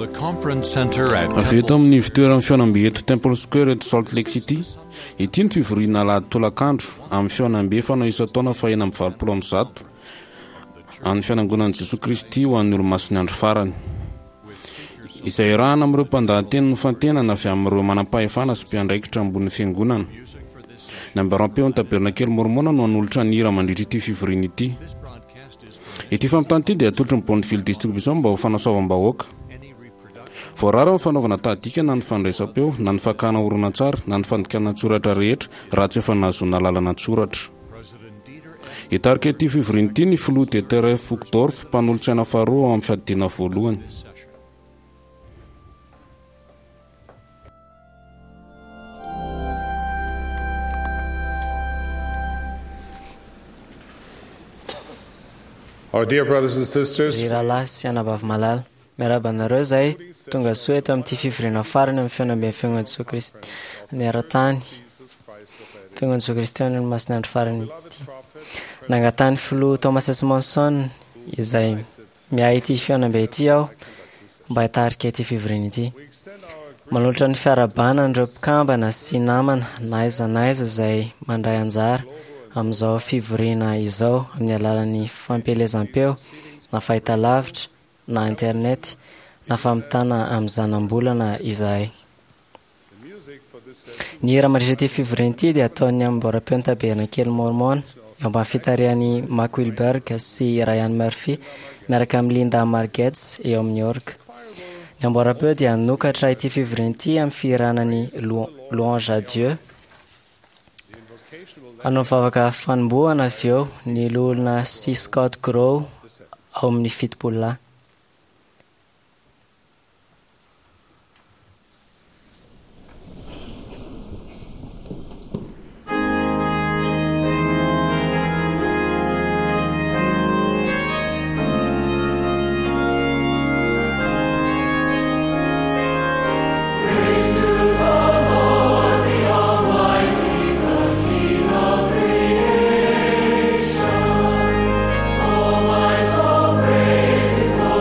the conference center at Avy eto amin'ny ivontoeran'ny fihaonambe eto Temple Square eto Salt Lake City, ity no fivoriana alahady tolakandro amin'ny fihaonambe fanao isan-taona faha-186 an'ny Fianangonan'i Jesoa Kristy ho an'ny Olomasin'ny Andro Farany, izay iarahana amin'ireo mpandahateny nofantenana avy amin'ireo manampahefana sy mpiandraikitra ambonin'ny Fiangonana. Ny ambaram-peon'ny Tabernakely Môrmôna no hanolotra ny hira mandritra ity fivoriana ity. Ity fampitana ity dia atolotry ny Bonneville Distribution mba ho fanasoavam-bahoaka. Voarara ny fanaovana tahadika na ny fandraisam-peo, na ny fakana horonantsary, na ny fandikana an-tsoratra rehetra raha tsy efa nahazoana alalana an-tsoratra. Hitarika ity fivoriana ity ny Filoha Dieter F. Uchtdorf, mpanolotsaina faharoa ao amin'ny Fiadidiana Voalohany. Our dear brothers and sisters, Ry rahalahy sy anabavy malala, miarahaba anareo izahay tonga soa eto amin'ity fivoriana farany amin'ny fihaonamben'ny Fiangonan'i Jesoa Kristy eran-tany, Fiangonan'i Jesoa Kristy any Olomasin'ny Andro Farany ity. Nangatahan'ny Filoha Thomas S. Monson izay Miahy ity fihaonambe ity aho mba hitarika ity fivoriana ity. Manolotra ny fiarahabana an'ireo mpikambana sy namana na aiza na aiza izay mandray anjara amin'izao fivoriana izao amin'ny alalan'ny fampielezam-peo na fahitalavitra na internet na fampitana amin'ny zana-bolana izahay. Ny hira mandritra ity fivoriana ity dia ataon'ny amboaram-peon'ny Tabernakely Môrmôna, eo ambany fitarihan'i Mack Wilberg sy Ryan Murphy miaraka amin'i Linda Margetts eo amin'ny orga. Ny amboaram-peo dia hanokatra ity fivoriana ity amin'ny fihirana ny Louange à Dieu. Hanao vavaka fanombohana avy eo ny Loholona C. Scott Grow ao amin'ny Fitopololahy. Praise the Lord, the Almighty, the King of creation. Oh, my soul, praise Him.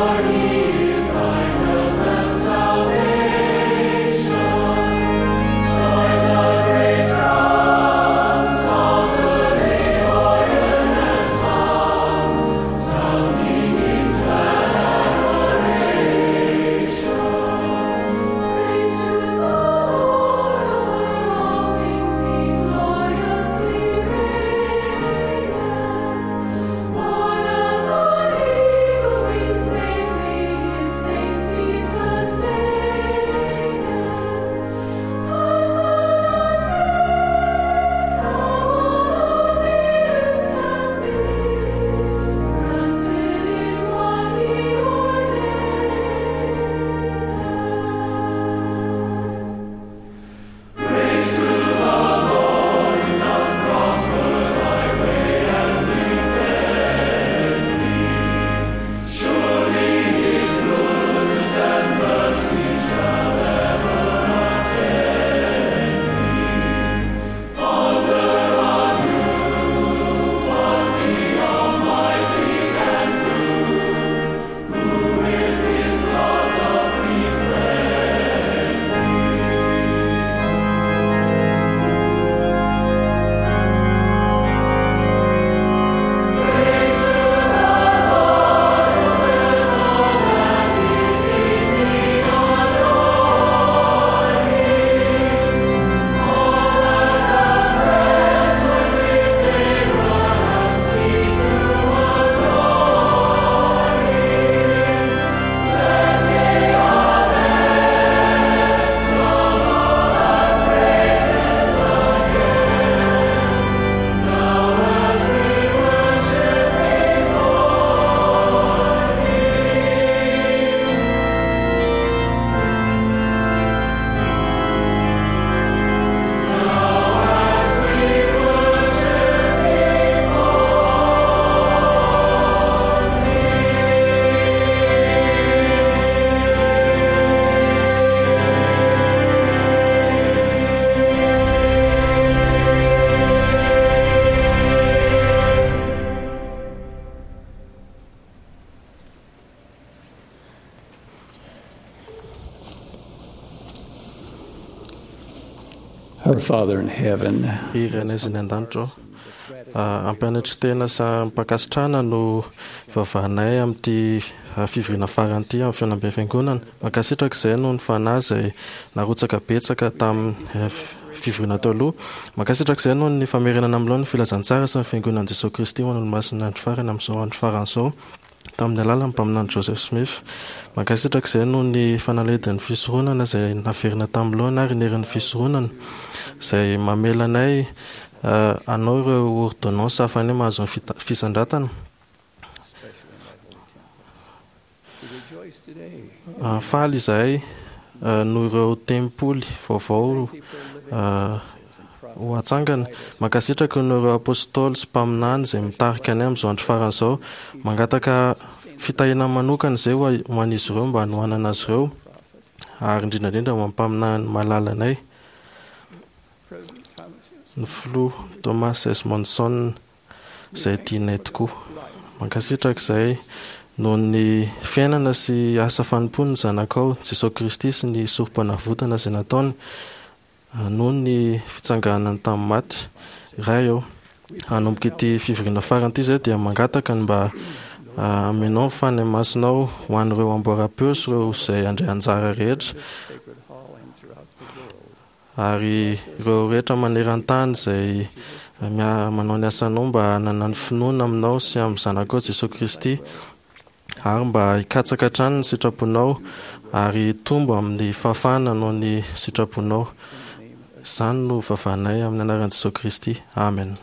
Our Father in heaven, Ry Rainay izay any an-danitra ô, ampianatry tena sy am-pankasitrahana no ivavahanay amin'ity fivoriana farany ity amin'ny fihaonamben'ny Fiangonana. Mankasitraka izay noho ny Fanahy izay narotsaka betsaka tamin'ny fivoriana teo aloha. Mankasitraka izay noho ny famerenana amin'ny laoniny ny filazantsara sy ny Fiangonan'i Jesoa Kristy ho an'Olomasin'ny andro farany amin'izao andro farany izao. Tamin'ny alalan'ny mpaminany Joseph Smith. Mankasitraka izay noho ny fanalahidin'ny fisoronana izay naverina tamin'ny laona ary ny herin'ny fisoronana izay mamela anay hanao ireo ôrdônansy ahafahanay mahazo ny fisandratana. Faly izahay noho ireo tempoly vaovao ho atsangana. Mankasitraka noho ireo apostoly sy mpaminany izay mitarika anay amin'izao andro farany izao. Mangataka fitahiana manokana izay ho an'izy ireo mba hanohanana azy ireo ary indrindra indrindra ho an'ny mpaminany malalanay, ny filoha Thomas S. Monson. izay tianay tokoa. Mankasitraka izahay noho ny fiainana sy asa fanompoan'ny Zanakao, Jesoa Kristy sy ny Sorompanavotana izay nataony noho ny fitsanganany tamin'ny maty. Ray ô, hanomboka ity fivoriana farany ity izahay dia mangataka ny mba hamenao ny Fanahy Masinao ho an'ireo amboaram-peo sy ireo izay handray anjara rehetra. Ary ireo rehetra maneran-tany izay manao ny asanao mba hanana ny finoana aminao sy amin'ny Zanakao Jesoa Kristy, ary mba hikatsaka hatrany ny sitraponao ary hitombo amin'ny fahafahana hanao ny sitraponao. Izany no vavahanay amin'ny anaran'i Jesoa Kristy. Amen.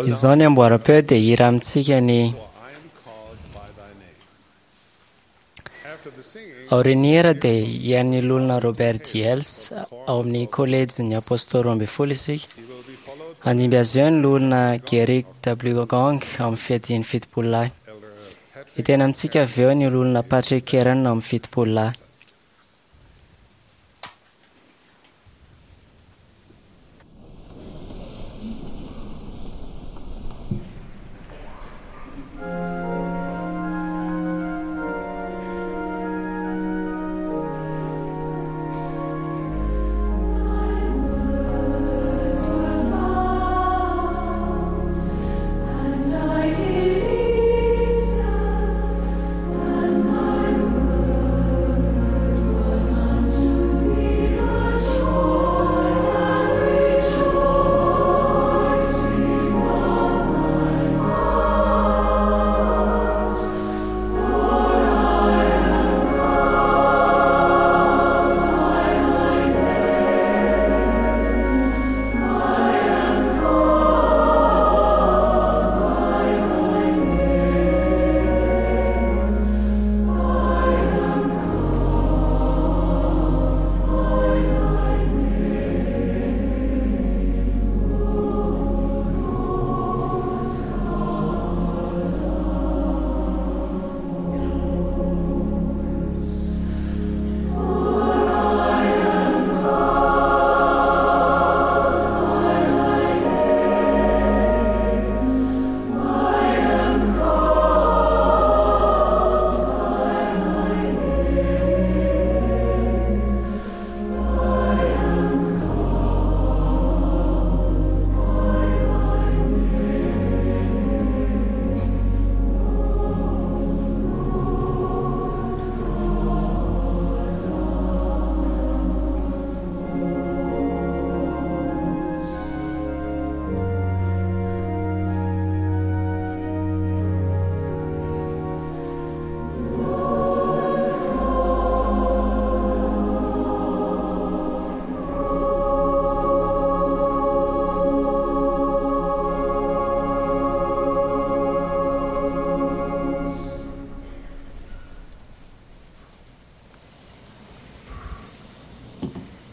Izao ny amboaram-peo dia hira amintsika ny Aorian'ny hira dia hihaino ny Loholona Robert Diels ao amin'ny Kolejin'ny Apôstôly 12 isika. Handimby azy eo ny Loholona Gerrit W. Gong ao amin'ny Fiadian'ny Fitopololahy. Hiteny amintsika avy eo ny Loholona Patrick Kearon ao amin'ny Fitopololahy.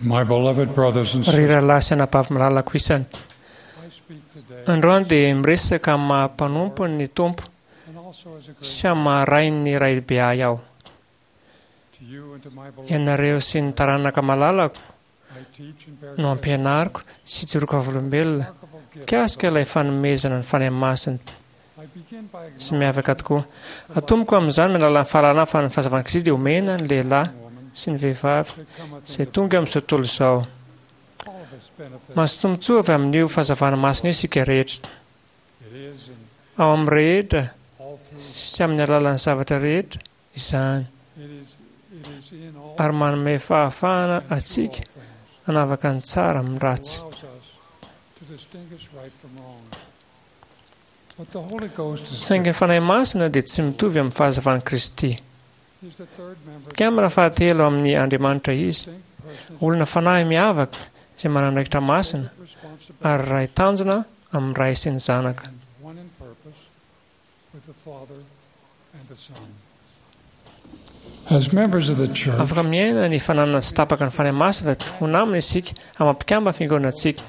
My beloved brothers and Ry sisters, rahalahy sy anabavy malalako isany, I speak today androany dia miresaka amin'ny maha mpanompo ny Tompo and also as a great sy amin'ny maha rain'ny raibe ahy aho. to you and to my beloved. Ianareo sy ny taranaka malalako I teach and bear no ampianariko sy joroka volombelona remarkable gift. mikasika ilay fanomezana ny Fanahy Masina. sy miavaka tokoa. Atomboko amin'izany amin'ny alalan'ny fahalalana fa ny fahazavan'i Kristy dia omena ny lehilahy sy ny vehivavy izay tonga amin'izao tontolo izao. Mahazo tombontsoa avy amin'io fahazavana masina io isika rehetra. Ao amin'ny rehetra sy amin'ny alalan'ny zavatra rehetra izany, ary manome fahafahana antsika hanavaka ny tsara amin'ny ratsy. Saingy ny Fanahy Masina dia tsy mitovy amin'ny fahazavan'i Kristy. Mpikambana fahatelo amin'ny Andriamanitra Izy, olona fanahy miavaka izay manana andraikitra masina ary iray tanjona amin'ny Ray sy ny Zanaka. Afaka miaina ny fananana tsy tapaka ny Fanahy Masina ho namana isika amin'ny maha mpikambana fiangonantsika.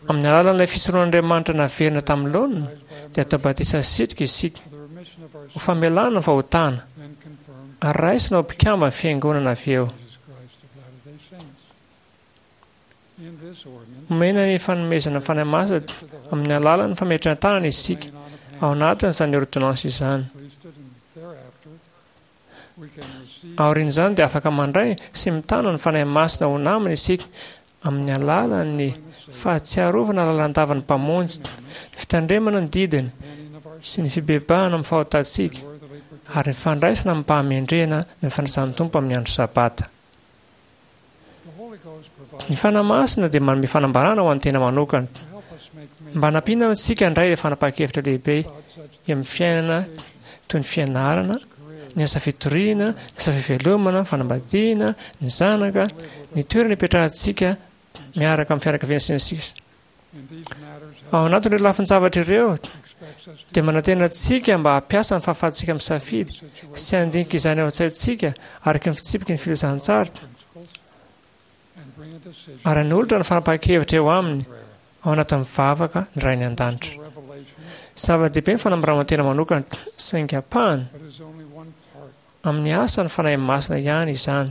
Amin'ny alalan'ilay fisoron'Andriamanitra naverina tamin'ny laoniny, dia atao batisa sitrika isika ho famelana ny fahotana ary raisina ho mpikamban'ny Fiangonana avy eo. Omena ny fanomezana ny Fanahy Masina amin'ny alalan'ny fametrahan-tanana isika ao anatin'izany ôrdônansy izany. Aorian'izany dia afaka mandray sy mitana ny Fanahy Masina ho namana isika amin'ny alalan'ny fahatsiarovana lalandava ny Mpamonjy, ny fitandremana ny didiny sy ny fibebahana amin'ny fahotantsika ary ny fandraisana amim-pahamendrehana ny fanasan'ny Tompo amin'ny andro Sabata. Ny Fanahy Masina dia manome fanambarana ho an'ny tena manokana mba hanampiana antsika handray ireo fanapahan-kevitra lehibe eo amin'ny fiainana toy ny fianarana, ny asa fitoriana, ny asa fivelomana, ny fanambadiana, ny zanaka, ny toerana ipetrahantsika miaraka amin'ny fianakaviana sy ny sisa. Ao anatin'ireo lafin-javatra ireo dia manantena antsika mba hampiasa ny fahafahantsika misafidy sy handinika izany ao an-tsaintsika araka ny fitsipiky ny filazantsara ary hanolotra ny fanapahan-kevitra eo aminy ao anatin'ny vavaka ny Rainy an-danitra. Zava-dehibe ny fanambarana tena manokana, saingy ampahany amin'ny asan'ny Fanahy Masina ihany izany.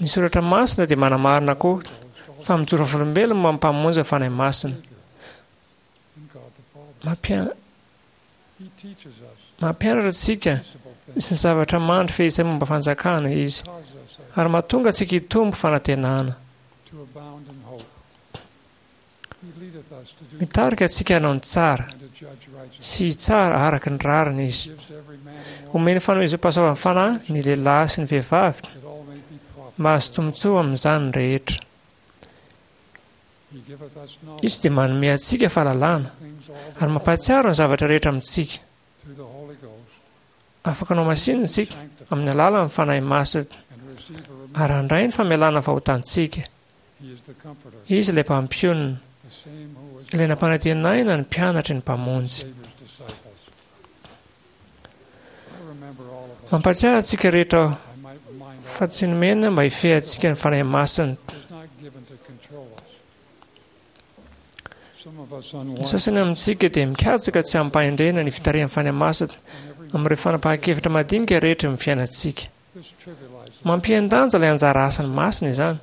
Ny Soratra Masina dia manamarina koa fa mijoro vavolombelona momba ny Mpamonjy ny Fanahy Masina. Mampianatra antsika sy ny zavatra mandry fehizay momba fanjakana Izy, ary mahatonga antsika hitombo fanantenana. Mitarika antsika hanao ny tsara sy hitsara araka ny rariny Izy. Omeny fanomezam-pahasoavan'ny Fanahy ny lehilahy sy ny vehivavy mba hahazo tombontsoa amin'izany ny rehetra. Izy dia manome antsika fahalalana ary mampahatsiaro ny zavatra rehetra amintsika. Afaka nohamasinina isika amin'ny alalan'ny Fanahy Masina ary handray ny famelana fahotantsika. Izy ilay Mpampionona, ilay nampanantenaina ny mpianatry ny Mpamonjy. Mampahatsiahy antsika rehetra aho fa tsy nomena mba hifehy antsika ny Fanahy Masina. Ny sasany amintsika dia mikatsaka tsy amim-pahendrena ny fitarihan'ny Fanahy Masina amin'ireo fanapahan-kevitra madinika rehetra amin'ny fiainantsika. Mampihen-danja ilay anjara asany masina izany.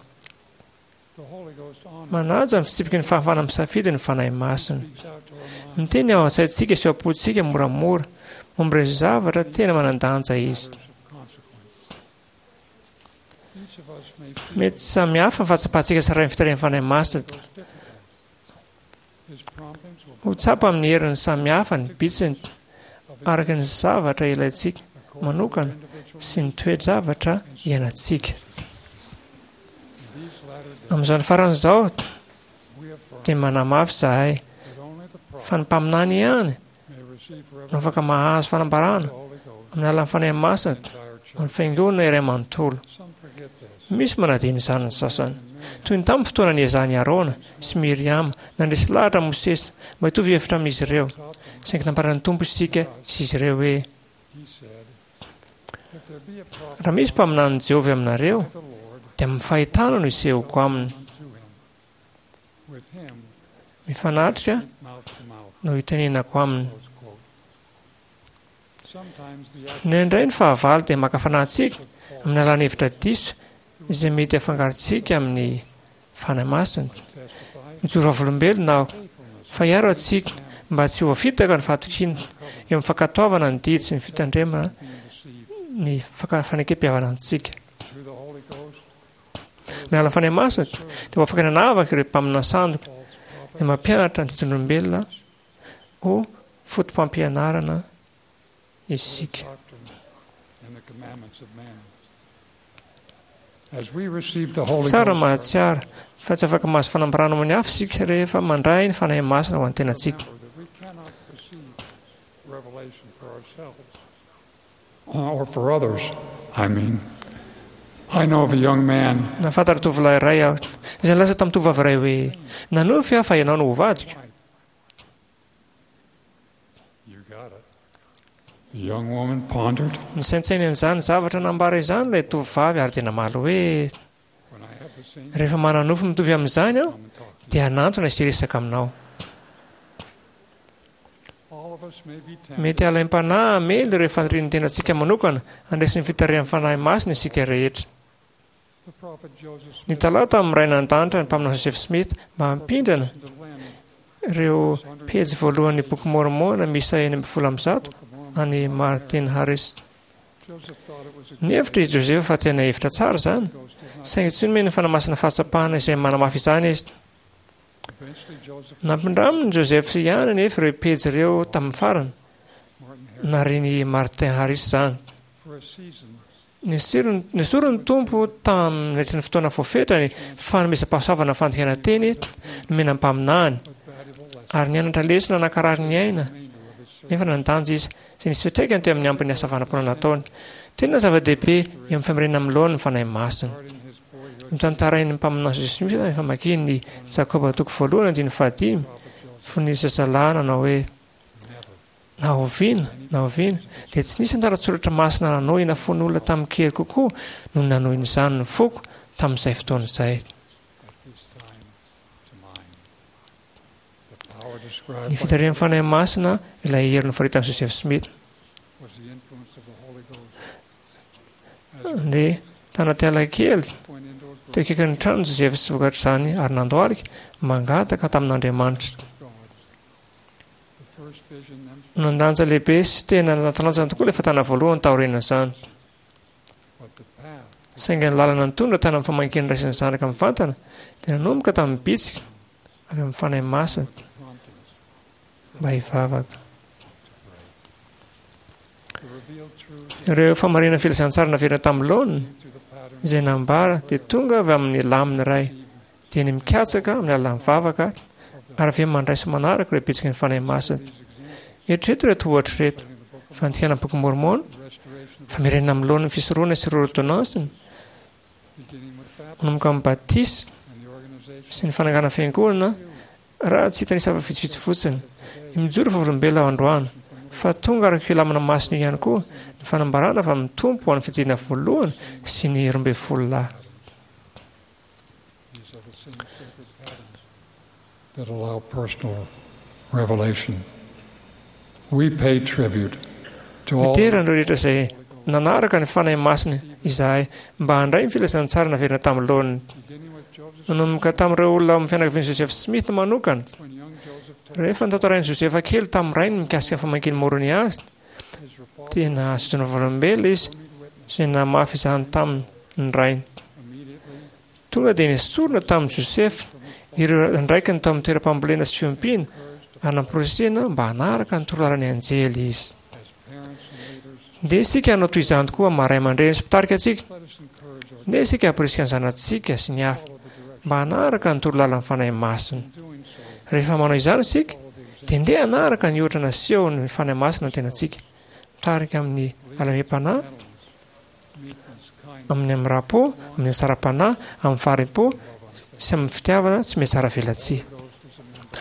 Manaja ny fitsipiky ny fahafahana misafidy ny Fanahy Masina. Miteny ao an-tsaintsika sy ao am-pontsika moramora momba ireo zavatra tena manan-danja Izy. Mety samy hafa ny fahatsapantsika tsirairay ny fitarihan'ny Fanahy Masina. Ho tsapa amin'ny heriny samy hafa ny bitsiny araka ny zavatra ilaintsika manokana sy ny toe-javatra iainantsika. Amin'izao andro farany izao dia manamafy izahay fa ny mpaminany ihany no afaka mahazo fanambarana amin'ny alalan'ny Fanahy Masina amin'ny Fiangonana iray manontolo. Misy manadino izany ny sasany. Toy ny tamin'ny fotoana niezahan'i Arona sy Miriama nandresy lahatra an'i Mosesy mba hitovy hevitra amin'izy ireo, saingy nambaran'ny Tompo isika sy izy ireo hoe, Raha misy mpaminanin'i Jehovah eo aminareo, dia amin'ny fahitana no hisehoako aminy. Mifanatrika no hitenenako aminy. Indraindray ny fahavalo dia maka fanahy antsika amin'ny alalan'ny hevitra diso izay mety hafangarontsika amin'ny Fanahy Masina. Mijoro vavolombelona aho fa hiaro antsika mba tsy ho voafitaka ny fahatokiana eo amin'ny fankatoavana ny didy sy ny fitandremana ny fanekem-pihavanantsika. Ny alalan'ny Fanahy Masina dia ho afaka nanavaka ireo mpaminany sandoka izay mampianatra ny didin'olombelona ho fotopampianarana isika. Tsara mahatsiaro fa tsy afaka mahazo fanambarana amin'ny hafa isika rehefa mandray ny Fanahy Masina ho an'ny tenantsika. Nahafantatra tovolahy iray aho izay nilaza tamin'ny tovovavy iray hoe, Nanofy aho fa ianao no ho vadiko. Nisaintsaina an'izany zavatra nambara izany ilay tovovavy ary dia namaly hoe, Rehefa manana-nofy mitovy amin'izany aho, dia hanantona sy hiresaka aminao. Mety halaim-panahy hamely ireo fanirian'ny tenantsika manokana handresy ny fitarihan'ny Fanahy Masina isika rehetra. Nitalaho tamin'ny Ray Nandanitra ny Mpaminany Joseph Smith mba hampindrana ireo pejy voalohan'ny Boky Môrmôna miisa 116 an'i Martin Harris. Nihevitra i Joseph fa tena hevitra tsara izany, saingy tsy nomeny ny Fanahy Masina fahatsapana izay manamafy izany izy. Nampindramin'i Joseph ihany anefa ireo pejy ireo tamin'ny farany, narian'i Martin Harris izany. Nesorin'ny Tompo tamin'ny ny fotoana voafetra ny fanomezam-pahasoavana fandikana teny nomena ny mpaminany, ary nianatra lesona nankarary ny aina nefa nandanja izy, izay nisy fiantraikany teo amin'ny ambin'ny asa fanompoana nataony. Tena zava-dehibe eo amin'ny famerenana amin'ny laoniny ny Fanahy Masina. Notantarain'ny mpaminany Joseph Smith ny famakiany ny Jakoba toko voalohany andininy fahadimy fony izy zazalahy nanao hoe, Na oviana na oviana dia tsy nisy andalan-tsoratra masina nanohina fon'olona tamin-kery kokoa noho ny nanohin'izany ny foko tamin'izay fotoana izay. Ny fitarihan'ny Fanahy Masina ilay hery nofaritan'i Joseph Smith. Ndeha tanaty ala kely teo akaikin'ny tranon'i Joseph sy vokatr'izany ary nandohalika mangataka tamin'Andriamanitra. Nandanja lehibe sy tena natalanjana tokoa ilay fatana voalohany taorian'izany. Saingy ny lalana nitondra tany amin'ny famangian'ny ray sy ny zanaka mivantana dia nanomboka tamin'ny bitsika avy amin'ny Fanahy Masina mba hivavaka. Ireo famarinan'ny filazantsara naverina tamin'ny laoniny izay nambara dia tonga avy amin'ny lamina iray dia ny mikatsaka amin'ny alalan'ny vavaka ary avy eo mandray sy manaraka ireo bitsiky ny Fanahy Masina. Eritrereto ireto ohatra ireto, fandikana ny Boky Môrmôna, famerenana amin'ny laoniny ny fisoronana sy ireo ôrdônansiny, manomboka amin'ny batisa sy ny fananganana fiangonana, raha tsy hitanisa fa vitsivitsy fotsiny. Mijoro vavolombelona aho androany fa tonga araka io lamina masina io ihany koa ny fanambarana avy amin'ny Tompo ho an'ny fijeriana voalohany sy ny 12 lahy. That allow personal revelation. We pay tribute to all. Midera an'ireo rehetra izay nanaraka ny Fanahy Masina izahay mba handray ny filazantsara naverina tamin'ny laoniny. Nanomboka tamin'ireo olona ao amin'ny fianakavian'i Joseph Smith manokana. Rehefa notantarain'i Josefa kely tamin'ny rainy mikasika ny famakian'i Môrônia azy, dia nahazo fijoroana vavolombelona izy izay namafy izany taminy ny rainy. Tonga dia nesorina tamin'i Josefa ireo andraikiny tao amin'ny toeram-pambolena sy fiompiana ary namporisihina mba hanaraka ny torolalan'ny anjely izy. Ndeha isika hanao toy izany koa amin'ny maha ray aman-dreny sy mpitarika antsika. Ndeha isika hamporisika ny zanatsika sy ny hafa mba hanaraka ny torolalan'ny Fanahy Masina. Rehefa manao izany isika, dia ndeha hanaraka ny ohatra nasehon'ny Fanahy Masina ny tenantsika, mitarika amin'ny halemem-panahy, amin'ny hamoram-po, amin'ny hatsaram-panahy, amin'ny fahari-po sy amin'ny fitiavana tsy mihatsaravelatsihy.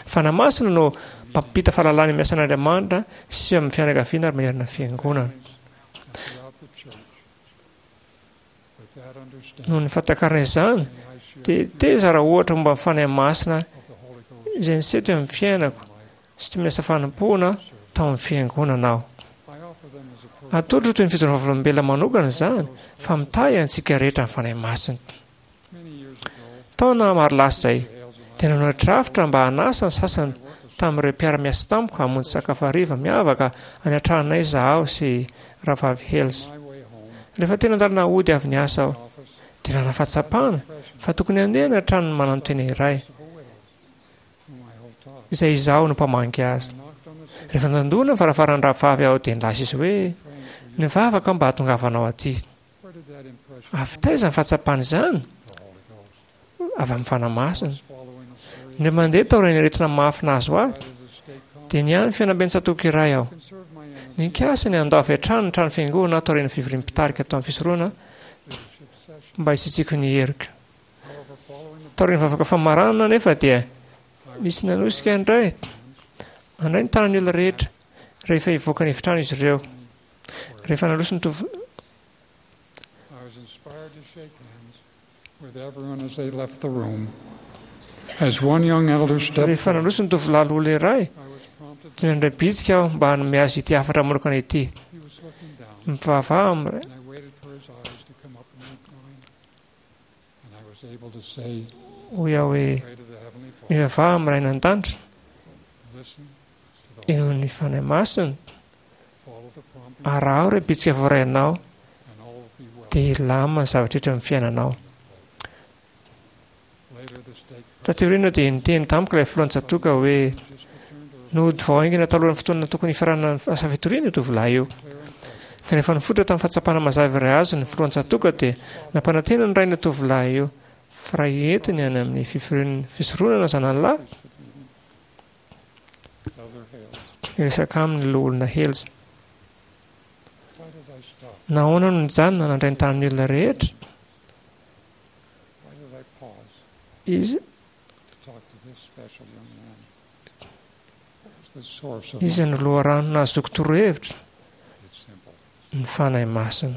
Fanahy Masina no mpampita fahalalana amin'ny asan'Andriamanitra sy amin'ny fianakaviana ary manerana ny fiangonana. Noho ny fahatakarana izany, dia te hizara ohatra momba ny Fanahy Masina izay niseho teo amin'ny fiainako sy teo amin'ny asa fanompoana tao amin'ny fiangonana aho. Atolotro toy ny fijoroana vavolombelona manokana izany fa mitahy antsika rehetra ny Fanahy Masina. Taona maro lasa izay, dia dia nanao drafitra mba hanasa ny sasany tamin'ireo mpiara-miasa tamiko hamonjy sakafo hariva miavaka any an-tranonay izaho sy Rahavavy Hales. Rehefa teny an-dalana hody avy niasa aho, dia nanana fahatsapana fa tokony handeha any an-tranon'ny mananotena iray, izay izaho no mpamangy azy. Rehefa nandona ny varavaran'ny rahavavy aho, dia nilaza izy hoe, Nivavaka aho mba hahatongavanao aty. Avy taiza ny fahatsapana izany? Avy amin'ny Fanahy Masina. Indray mandeha taorian'ny aretina mafy nahazo ahy, dia nihaino fihaonamben'ny tsatòka iray aho. Nikasa ny handao avy hatrany ny trano fiangonana aho taorian'ny fivorian'ny mpitarika tao amin'ny fisoronana mba hisitriko ny heriko. Taorian'ny vavaka famaranana anefa dia nisy nanosika indray handray ny tanan'ny olona rehetra rehefa hivoaka ny efitrano izy ireo. Rehefa nandroso ny tovo Rehefa nandroso ny tovolahy loholona iray, dia nandray bitsika aho mba hanome azy ity hafatra manokana ity. Mivavaha amin'ny Ray. Hoy aho hoe, Mivavaha amin'ny Rain'ny An-danitra, henoy ny Fanahy Masina, araho ireo bitsika voarainao, dia hilamina ny zavatra rehetra amin'ny fiainanao. Taty aoriana dia niteny tamiko ilay filohan'ny tsatòka hoe nody vao haingana talohan'ny fotoana tokony hifaranan'ny asa fitoriana io tovolahy io. Ka rehefa nifototra tamin'ny fahatsapana mazava iray azony ny filohan'ny tsatòka dia nampanantena ny rain'io tovolahy io fa raha entiny any amin'ny fivorian'ny fisoronana zanany lahy, hiresaka aminy ny loholona Hales. Nahoana no nijanona nandray ny tanan'ny olona rehetra? Izy Iza no loharano nahazoako torohevitra? Ny Fanahy Masina.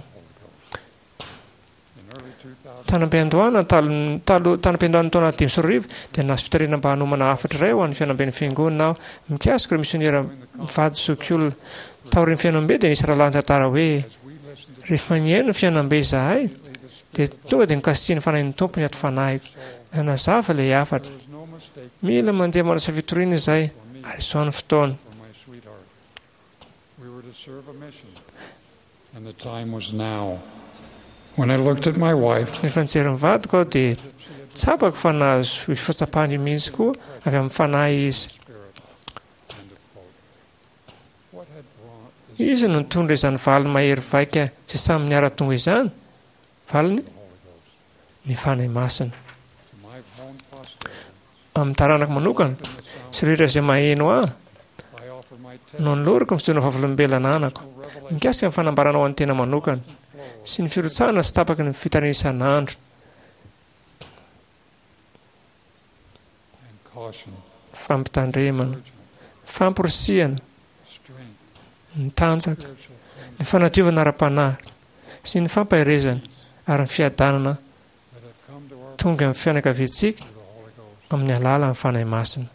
Tany am-piandohana, talo, talo, tany am-piandohan'ny taona 2005, dia nahazo fitarihana mba hanomana hafatra iray ho an'ny fihaonamben'ny Fiangonana aho mikasika ireo misionera mivady zokiolona. Taorian'ny fihaonambe dia nisy rahalahy nitantara hoe, Rehefa nihaino ny fihaonambe izahay, Dia tonga dia nokasihin'ny Fanahin'ny Tompo ny ati-fanahiko. Nanazava ilay hafatra. Mila mandeha manasa fitoriana izahay, ary izao ny fotoana. Rehefa nijery ny vadiko aho dia tsapako fa nahazo io fahatsapana io mihitsy koa avy amin'ny Fanahy izy. Iza no nitondra izany valiny mahery vaika sy samy niara-tonga izany? Valiny, Ny Fanahy Masina. Amin'ny taranako manokana, sy rehetra izay maheno ahy, no anolorako ny fijoroana vavolombelona ananako, mikasika ny fanambarana ho an'ny tena manokana, sy ny firotsahana tsy tapaky ny fitarihana isan'andro. Fampitandremana, famporisihana, ny tanjaka, ny fanadiovana ara-panahy sy ny fampaherezana ary ny fiadanana tonga amin'ny fianakaviantsika amin'ny alalan'ny Fanahy Masina.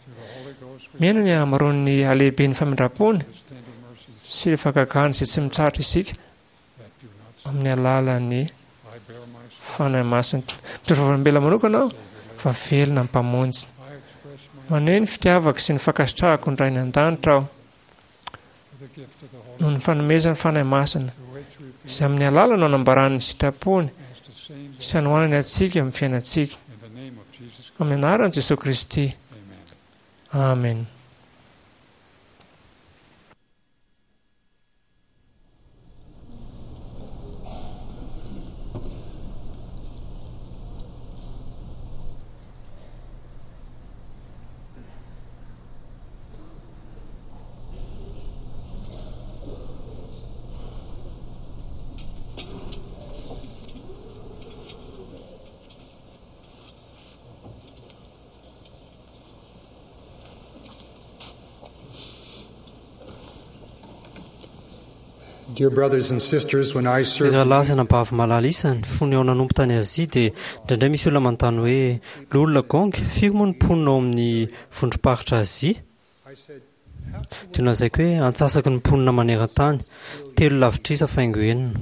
Miaina ny hamaroan'ny halehiben'ny famindram-pony sy ireo fahagagany izay tsy mitsahatra isika amin'ny alalan'ny Fanahy Masina. Mitondra vavolombelona manokana aho fa velona ny Mpamonjy. Maneho ny fitiavako sy ny fankasitrahako ny Rainy an-danitra aho noho ny fanomezan'ny Fanahy Masina, izay amin'ny alalany no anambarany ny sitrapony sy anohanany antsika amin'ny fiainantsika. Amin'ny anaran'i Jesoa Kristy. Amena. Dear brothers and sisters, when I Ry served rahalahy sy anabavy malala isany, fony aho nanompo tany Azia dia indraindray misy olona manontany hoe, Loholona Gong, firy moa ny mponina ao amin'ny vondrom-paritra Azia? Dia nolazaiko hoe, Antsasaky ny mponina maneran-tany, telo lavitrisa faingo enina.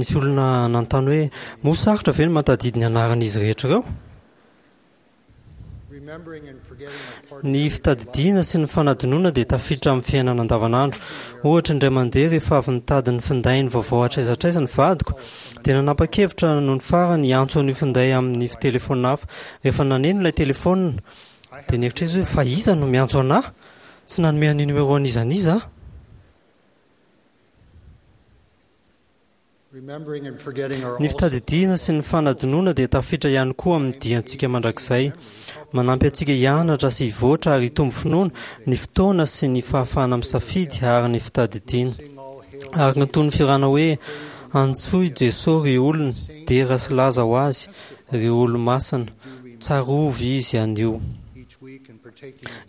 Nisy olona nanontany hoe, Moa sarotra ve ny mahatadidy ny anaran'izy rehetra ireo? Ny fitadidiana sy ny fanadinoana dia tafiditra amin'ny fiainana andavanandro. Ohatra, indray mandeha rehefa avy nitady ny findainy vaovao hatraiza hatraiza ny vadiko, dia nanapa-kevitra nony farany hiantso an'io finday amin'ny telefaonina hafa. Rehefa naneno ilay telefaonina, dia nieritreritra izy hoe, 'Fa iza no miantso an'ahy? Tsy nanome an'io numéro an'iza n'iza aho. Ny fitadidiana sy ny fanadinoana dia tafiditra ihany koa amin'ny diantsika mandrakizay. Manampy antsika hianatra sy hivoatra ary hitombo finoana ny fotoana sy ny fahafahana misafidy ary ny fitadidiana. Araka ny tonon'ny fihirana hoe Antsoy Jeso ry olona, dera sy laza ho Azy, ry olo-masina, tsarovy Izy anio.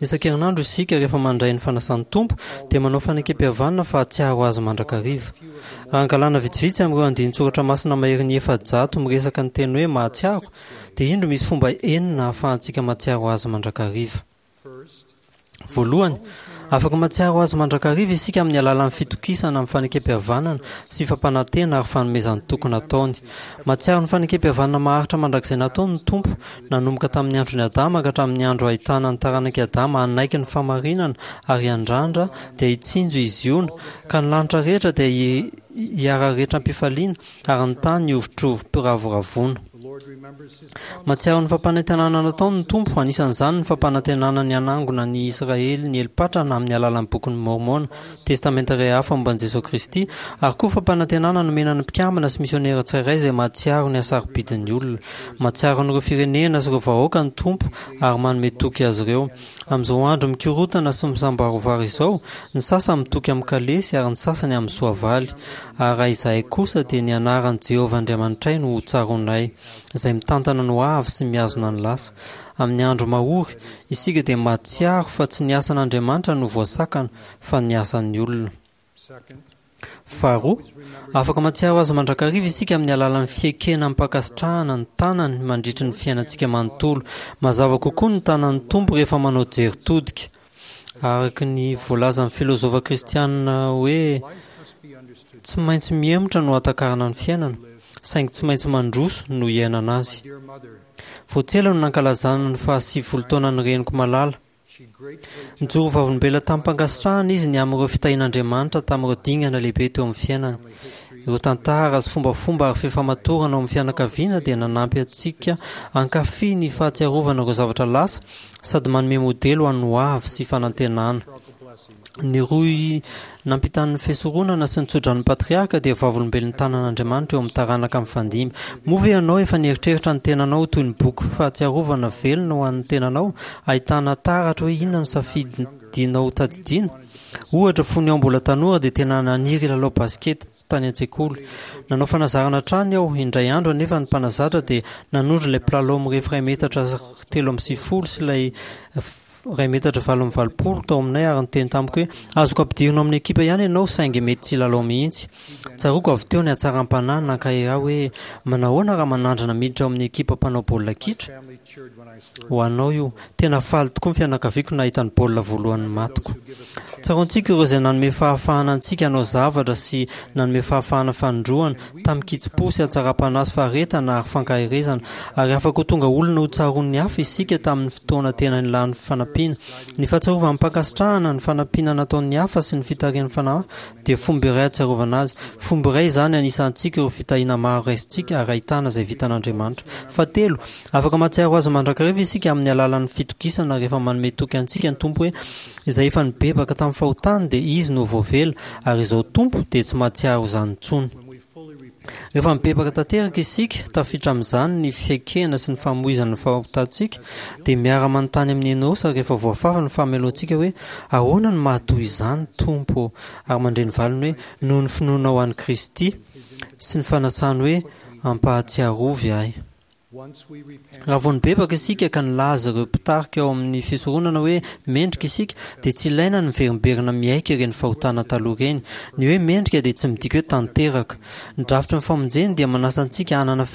Isan-kerinandro isika rehefa mandray ny fanasan'ny Tompo dia manao fanekempihavanana fa hahatsiaro Azy mandrakariva. Raha angalana vitsivitsy amin'ireo andinin-tsoratra masina maherin'ny 400 miresaka ny teny hoe mahatsiaro dia indro misy fomba enina ahafahantsika mahatsiaro Azy mandrakariva. Voalohany, afaka mahatsiaro Azy mandrakariva isika amin'ny alalan'ny fitokisana amin'ny fanekempihavanana sy fampanantena ary fanomezan-toky nataony. Mahatsiaro ny fanekempihavanana maharitra mandrakizay nataony ny Tompo Nanomboka tamin'ny andron'i Adama ka hatramin'ny andro ahitana ny taranak'i Adama hanaiky ny fahamarinana ary hiandrandra, dia hitsinjo i Ziona, ka ny lanitra rehetra dia hiara-rehetra am-pifaliana, ary ny tany hihovitrovim-piravoravoana. Mahatsiaro ny fampanantenana nataony ny Tompo, anisan'izany ny fampanantenana ny hanangona ny Isiraely nieli-patrana amin'ny alalan'ny Bokin'i Môrmôna, Testamenta iray hafa momba an'i Jesoa Kristy, ary koa fampanantenana nomena ny mpikambana sy misionera tsirairay izay mahatsiaro ny hasarobidin'ny olona. Mahatsiaro an'ireo firenena sy ireo vahoaka ny Tompo ary manome toky azy ireo. Amin'izao andro mikorontana sy misambarovaro izao, ny sasany mitoky amin'ny kalesy ary ny sasany amin'ny soavaly. Ary raha izahay kosa dia ny anaran'i Jehovah Andriamanitray no hotsaroanay, izay mitantana ny hoavy sy mihazona ny lasa. Amin'ny andro mahory, isika dia mahatsiaro fa tsy ny asan'Andriamanitra no voasakana fa ny asan'ny olona. Faharoa, afaka mahatsiaro Azy mandrakariva isika amin'ny alalan'ny fiekena amim-pankasitrahana ny tanany mandritry ny fiainantsika manontolo. Mazava kokoa ny tanan'ny Tompo rehefa manao jery todika. Araka ny voalazan'ny filozofa kristianina hoe tsy maintsy mihemotra no hahatakarana ny fiainana, saingy tsy maintsy mandroso no hiainana azy. Vao tsy ela no nankalazana ny faha-90 taonan'ny reniko malala. Nijoro ho vavolombelona tamim-pankasitrahana izy ny amin'ireo fitahian'Andriamanitra tamin'ireo dingana lehibe teo amin'ny fiainany. Ireo tantara sy fombafomba ary fifamatorana ao amin'ny fianakaviana dia nanampy antsika hankafy ny fahatsiarovana ireo zavatra lasa sady manome modely ho an'ny hoavy sy fanantenana. Ny rohy nampitan'ny fisoronana sy ny tsodranon'ny patriarka dia vavolombelon'ny tanan'Andriamanitra eo amin'ny taranaka mifandimby. Moa ve ianao efa nieritreritra ny tenanao ho toy ny boky fahatsiarovana velona ho an'ny tenanao, ahitana taratra hoe inona no safidinao hotadidiana? Ohatra, fony aho mbola tanora dia tena naniry hilalao basikety tany an-tsekoly. Nanao fanazarana hatrany aho. Indray andro anefa ny mpanazatra dia nanondro ilay mpilalao mirefy iray metatra 93 sy ilay iray metatra 88 tao aminay ary niteny tamiko hoe, Azoko ampidirina ao amin'ny ekipa ihany ianao saingy mety tsy hilalao mihitsy. Tsaroako avy teo ny hatsaram-panahy nankahery ahy hoe, Manahoana raha manandrana miditra ao amin'ny ekipa mpanao baolina kitra? Ho anao io. Tena faly tokoa ny fianakaviako nahita ny baolina voalohany matiko. Tsaroantsika ireo izay nanome fahafahana antsika hanao zavatra sy nanome fahafahana fanindroana, tamin-kitsim-po sy hatsaram-panahy sy faharetana ary fankaherezana. Ary afaka ho tonga olona ho tsaroan'ny hafa isika tamin'ny fotoana tena nilany fanampiana. Ny fahatsiarovana amim-pankasitrahana ny fanampiana nataon'ny hafa sy ny fitarihan'ny Fanahy dia fomba iray hahatsiarovana azy. Fomba iray izany anisantsika ireo fitahiana maro raisintsika ary ahitana izay vitan'Andriamanitra. Fahatelo, Afaka mahatsiaro Azy mandrakariva isika amin'ny alalan'ny fitokisana rehefa manome toky antsika ny Tompo hoe izay efa nibebaka tamin'ny fahotany dia izy no voavela ary izao Tompo dia tsy mahatsiaro izany intsony. Rehefa mibebaka tanteraka isika, tafiditra amin'izany ny fiaikena sy ny famoizana ny fahotantsika, dia miara-manontany amin'i Enosa rehefa voafafa ny fahamelohantsika hoe ahoana no maha toy izany Tompo ô? ary mandre ny valiny hoe noho ny finoanao an'i Kristy sy ny fanasany hoe ampahatsiarovy ahy. Raha vao nibebaka isika ka nilaza ireo mpitarika ao amin'ny fisoronana hoe mendrika isika, dia tsy ilaina ny miverimberina miaiky ireny fahotana taloha ireny. Ny hoe mendrika dia tsy midika hoe tanteraka. Ny drafitry ny famonjeny dia manasa antsika hanana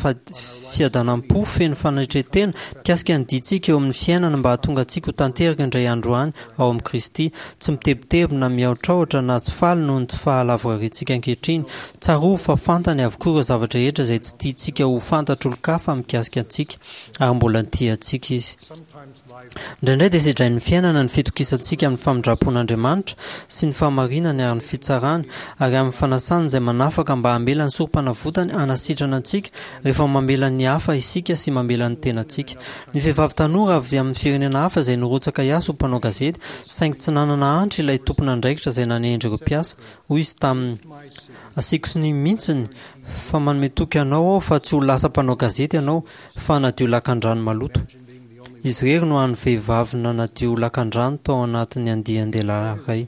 fiadanam-po feno fanetren-tena mikasika ny diantsika eo amin'ny fiainana mba hahatonga antsika ho tanteraka indray andro any ao amin'i Kristy, tsy mitebiteby na mihaotraotra na tsy faly noho ny tsy fahalavorariantsika ankehitriny. Tsarovy fa fantany avokoa ireo zavatra rehetra izay tsy tiantsika ho fantatr'olon-kafa mikasika antsika, ary mbola tia antsika Izy. Indraindray dia sedrain'ny fiainana ny fitokisantsika amin'ny famindram-pon'Andriamanitra sy ny fahamarinany ary ny fitsarany ary amin'ny fanasany izay manafaka mba hamela ny sorompanavotany hanasitrana antsika rehefa mamela ny hafa isika sy mamela ny tenantsika. Ny vehivavy tanora avy amin'ny firenena hafa izay nirotsaka hiasa ho mpanao gazety saingy tsy nanana antra ilay tompon'andraikitra izay nanendry ireo mpiasa. Hoy izy taminy, Asiako sonia mihitsiny fa manome toky anao aho fa tsy ho lasa mpanao gazety ianao fa hanadio lakandrano maloto. Izy irery no hany vehivavy nanadio lakandrano tao anatin'ny andian-dehilahy iray.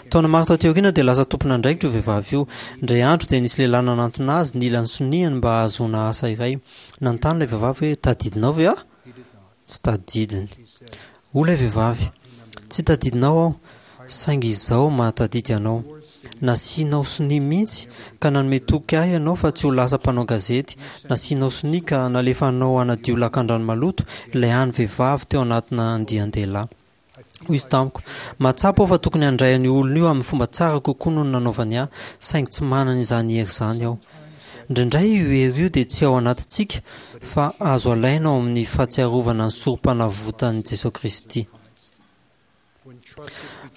Taona maro taty aoriana dia lasa tompon'andraikitra io vehivavy io. Indray andro dia nisy lehilahy nanantona azy nila ny soniany mba hahazoana asa iray. Nanontany ilay vehivavy hoe, Tadidinao ve aho? Tsy tadidiny. Hoy ilay vehivavy, Tsy tadidinao aho, saingy izaho mahatadidy anao. Nasianao sonia mihitsy ka nanome toky ahy ianao fa tsy ho lasa mpanao gazety. Nasianao sonia ka nalefanao hanadio lakandrano maloto ilay hany vehivavy teo anatina andian-dehilahy. Hoy izy tamiko, Mahatsapa aho fa tokony handray an'io olona io amin'ny fomba tsara kokoa noho ny nanaovany ahy, saingy tsy manana izany hery izany aho. Indraindray io hery io dia tsy ao anatintsika, fa azo alaina ao amin'ny fahatsiarovana ny Sorompanavotan'i Jesoa Kristy.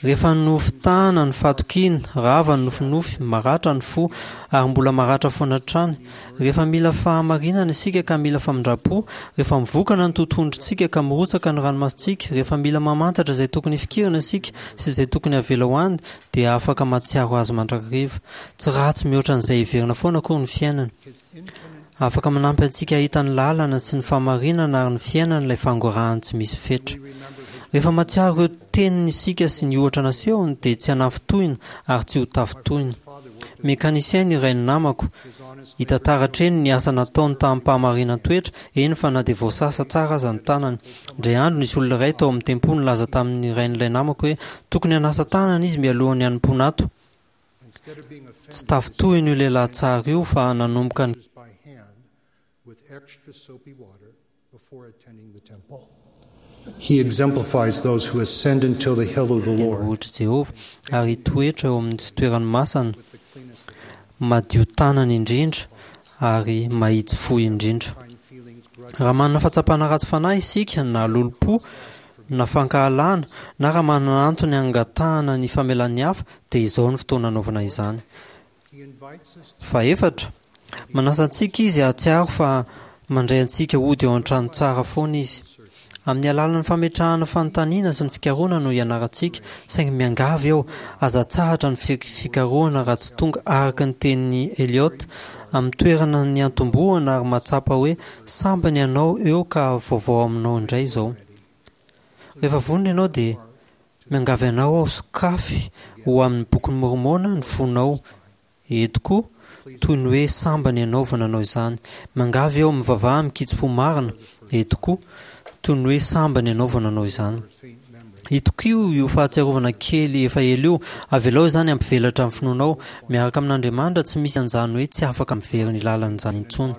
Rehefa nofitahana ny fahatokiana, rava ny nofinofy, maratra ny fo, ary mbola maratra foana hatrany. Rehefa mila fahamarinana isika ka mila famindram-po, rehefa mivokana ny totohondrintsika ka mirotsaka ny ranomasontsika, rehefa mila mamantatra izay tokony hifikirana isika sy izay tokony havela ho any, dia afaka mahatsiaro azy mandrakariva. Tsy ratsy mihoatra an'izay heverina foana akory ny fiainana. Afaka manampy antsika hahita ny lalana sy ny fahamarinana ary ny fiainana ilay fangorahany tsy misy fetra. Rehefa mahatsiaro ireo teniny isika sy ny ohatra nasehony dia tsy hanafintohina ary tsy ho tafintohina. Mécanicien ny rain'ny namako. Hita taratra eny ny asa nataony tamim-pahamarinan-toetra, eny fa na dia voasasa tsara aza ny tanany. Indray andro nisy olona iray tao amin'ny tempoly nilaza tamin'ny rain'ilay namako hoe tokony hanasa tanana izy mialohan'ny hanompoana ato. Tsy tafintohina io lehilahy tsara io fa nanomboka ny. Tendrombohitr'i Jehovah ary hitoetra eo amin'ny fitoerany masina, madio tanana indrindra ary mahitsy fo indrindra. Raha manana fahatsapana ratsy fanahy isika na lolompo na fankahalana na raha manana antony hangatahana ny famelan'ny hafa dia izao no fotoana anaovana izany. Fahefatra, manasa antsika Izy hahatsiaro fa mandray antsika hody ao an-trano tsara foana Izy. Amin'ny alalan'ny fametrahana fanontaniana sy ny fikarohana no ianarantsika, saingy miangavy aho, aza atsahatra ny fikarohana raha tsy tonga araka ny tenin'i Eliot, amin'ny toerana niantombohana ary mahatsapa hoe sambany ianao eo ka vaovao aminao indray izao. Rehefa vonona ianao dia miangavy anao aho sokafy ho amin'ny Bokin'i Môrmôna ny fonao eto koa, toy ny hoe sambany ianao vao nanao izany. Miangavy aho mivavaha amin-kitsim-po marina eto koa, toy ny hoe sambany ianao vao nanao izany. Itokio io fahatsiarovana kely efa ela io, avelao izany hampivelatra ny finoanao. Miaraka amin'Andriamanitra tsy misy an'izany hoe tsy afaka miverina ny lalana izany intsony.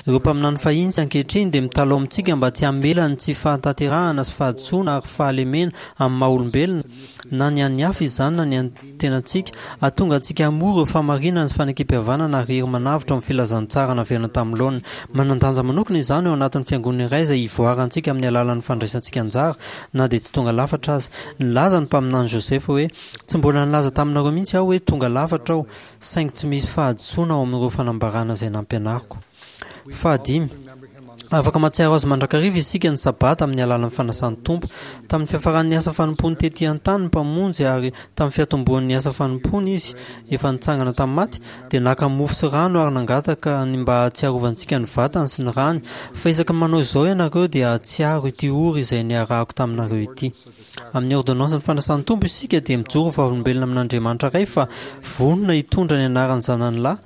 Ireo mpaminany fahiny sy ankehitriny dia mitalaho amintsika mba tsy hamela ny tsy fahatanterahana sy fahadisoana ary fahalemena amin'ny maha-olombelona, na ny an'ny hafa izany na ny an'ny tenantsika, hahatonga antsika hamory ireo fahamarinana sy fanekempihavanana ary hery manavotra ao amin'ny filazantsara naverina tamin'ny laoniny. Manan-danja manokana izany ao anatin'ny fiangonana iray izay ivoarantsika amin'ny alalan'ny fandraisantsika anjara, na dia tsy tonga lafatra aza. Nilaza ny mpaminany Joseph hoe, Tsy mbola nilaza taminareo mihitsy aho hoe tonga lafatra aho, saingy tsy misy fahadisoana ao amin'ireo fanambarana izay nampianariko. Fahadimy, afaka mahatsiaro azy mandrakariva isika ny Sabata amin'ny alalan'ny fanasan'ny Tompo. Tamin'ny fiafaran'ny asa fanompoany tetỳ an-tany ny Mpamonjy ary tamin'ny fiatombohan'ny asa fanompoany Izy efa nitsangana tamin'ny maty, dia naka mofo sy rano ary nangataka ny mba hahatsiarovantsika ny vatany sy ny rany, fa isaky ny manao izao ianareo dia hahatsiaro ity ory izay niarahako taminareo ity. Amin'ny ôrdônansin'ny fanasan'ny Tompo isika dia mijoro ho vavolombelona amin'Andriamanitra Ray fa vonona hitondra ny anaran'ny Zanany Lahy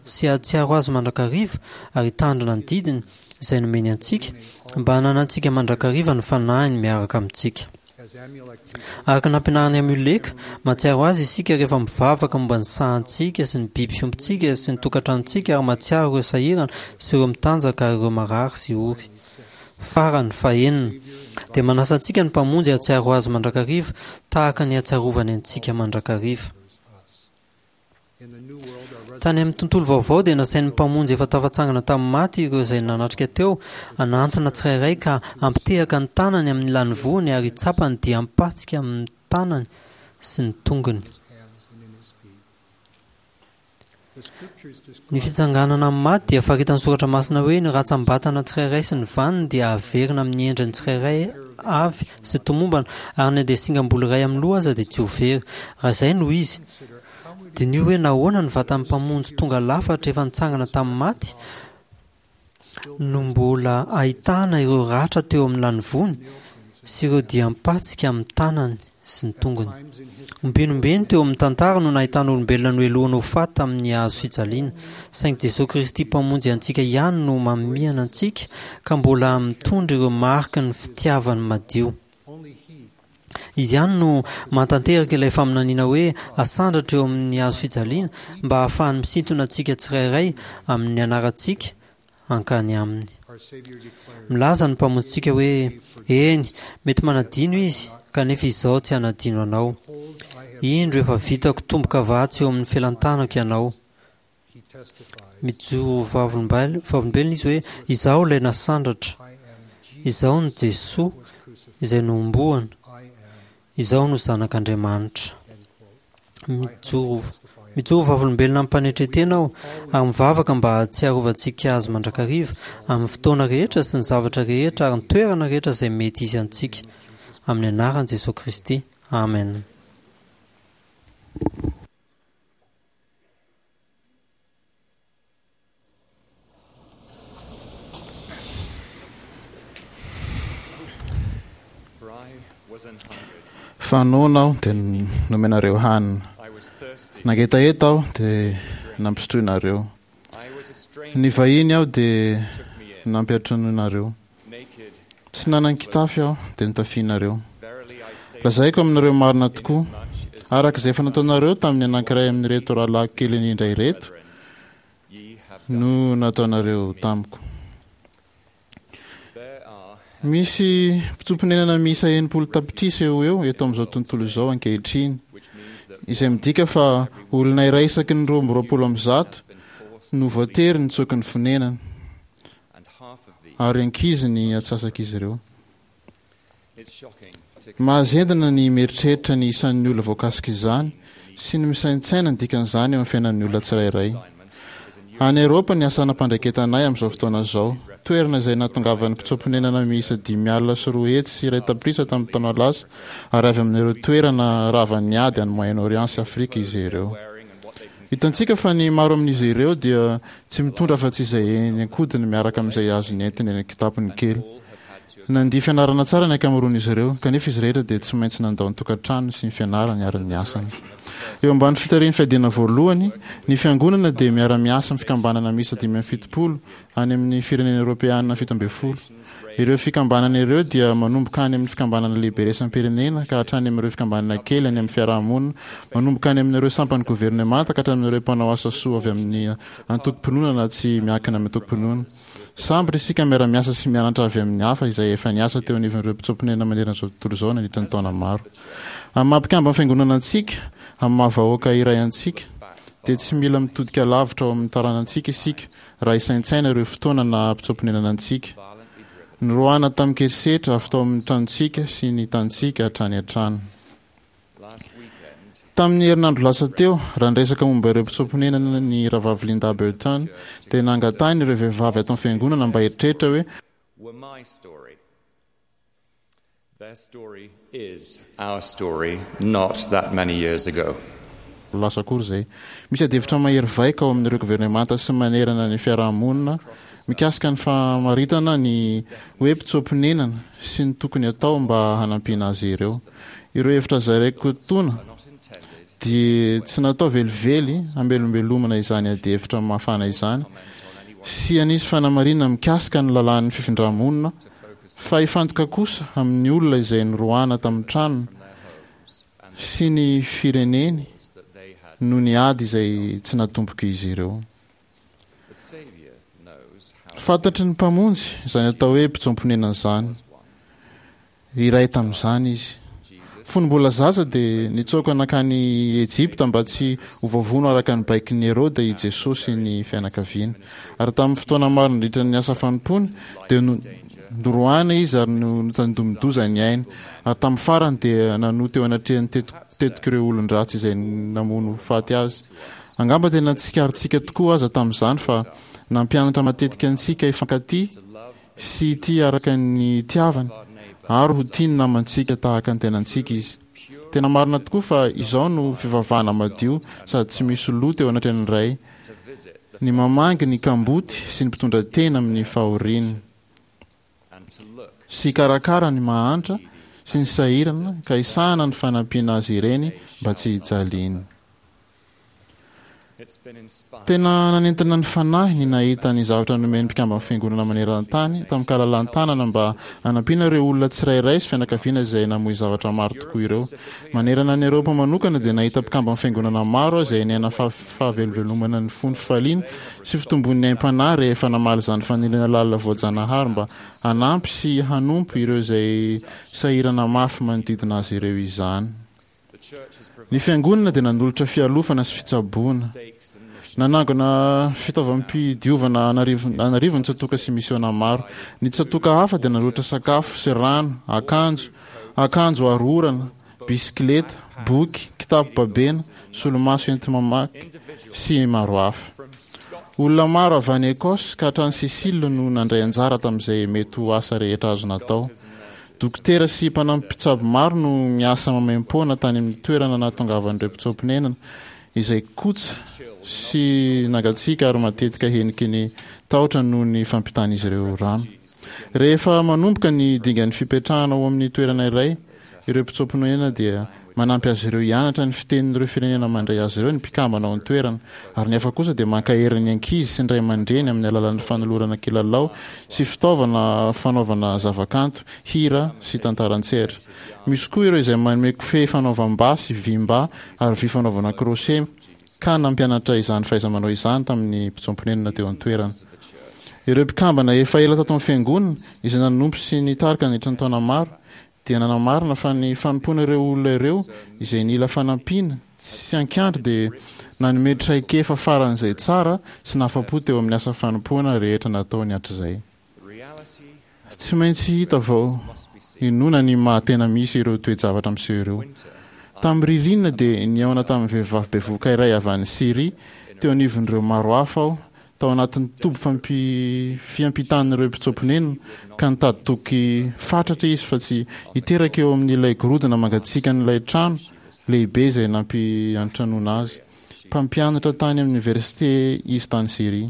sy hahatsiaro Azy mandrakariva ary hitandrina ny didiny izay nomeny antsika mba hananantsika mandrakariva ny Fanahiny miaraka amintsika. Araka ny nampianarin'i Amioleka, mahatsiaro Azy isika rehefa mivavaka momba ny sahantsika sy ny biby fiompintsika sy ny tokantranontsika ary mahatsiaro ireo sahirana sy ireo mitanjaka ary ireo marary sy ory. Farany, fahenina, dia manasa antsika ny Mpamonjy hahatsiaro Azy mandrakariva tahaka ny hahatsiarovany antsika mandrakariva. Tany amin'ny tontolo vaovao dia nasain'ny Mpamonjy efa tafatsangana tamin'ny maty ireo izay nanatrika teo hanantona tsirairay ka hampitehaka ny tanany amin'ny lanivoany ary hitsapa ny diam-patsika amin'ny tanany sy ny tongony. Ny fitsanganana amin'ny maty dia faritan'ny Soratra Masina hoe ny ratsam-batana tsirairay sy ny vaniny dia haverina amin'ny endriny tsirairay avy sy tomombana, ary na dia singam-bolo iray amin'ny loha aza dia tsy ho very. Raha izay no izy, diniho hoe nahoana ny vatan'ny Mpamonjy tonga lafatra efa nitsangana tamin'ny maty no mbola ahitana ireo ratra teo amin'ny lanivoany sy ireo diam-patsika amin'ny tanany sy ny tongony. Ombenombeny teo amin'ny tantara no nahitana olombelona nohelohina ho faty tamin'ny hazo fijaliana, saingy Jesoa Kristy Mpamonjy antsika ihany no mamihana antsika ka mbola mitondra ireo mariky ny fitiavany madio. Izy ihany no mahatanteraka ilay faminaniana hoe asandratra eo amin'ny hazo fijaliana mba hahafahany misintona antsika tsirairay amin'ny anarantsika hankany aminy. Milaza ny Mpamonjintsika hoe, Eny, mety manadino izy, kanefa izaho tsy hanadino anao. Indro efa vitako tombo-kavatsy eo amin'ny felan-tanako ianao. Mijoro ho vavolombelona izy hoe, Izaho ilay nasandratra. Izaho no Jesoa izay nohomboana. Izaho no Zanak'Andriamanitra. Mijoro mijoro ho vavolombelona amim-panetren-tena aho ary mivavaka mba hahatsiarovantsika Azy mandrakariva amin'ny fotoana rehetra sy ny zavatra rehetra ary ny toerana rehetra izay mety hisy antsika. Amin'ny anaran'i Jesoa Kristy. Amen. Fa noana aho dia nomenareo hanina, nangetaheta aho dia nampisotroinareo, nivahiny aho dia nampiantranoinareo. Tsy nanan-kitafy aho, dia notafianareo. Lazaiko aminareo marina tokoa, araka izay efa nataonareo tamin'ny anankiray amin'ireto rahalahiko kely indrindra ireto, no nataonareo tamiko. Misy mpitsoa-ponenana miisa 60 tapitrisa eo ho eo eto amin'izao tontolo izao ankehitriny, izay midika fa olona iray isaky ny 122 no voatery nitsoaka ny fonenany. ary ankizy ny antsasak'izy ireo. Mahazendana ny mieritreritra ny isan'ny olona voakasik'izany sy ny misaintsaina ny dikan'izany eo amin'ny fiainan'ny olona tsirairay. Any Eoropa ny asa nampandraiketanay amin'izao fotoana izao, toerana izay nahatongavan'ny mpitsoa-ponenana miisa 250 tapitrisa tamin'ny taona lasa ary avy amin'ireo toerana ravan'ny ady any Moyen-Orient sy Afrika izy ireo. Hitantsika fa ny maro amin'izy ireo dia tsy mitondra afa-tsy izay eny an-kodiny miaraka amin'izay azony entiny eny an-kitapony kely. Nandia fianarana tsara ny ankamaroan'izy ireo, kanefa izy rehetra dia tsy maintsy nandao ny tokantranony sy ny fianarany ary ny asany. Eo ambany fitarihan'ny Fiadiana Voalohany, ny Fiangonana dia miara-miasa amin'ny fikambanana miisa 75 any amin'ny firenena Eoropeana 17. Ireo fikambanana ireo dia manomboka any amin'ny fikambanana lehibe iraisam-pirenena ka hatrany amin'ireo fikambanana kely any amin'ny fiaraha-monina, manomboka any amin'ireo sampan'ny governemanta ka hatramin'ireo mpanao asa soa avy amin'ny antokom-pinoana na tsy miankina amin'ny antokom-pinoana. Sambatra isika miara-miasa sy mianatra avy amin'ny hafa izay efa niasa teo anivon'ireo mpitsoa-ponenana manerana izao tontolo izao nandritra ny taona maro. Amin'ny maha-mpikamban'ny Fiangonana antsika, amin'ny maha-vahoaka iray antsika, dia tsy mila mitodika lavitra ao amin'ny taranantsika isika raha hisaintsaina ireo fotoana naha-mpitsoa-ponenana antsika. Noroahana tamin-kerisetra avy tao amin'ny tranontsika sy ny tanintsika hatrany hatrany. Tamin'ny herinandro lasa teo, raha niresaka momba ireo mpitsoa-ponenana ny Rahavavy Linda Burton, dia nangatahiny ireo vehivavy ato amin'ny fiangonana mba hieritreritra hoe, Their story is our story not that many years ago. Lasa akory izay. Misy adihevitra mahery vaika ao amin'ireo governemanta sy manerana ny fiaraha-monina mikasika ny famaritana ny hoe mpitsoa-ponenana sy ny tokony hatao mba hanampiana azy ireo. Ireo hevitra zaraiko etoana dia tsy natao velively hamelombelomana izany adihevitra mafana izany sy hanisy fanamarinana mikasika ny lalàn'ny fifindra-monina fa hifantoka kosa amin'ny olona izay noroahana tamin'ny tranony sy ny fireneny noho ny ady izay tsy natombok'izy ireo. Fantatry ny Mpamonjy izany atao hoe mpitsoam-ponenana izany. Iray tamin'izany izy. Fony mbola zaza dia nitsoaka nankany Ejipta mba tsy ho voavono araka ny baikon'i Heroda i Jesoa sy ny fianakaviany. Ary tamin'ny fotoana maro nandritra ny asa fanompoany dia noroahina izy ary notandindomin-doza ny ainy, ary tamin'ny farany dia nanoa teo anatrehan'ny tetik'ireo olon-dratsy izay namono faty azy. Angamba tena tsikaritsika tokoa aza tamin'izany fa nampianatra matetika antsika hifankatia sy hitia araka ny itiavany ary ho tia ny namantsika tahaka ny tenantsika izy. Tena marina tokoa fa izao no fivavahana madio sady tsy misy loto eo anatrehan'ny Ray, ny mamangy ny kamboty sy ny mpitondra tena amin'ny fahoriany, sy hikarakara ny mahantra sy ny sahirana ka hisahana ny fanampiana azy ireny mba tsy hijaliany. Tena nanentana ny fanahy ny nahita ny zavatra nomen'ny mpikamban'ny Fiangonana maneran-tany tamin-kalalan-tanana mba hanampiana ireo olona tsirairay sy fianakaviana izay namoy zavatra maro tokoa ireo. Manerana an'i Eoropa manokana dia nahita mpikamban'ny Fiangonana maro aho izay niaina fahavelovelomana nifono fifaliana sy fitombon'ny aim-panahy rehefa namaly izany faniriana lalina voajanahary mba hanampy sy hanompo ireo izay sahirana mafy manodidina azy ireo izany. Ny Fiangonana dia nanolotra fialofana sy fitsaboana. Nanangona fitaovam-pidiovana an'arivony ny tsatòka sy misiôna maro. Ny tsatòka hafa dia nanolotra sakafo sy rano, akanjo, akanjo aro orana, bisikileta, boky, kitapo babena, solomaso enti-mamaky, sy maro hafa. Olona maro avy any Écosse ka hatrany Sicile no nandray anjara tamin'izay mety ho asa rehetra azo natao. Dokotera sy mpanampy mpitsabo maro no miasa maimaimpoana tany amin'ny toerana nahatongavan'ireo mpitsoa-ponenana, izay kotsa sy nangatsiaka ary matetika heniky ny tahotra noho ny fampitan'izy ireo rano. Rehefa manomboka ny dingan'ny fipetrahana ao amin'ny toerana iray, Ireo mpitsoa-ponenana dia manampy azy ireo hianatra ny fitenin'ireo firenena mandray azy ireo ny mpikambana ao an-toerana, ary ny hafa kosa dia mankahery ny ankizy sy ny ray aman-dreny amin'ny alalan'ny fanolorana kilalao sy fitaovana fanaovana zavakanto, hira sy tantara an-tsehatra. Misy koa ireo izay manome kofehy fanaovam-ba sy vim-ba ary vy fanaovana crochet ka nampianatra izany fahaiza-manao izany tamin'ny mpitsoa-ponenana teo an-toerana. Ireo mpikambana efa ela tato amin'ny Fiangonana, izay nanompo sy nitarika nandritra ny taona maro, dia nanamarina fa ny fanompoana ireo olona ireo izay nila fanampiana tsy an-kiandry dia nanome traikefa faran'izay tsara sy nahafa-po teo amin'ny asa fanompoana rehetra nataony hatrizay. Tsy maintsy hita vao inoana ny maha tena misy ireo toe-javatra miseho ireo. Tamin'ny ririnina dia nihaona tamin'ny vehivavy bevohoka iray avy any Syria teo anivon'ireo maro hafa aho tao anatin'ny toby fampi fiampitan'ireo mpitsoa-ponenana ka nitady toky fatratra izy fa tsy hiteraka eo amin'ilay gorodona mangatsiakan'ilay trano lehibe izay nampiantranoana azy. Mpampianatra tany amin'ny oniversite izy tany Syria.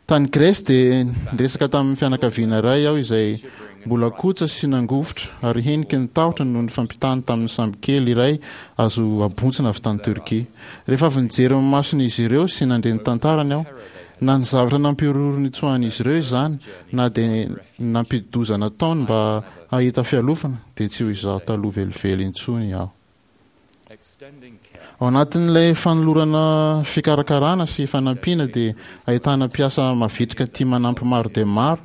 Tany Grèce dia niresaka tamin'ny fianakaviana iray aho izay mbola kotsa sy nangovitra ary heniky ny tahotra noho ny fampitany tamin'ny sambokely iray azo abontsina avy tany Turquie. Rehefa avy nijery ny mason'izy ireo sy nandre ny tantarany aho, na ny zavatra nampihorohoro nitsoahan'izy ireo izany na dia ny nampidi-doza nataony mba hahita fialofana, dia tsy ho izaho taloha velively intsony aho. Ao anatin'ilay fanolorana fikarakarana sy fanampiana dia ahitana mpiasa mavitrika tia manampy maro dia maro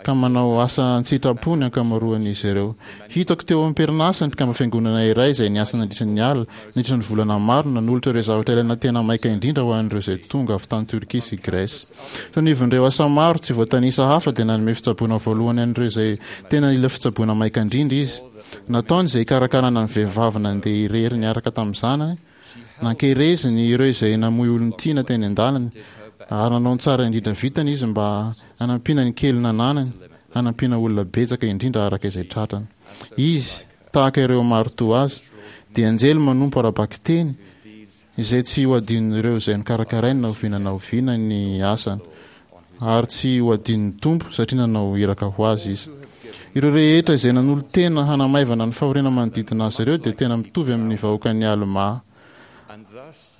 ka manao asa an-tsitrapo ny ankamaroan'izy ireo. Hitako teo am-perinasa ny mpikambam-fiangonana iray izay niasa nandritra ny alina, nandritra ny volana maro, nanolotra ireo zavatra ilaina tena maika indrindra ho an'ireo izay tonga avy tany Turquie sy Grèce. Teo anivon'ireo asa maro tsy voatanisa hafa dia nanome fitsaboana voalohany an'ireo izay tena nila fitsaboana maika indrindra izy. Nataony izay hikarakarana ny vehivavy nandeha irery niaraka tamin'ny zanany, Nankereziny ireo izay namoy olon-tiana teny an-dalana, ary nanao ny tsara indrindra vitany izy mba hanampiana ny kely nananany, hanampiana olona betsaka indrindra araka izay tratrany. Izy, tahaka ireo maro toa azy, dia anjely manompo ara-bakiteny, izay tsy ho adinon'ireo izay nokarakarainy na oviana na oviana ny asany. ary tsy ho adinon'ny Tompo satria nanao iraka ho azy izy. Ireo rehetra izay nanolo-tena hanamaivana ny fahoriana manodidina azy ireo dia tena mitovy amin'ny vahoakan'i Almà.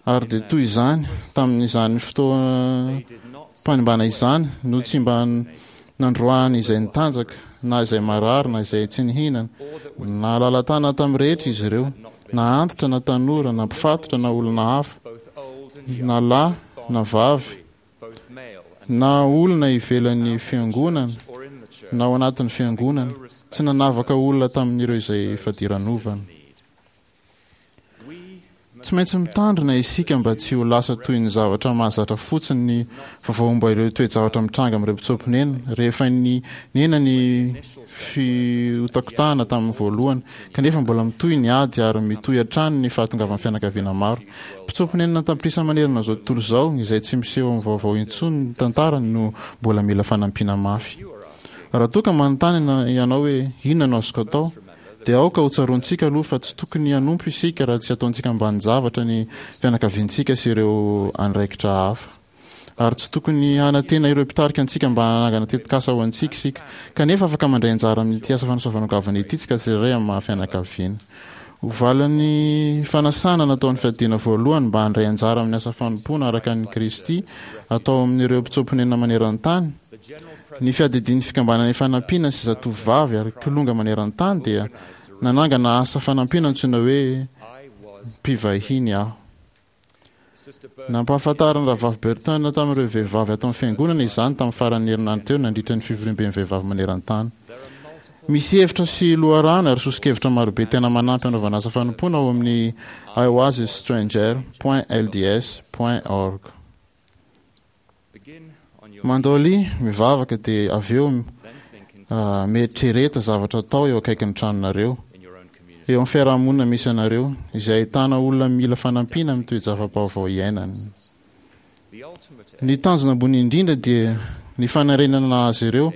Ary dia toy izany, tamin'izany fotoam-panimbana izany, no tsy mba nandroahany izay nitanjaka, na izay marary, na izay tsy nihinana. Nahalala-tanana tamin'ny rehetra izy ireo, na antitra na tanora, na mpifatotra na olona hafa, na lahy na vavy, na olona ivelan'ny fiangonana na ao anatin'ny fiangonana, tsy nanavaka olona tamin'ireo izay fadiranovana. Tsy maintsy mitandrina isika mba tsy ho lasa toy ny zavatra mahazatra fotsiny ny vaovao momba ireo toe-javatra mitranga amin'ireo mpitsoa-ponenana rehefa nihena ny fihotakotahana tamin'ny voalohany, kanefa mbola mitohy ny ady ary mitohy hatrany ny fahatongavan'ny fianakaviana maro. Mpitsoa-ponenana an-tapitrisa manerana izao tontolo izao, izay tsy miseho amin'ny vaovao intsony ny tantarany no mbola mila fanampiana mafy. Raha toa ka manontany ianao hoe, Inona no azoko atao? dia aoka hotsaroantsika aloha fa tsy tokony hanompo isika raha tsy ataontsika ambanin-javatra ny fianakaviantsika sy ireo andraikitra hafa. Ary tsy tokony hanantena ireo mpitarika antsika mba hanangana tetikasa ho antsika isika. Kanefa afaka mandray anjara amin'ity asa fanasoavana goavana ity isika tsirairay amin'ny maha-fianakaviana. Ho valin'ny fanasana nataon'ny Fiadiana Voalohany mba handray anjara amin'ny asa fanompoana araka an'i Kristy atao amin'ireo mpitsoa-ponenana maneran-tany, Ny fiadidian'ny Fikambanana Ifanampiana sy Zatovovavy ary Kilonga maneran-tany dia nanangana asa fanampiana antsoina hoe Mpivahiny Aho. Nampahafantarin'ny Rahavavy Burton tamin'ireo vehivavy ato amin'ny Fiangonana izany tamin'ny faran'ny herinandro teo nandritra ny fivoriamben'ny vehivavy maneran-tany. Misy hevitra sy loharano ary soso-kevitra marobe tena manampy hanaovana asa fanompoana ao amin'ny I was a stranger point lds point org. Mandolia, mivavaka dia avy eo mieritrereta zavatra atao eo akaikin'ny tranonareo, eo amin'ny fiarahamonina misy anareo, izay ahitana olona mila fanampiana amin'ny toe-java-baovao iainany. Ny tanjona ambony indrindra dia ny fanarenana azy ireo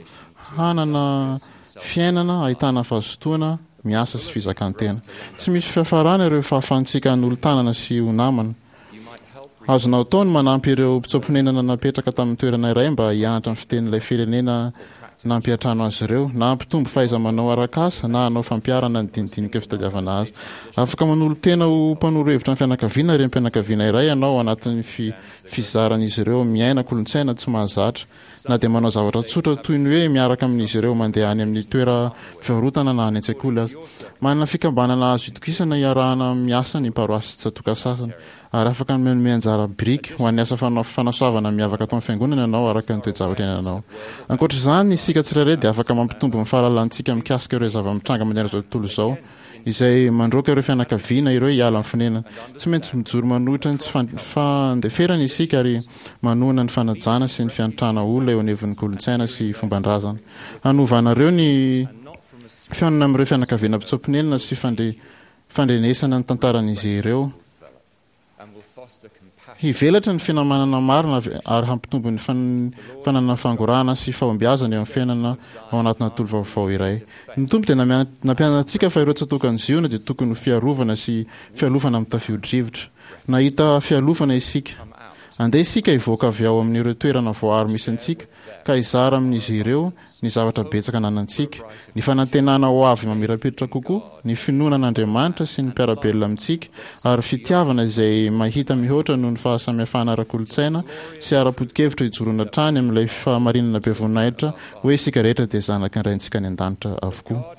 hanana fiainana ahitana fahazotoana miasa sy fizakan-tena. Tsy misy fiafarana ireo fahafahantsika hanolo-tanana sy ho namana. Azonao atao ny manampy ireo mpitsoa-ponenana napetraka tamin'ny toerana iray mba hianatra ny fitenin'ilay firenena nampiantrano azy ireo, na hampitombo fahaiza-manao arak'asa, na hanao fampiharana ny dinidinika fitadiavana asa. Afaka manolo-tena ho mpanoro hevitra ny fianakaviana renim-pianakaviana iray ianao ao anatin'ny fizaran'izy ireo miaina kolontsaina tsy mahazatra, na dia manao zavatra tsotra toy ny hoe miaraka amin'izy ireo mandeha any amin'ny toeram-pivarotana na any an-tsekoly aza. Manana fikambanana azo itokisana iarahana miasa ny paroasy tsatòka sasany, ary afaka manome anjara biriky ho an'ny asa fanasoavana miavaka ataon'ny Fiangonana ianao araka ny toe-javatra iainanao. Ankoatra izany, isika tsirairay dia afaka mampitombo ny fahalalantsika mikasika ireo zava-mitranga manerana izao tontolo izao, izay mandroaka ireo fianakaviana ireo hiala amin'ny fonenana. Tsy maintsy mijoro manohitra ny tsy fandeferana isika ary manohana ny fanajana sy ny fiantrana olona eo anivon'ny kolontsaina sy fomban-drazana. Hanovanareo ny fihaonana amin'ireo fianakaviana mpitsoa-ponenana sy fandrenesana ny tantaran'izy ireo. Hivelatra ny finamanana marina ary hampitombo ny fananana fangorahana sy fahombiazana eo amin'ny fiainana ao anatina tontolo vaovao iray. Ny Tompo dia nampianatra antsika fa ireo tsatòkan'i Ziona dia tokony ho fiarovana sy fialofana amin'ny tafio-drivotra. Nahita fialofana isika. Andeha isika hivoaka avy ao amin'ireo toerana voaaro misy antsika ka hizara amin'izy ireo ny zavatra betsaka ananantsika, ny fanantenana ho avy mamirapiratra kokoa, ny finoana an'Andriamanitra sy ny mpiara-belona amintsika, ary fitiavana izay mahita mihoatra noho ny fahasamihafana ara-kolontsaina sy ara-poto-kevitra hijoroana hatrany amin'ilay fahamarinana be voninahitra hoe isika rehetra dia zanaky ny Raintsika any An-danitra avokoa.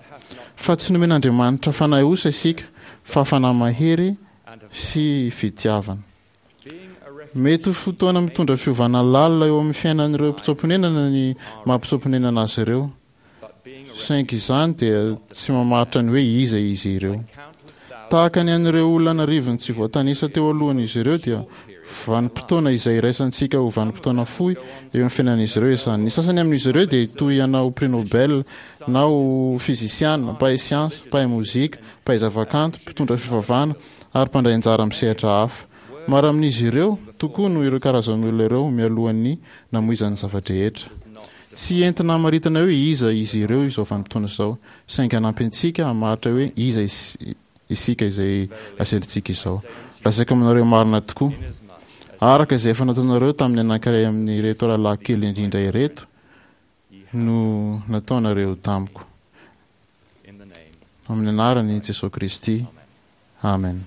Fa tsy nomen'Andriamanitra fanahy osa isika, fa fanahy mahery sy fitiavana. Mety ho fotoana mitondra fiovana lalina eo amin'ny fiainan'ireo mpitsoa-ponenana ny maha mpitsoa-ponenana azy ireo, saingy izany dia tsy mamaritra ny hoe iza izy ireo. Tahaka ny an'ireo olona an'arivony tsy voatanisa teo alohan'izy ireo dia vanim-potoana izay iraisantsika ho vanim-potoana fohy eo amin'ny fiainan'izy ireo izany. Ny sasany amin'izy ireo dia hitohy hanao prix Nobel na ho fizisiana, mpahay siansa, mpahay mozika, mpahay zavakanto, mpitondra fivavahana ary mpandray anjara amin'ny sehatra hafa. Maro amin'izy ireo tokoa no ireo karazan'olona ireo mialohan'ny namoizany ny zava-drehetra. Tsy entina hamaritana hoe iza izy ireo izao vanim-potoana izao, saingy hanampy antsika hamaritra hoe iza isika izay asendrintsika izao. Lazaiko aminareo marina tokoa, araka izay efa nataonareo tamin'ny anankiray amin'ireto rahalahy kely indrindra ireto no nataonareo tamiko. Amin'ny anaran'i Jesoa Kristy, amen.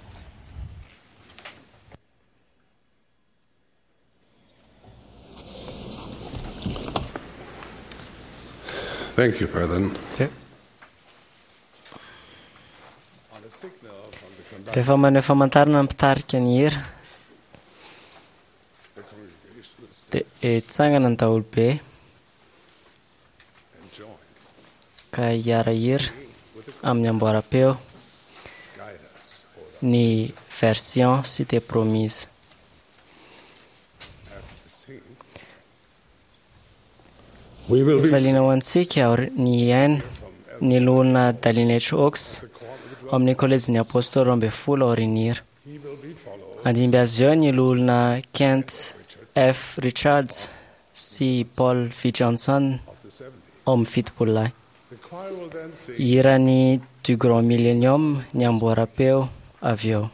Thank you, President. Rehefa maneho famantarana ny mpitarika ny hira, dia hitsangana ny daholobe ka hiara-hira amin'ny amboaram-peo ny. Version Cité Promise. Hifaliana ho antsika ny hihaino ny Loholona Dallin H. Oaks ao amin'ny Kolejin'ny Apôstôly 12 aorian'ny hira. Handimby azy eo ny Loholona Kent F. Richards sy Paul V. Johnson ao amin'ny Fitopololahy. Hihira ny Du Grand Millennium ny amboaram-peo avy eo.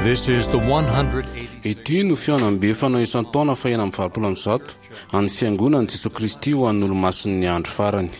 This is the 186th. Ity no fihaonambe fanao isan-taona faha 186 an'ny Fiangonan'i Jesoa Kristy ho an'ny Olomasin'ny Andro Farany.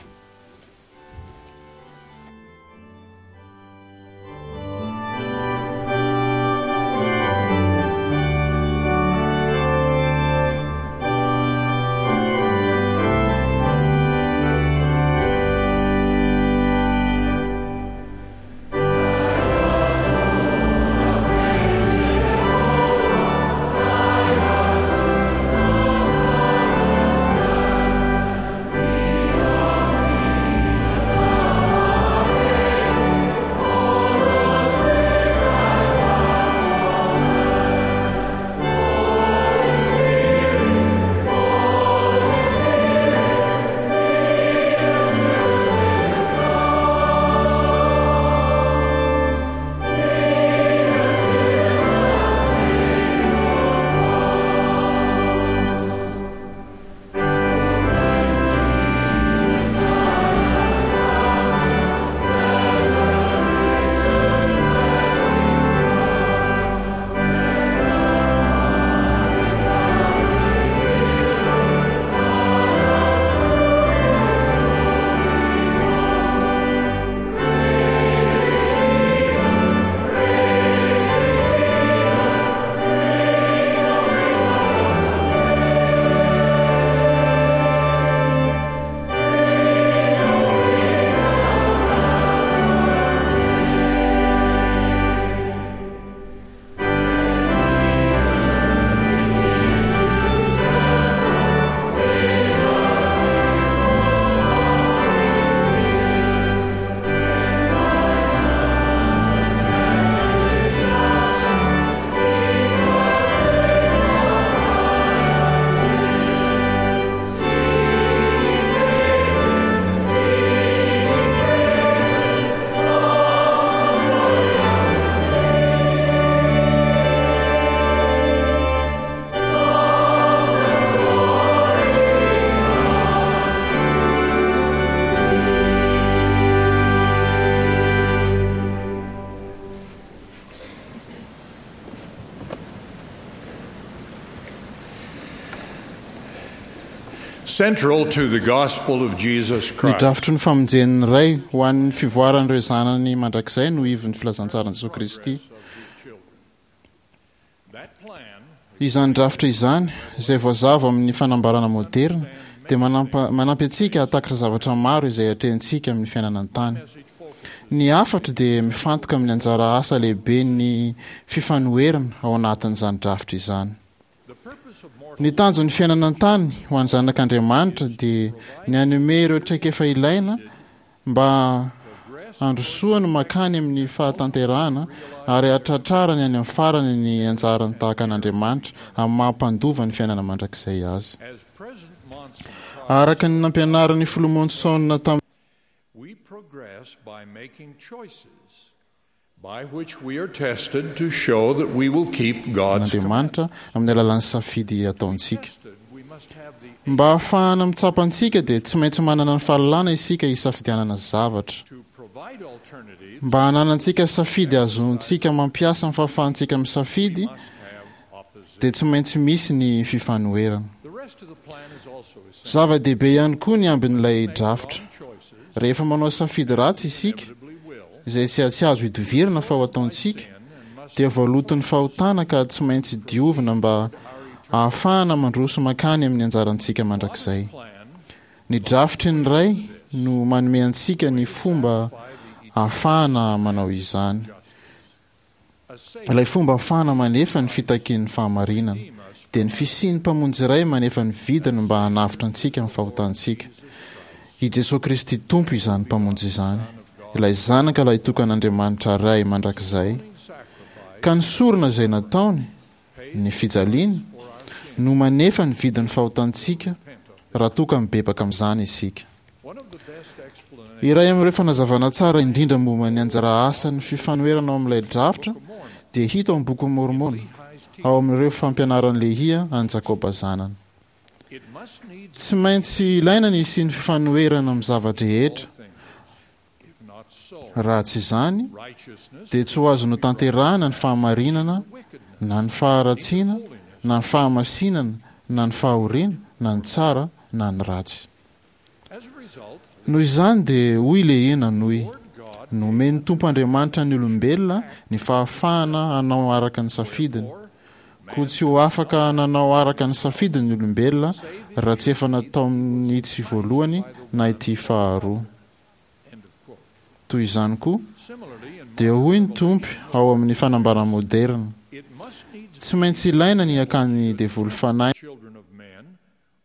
Central to the gospel of Jesus Ny Christ drafitry ny famonjen'ny Ray ho an'ny fivoaran'ireo zanany mandrakizay no ivon'ny filazantsaran'i Jesoa Kristy. Izany drafitra izany, izay voazava amin'ny fanambarana moderina, dia manampy antsika hahatakatra zavatra maro izay atrehintsika amin'ny fiainana an-tany. Ny hafatro dia mifantoka amin'ny anjara asa lehiben'ny fifanoherana ao anatin'izany drafitra izany. Ny tanjon'ny fiainana an-tany ho an'ny zanak'Andriamanitra dia ny hanome ireo traikefa ilaina mba handrosoany mankany amin'ny fahatanterahana ary hahatratrarany any amin'ny farany ny anjarany tahaka an'Andriamanitra amin'ny maha mpandova ny fiainana mandrakizay azy. Araka ny nampianarin'ny Filoha Monson tamin'ny. We progress by making choices by which we are tested to show that we will keep God's Andriamanitra amin'ny alalan'ny safidy ataontsika. Mba hahafahana mitsapa antsika dia tsy maintsy manana ny fahalalana isika hisafidianana zavatra. Mba hananantsika safidy azontsika mampiasa ny fahafahantsika misafidy dia tsy maintsy misy ny fifanoherana. Zava-dehibe ihany koa ny ambin'ilay drafitra. Rehefa manao safidy ratsy isika, izay tsy tsy azo idivirana fa ho ataontsika, dia voaloton'ny fahotana ka tsy maintsy diovina mba hahafahana mandroso mankany amin'ny anjarantsika mandrakizay. Ny drafitry ny Ray no manome antsika ny fomba ahafahana manao izany. Ilay fomba ahafahana manefa ny fitakian'ny fahamarinana, dia ny fisian'ny Mpamonjy iray manefa ny vidiny mba hanavotra antsika amin'ny fahotantsika. I Jesoa Kristy Tompo izany Mpamonjy izany, ilay Zanaka Lahitokan'Andriamanitra Ray mandrakizay, ka ny sorona izay nataony, ny fijaliany, no manefa ny vidin'ny fahotantsika raha toa ka mibebaka amin'izany isika. Iray amin'ireo fanazavana tsara indrindra momba ny anjara asan'ny fifanoherana ao amin'ilay drafitra dia hita ao amin'ny Bokin'i Môrmôna, ao amin'ireo fampianaran'i Lehia an'i Jakoba zanany. Tsy maintsy ilaina ny hisian'ny fifanoherana amin'ny zava-drehetra. Raha tsy izany, dia tsy ho azo notanterahina ny fahamarinana, na ny faharatsiana, na ny fahamasinana, na ny fahoriana, na ny tsara, na ny ratsy. Noho izany dia hoy Lehia nanohy, Nomen'ny Tompo Andriamanitra ny olombelona ny fahafahana hanao araka ny safidiny. Koa tsy ho afaka nanao araka ny safidiny ny olombelona raha tsy efa nataon'itsy voalohany na ity faharoa. Toy izany koa, dia hoy ny Tompo ao amin'ny fanambarana moderina, Tsy maintsy ilaina ny hakan'ny devoly fanahy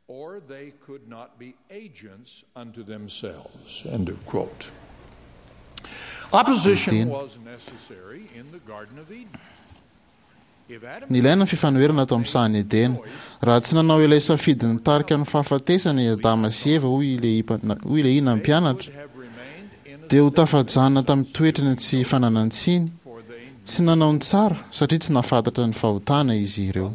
or they could not be agents unto themselves. End of quote. Opposition was necessary in the Garden of Eden. Nilaina ny fifanoherana tao amin'ny sahan'i Edena. Raha tsy nanao ilay safidy nitarika ny fahafatesana i Adama sy Eva, hoy i Lehia nampianatra, dia ho tafajanona tamin'ny toetrany tsy fananan-tsiny, tsy nanao ny tsara, satria tsy nahafantatra ny fahotana izy ireo.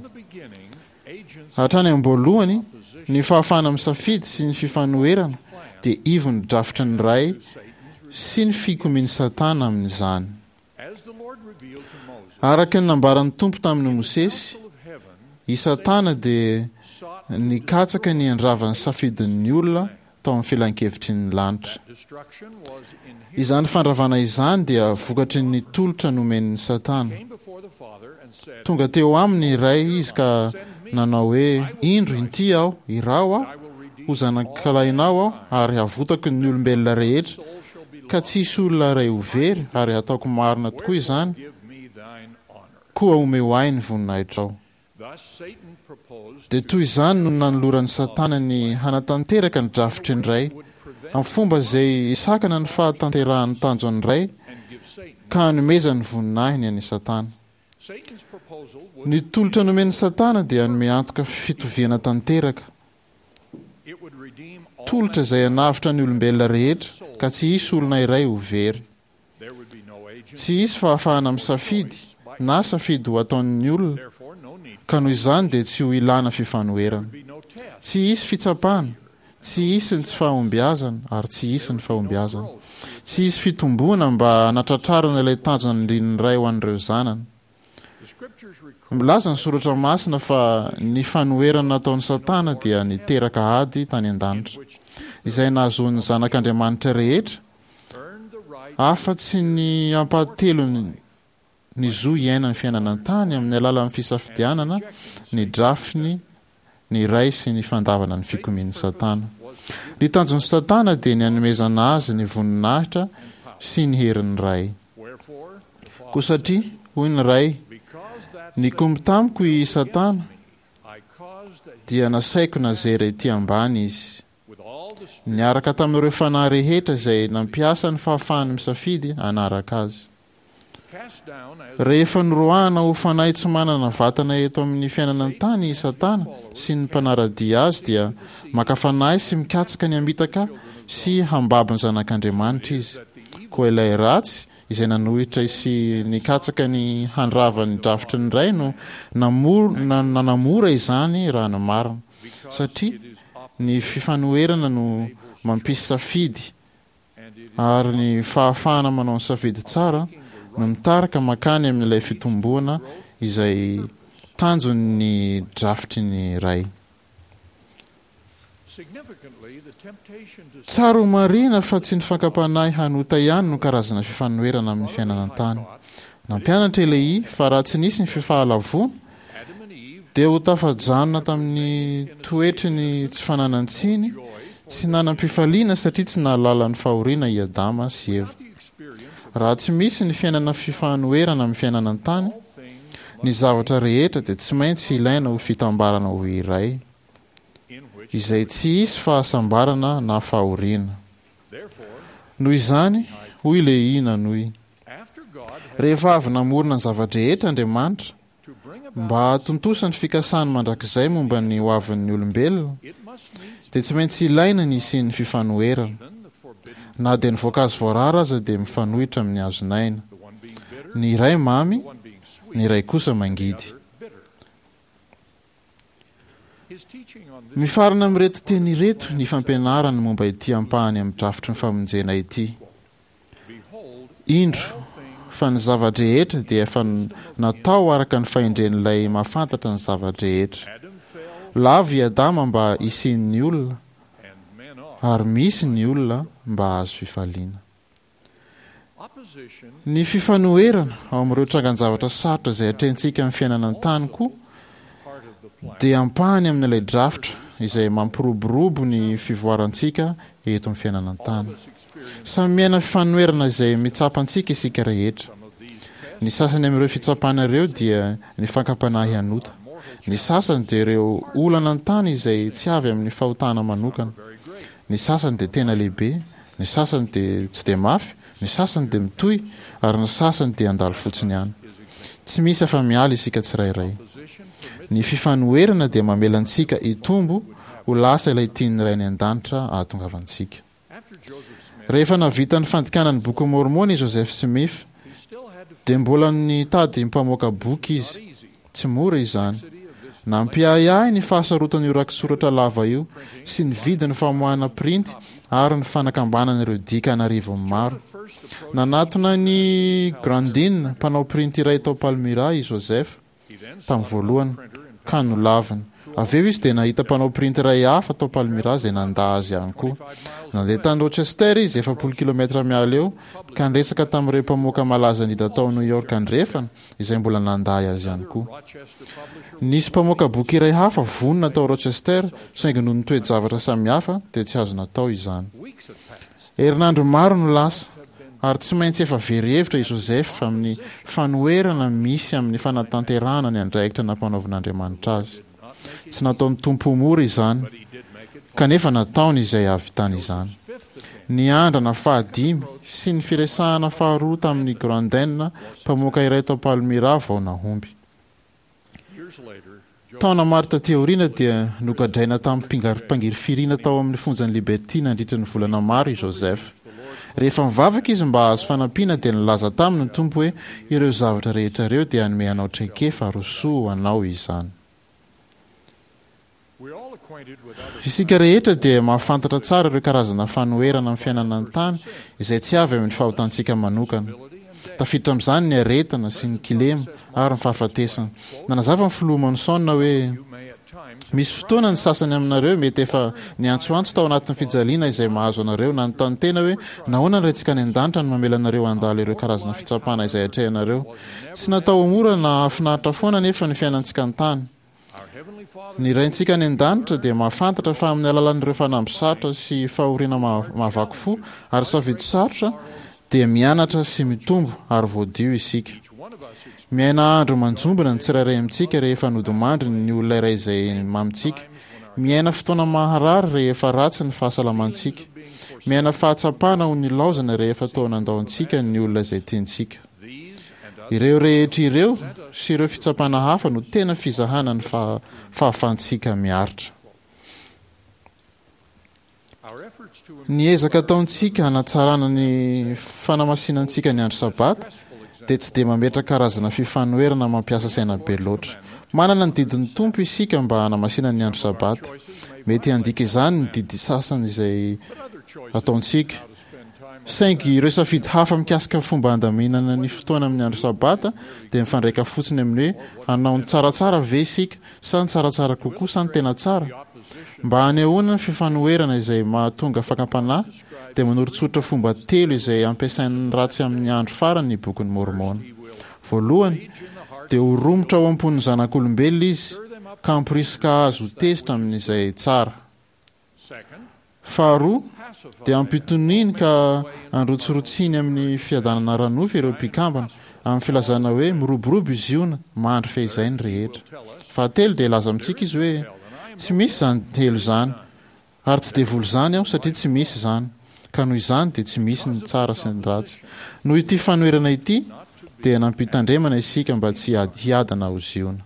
Hatrany am-boalohany, ny fahafahana misafidy sy ny fifanoherana dia ivon'ny drafitry ny Ray sy ny fikomian'i Satana amin'izany. Araka ny nambaran'ny Tompo tamin'i Mosesy, i Satana dia nikatsaka ny handrava ny safidin'ny olona tao amin'ny filankevitry ny lanitra. Izany fandravana izany dia vokatry ny tolotra nomen'i Satana. Tonga teo aminy ny Ray izy ka nanao hoe, Indro, inty aho, iraho aho, ho zanakalahinao aho, ary havotako ny olombelona rehetra, ka tsy hisy olona iray ho very, ary hataoko marina tokoa izany, koa omeo ahy ny voninahitrao. Dia toy izany no nanoloran'i Satana ny hanatanteraka ny drafitry ny Ray, amin'ny fomba izay hisakana ny fahatanterahan'ny tanjon'ny Ray ka hanomezany ny voninahiny an'i Satana. Ny tolotra nomen'i Satana dia hanome antoka fitoviana tanteraka, tolotra izay hanavotra ny olombelona rehetra ka tsy hisy olona iray ho very. Tsy hisy fahafahana misafidy na safidy ho ataon'ny olona, ka noho izany dia tsy ho ilàna fifanoherana. Tsy hisy fitsapana, tsy hisy ny tsy fahombiazana ary tsy hisy ny fahombiazana. Tsy hisy fitomboana mba hanatratrarana ilay tanjona nirian'ny Ray ho an'ireo zanany. Milaza ny Soratra Masina fa ny fanoherana nataon'i Satana dia niteraka ady tany an-danitra, izay nahazoan'ny zanak'Andriamanitra rehetra afa-tsy ny ampahatelony ny zo hiaina ny fiainana an-tany amin'ny alalan'ny fisafidianana ny drafiny ny Ray sy ny fandavana ny fikomian'i Satana. Ny tanjon'i Satana dia ny hanomezana azy ny voninahitra sy ny herin'ny Ray. Koa satria, hoy ny Ray, nikomy tamiko i Satana, dia nasaiko nazera ety ambany izy. Niaraka tamin'ireo fanahy rehetra izay nampiasa ny fahafahany misafidy hanaraka azy. Rehefa noroahana ho fanahy tsy manana vatana eto amin'ny fiainana an-tany i Satana sy ny mpanara-dia azy dia maka fanahy sy mikatsaka ny hamitaka sy hambabo ny zanak'Andriamanitra izy. Koa ilay ratsy izay nanohitra sy nikatsaka ny handrava ny drafitry ny Ray no nanamora izany raha ny marina. Satria ny fifanoherana no mampisy safidy ary ny fahafahana manao ny safidy tsara no mitarika mankany amin'ilay fitomboana izay tanjon'ny drafitry ny Ray. Tsara ho marihina fa tsy ny fakam-panahy hanota ihany no karazana fifanoherana amin'ny fiainana an-tany. Nampianatra i Lehia fa raha tsy nisy ny fifahalavoana, dia ho tafajanona tamin'ny toetry ny tsy fananan-tsiny, tsy nanam-pifaliana satria tsy nahalala ny fahoriana i Adama sy Eva. Raha tsy misy ny fiainana fifanoherana amin'ny fiainana an-tany, ny zavatra rehetra dia tsy maintsy ilaina ho fitambarana ho iray, izay tsy hisy fahasambarana na fahoriana. Noho izany, hoy Lehia nanohy, rehefa avy namorona ny zava-drehetra Andriamanitra, Mba hahatontosa ny fikasany mandrakizay momba ny hoavin'ny olombelona, dia tsy maintsy ilaina ny hisian'ny fifanoherana. Na dia ny voankazo voarara aza dia mifanohitra amin'ny hazon'aina. Ny iray mamy, ny iray kosa mangidy. Mifarana amin'ireto teny ireto ny fampianarany momba ity ampahany amin'ny drafitry ny famonjena ity, Indro fa ny zava-drehetra dia efa natao araka ny fahendren'Ilay mahafantatra ny zava-drehetra. Lavo i Adama mba hisian'ny olona, ary misy ny olona mba hahazo fifaliana. Ny fifanoherana ao amin'ireo trangan-javatra sarotra izay atrehintsika amin'ny fiainana an-tany koa dia ampahany amin'ilay drafitra izay mampiroborobo ny fivoarantsika eto amin'ny fiainana an-tany. Samy miaina fifanoherana izay mitsapa antsika isika rehetra. Ny sasany amin'ireo fitsapana ireo dia ny fakam-panahy hanota. Ny sasany dia ireo olana an-tany izay tsy avy amin'ny fahotana manokana. Ny sasany dia tena lehibe, ny sasany dia tsy dia mafy, ny sasany dia mitohy, ary ny sasany dia handalo fotsiny ihany. Tsy misy afa-miala isika tsirairay. Ny fifanoherana dia mamela antsika hitombo ho lasa ilay tian'ny Ray any An-danitra hahatongavantsika. Rehefa nahavita ny fandikana ny Bokin'i Môrmôna i Joseph Smith, dia mbola nitady mpamoaka boky izy. Tsy mora izany. Nampiahiahy ny fahasarotan'io rakitsoratra lava io sy ny vidin'ny famoahana printy ary ny fanakambanana ireo dika an'arivony maro. Nanatona an'i Grandin, mpanao printy iray tao Palmyra, i Joseph, tamin'ny voalohany, ka nolaviny. Avy eo izy dia nahita mpanao printy iray hafa tao Palmyra izay nandà azy ihany koa. Nandeha tany Rochester izy, 40 kilometatra miala eo, ka niresaka tamin'ireo mpamoaka malaza indrindra tao New York Andrefana, izay mbola nandà azy ihany koa. Nisy mpamoaka boky iray hafa vonona tao Rochester, saingy noho ny toe-javatra samihafa dia tsy azo natao izany. Herinandro maro no lasa, ary tsy maintsy efa very hevitra i Joseph amin'ny fanoherana misy amin'ny fanatanterahana ny andraikitra nampanaovin'Andriamanitra azy. Tsy nataon'ny Tompo ho mora izany, kanefa nataony izay hahavitany izany. Ny andrana fahadimy sy ny firesahana faharoa tamin'i Grandin, mpamoaka iray tao Palmyra, vao nahomby. Taona maro taty aoriana dia nogadraina tamim-pangirifiriana tao amin'ny fonjan'i Liberty nandritra ny volana maro i Joseph. Rehefa nivavaka izy mba hahazo fanampiana dia nilaza taminy ny Tompo hoe ireo zavatra rehetra ireo dia hanome anao traikefa ary ho soa ho anao izany. Isika rehetra dia mahafantatra tsara ireo karazana fanoherana amin'ny fiainana an-tany izay tsy avy amin'ny fahotantsika manokana. Tafiditra amin'izany ny aretina sy ny kilema ary ny fahafatesana. Nanazava ny Filoha Monson hoe, Misy fotoana ny sasany aminareo mety efa niantsoantso tao anatin'ny fijaliana izay mahazo anareo, nanontany tena hoe nahoana ny Raintsika any An-danitra no mamela anareo handalo ireo karazana fitsapana izay atrehinareo. Tsy natao ho mora na hahafinaritra foana anefa ny fiainantsika an-tany. Ny Raintsika any An-danitra dia mahafantatra fa amin'ny alalan'ireo fanamby sarotra sy fahoriana mahavaky fo ary safidy sarotra dia mianatra sy mitombo ary voadio isika. Miaina andro manjombona ny tsirairay amintsika rehefa nodimandry ny olona iray izay mamintsika. Miaina fotoana maharary rehefa ratsy ny fahasalamantsika. Miaina fahatsapana ho nilaozana rehefa toa nandao antsika ny olona izay tiantsika. Ireo rehetra ireo sy ireo fitsapana hafa no tena fizahana ny fahafahantsika miaritra. Ny ezaka ataontsika hanatsarana ny fanamasinantsika ny andro Sabata dia tsy dia mametra karazana fifanoherana mampiasa saina be loatra. Manana ny didin'ny Tompo isika mba hanamasina ny andro Sabata. Mety handika izany ny didy sasany izay ataontsika. Saingy ireo safidy hafa mikasika ny fomba handaminana ny fotoana amin'ny andro Sabata dia mifandraika fotsiny amin'ny hoe hanao ny tsaratsara ve isika sa ny tsaratsara kokoa sa ny tena tsara. Mba hanehoana ny fifanoherana izay mahatonga fakam-panahy dia manoritsoritra fomba telo izay ampiasain'ny ratsy amin'ny andro farany ny Bokin'i Môrmôna. Voalohany, dia ho romotra ao am-pon'ny zanak'olombelona izy ka hamporisika azy ho tezitra amin'izay tsara. Faharoa, dia ampitoniany ka androtsirotsiany amin'ny fiadanana ara-nofo ireo mpikambana, amin'ny filazana hoe miroborobo i Ziona, mandry feizay ny rehetra. Fahatelo, dia hilaza amintsika izy hoe, Tsy misy izany helo izany, ary tsy devoly izany aho, satria tsy misy izany, ka noho izany dia tsy misy ny tsara sy ny ratsy. Noho ity fanoherana ity, dia nampitandremana isika mba tsy hiadana ao Ziona.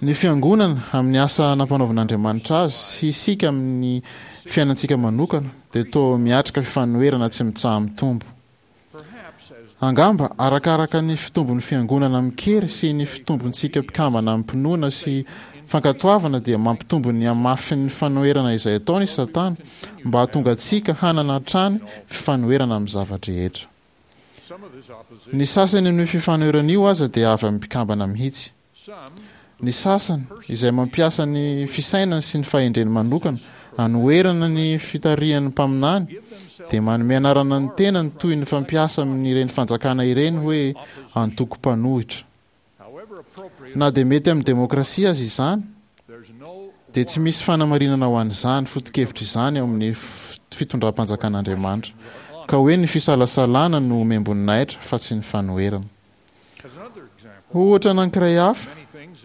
Ny Fiangonana, amin'ny asa nampanaovin'Andriamanitra azy, sy isika amin'ny fiainantsika manokana, dia toa miatrika fifanoherana tsy mitsaha-mitombo. Angamba, arakaraka ny fitombon'ny Fiangonana amin-kery sy ny fitombontsika mpikambana amim-pinoana sy fankatoavana dia mampitombo ny hamafin'ny fanoherana izay ataony i Satana mba hahatonga antsika hanana hatrany fifanoherana amin'ny zava-drehetra. Ny sasany amin'io fifanoherana io aza dia avy amin'ny mpikambana mihitsy. Ny sasany, izay mampiasa ny fisainany sy ny fahendreny manokana hanoherana ny fitarihan'ny mpaminany, dia manome anarana ny tenany toy ny fampiasa amin'ireny fanjakana ireny hoe antoko mpanohitra. Na dia mety amin'ny demokrasia aza izany, dia tsy misy fanamarinana ho an'izany foto-kevitra izany ao amin'ny fitondram-panjakan'Andriamanitra, ka hoe ny fisalasalana no omem-boninahitra fa tsy ny fanoherana. Ho ohatra anankiray hafa,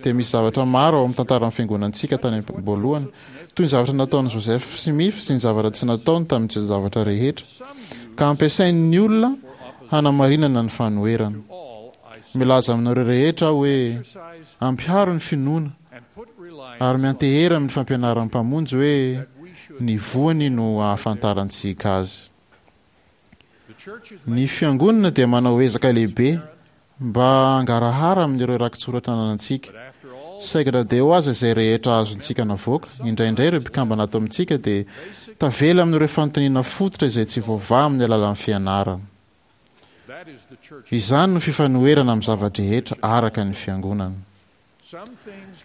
dia misy zavatra maro ao amin'ny tantaran'ny fiangonantsika tany am-boalohany, toy ny zavatra nataon'i Joseph Smith sy ny zavatra tsy nataony tamin'ny zavatra rehetra, ka ampiasain'ny olona hanamarinana ny fanoherana. Milaza aminareo rehetra aho hoe, ampiharo ny finoana ary miantehera amin'ny fampianaran'ny Mpamonjy hoe ny voany no ahafantarantsika azy. Ny Fiangonana dia manao ezaka lehibe mba hangarahara amin'ireo rakitsoratra ananantsika. Saingy na dia eo aza izay rehetra azontsika navoaka, indraindray ireo mpikambana ato amintsika dia tavela amin'ireo fanontaniana fototra izay tsy voavaha amin'ny alalan'ny fianarana. Izany no fifanoherana amin'ny zava-drehetra araka ny Fiangonana.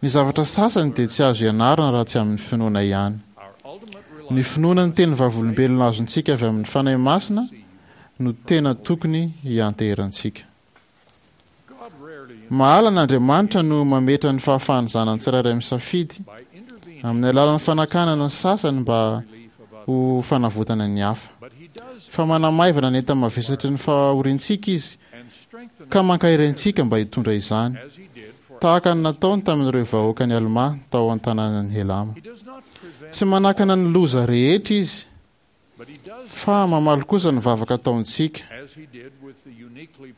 Ny zavatra sasany dia tsy azo ianarana raha tsy amin'ny finoana ihany. Ny finoana ny teny vavolombelona azontsika avy amin'ny Fanahy Masina no tena tokony hianteherantsika. Mahalana Andriamanitra no mametra ny fahafahan'ny zanany tsirairay misafidy, amin'ny alalan'ny fanakanana ny sasany mba ho fanavotana ny hafa. Fa manamaivana ny enta-mavesatry ny fahoriantsika Izy, ka mankahery antsika mba hitondra izany, tahaka ny nataony tamin'ireo vahoakan'i Almà tao an-tanànan'i Helama. Tsy manakana ny loza rehetra Izy, Fa mamaly kosa ny vavaka ataontsika,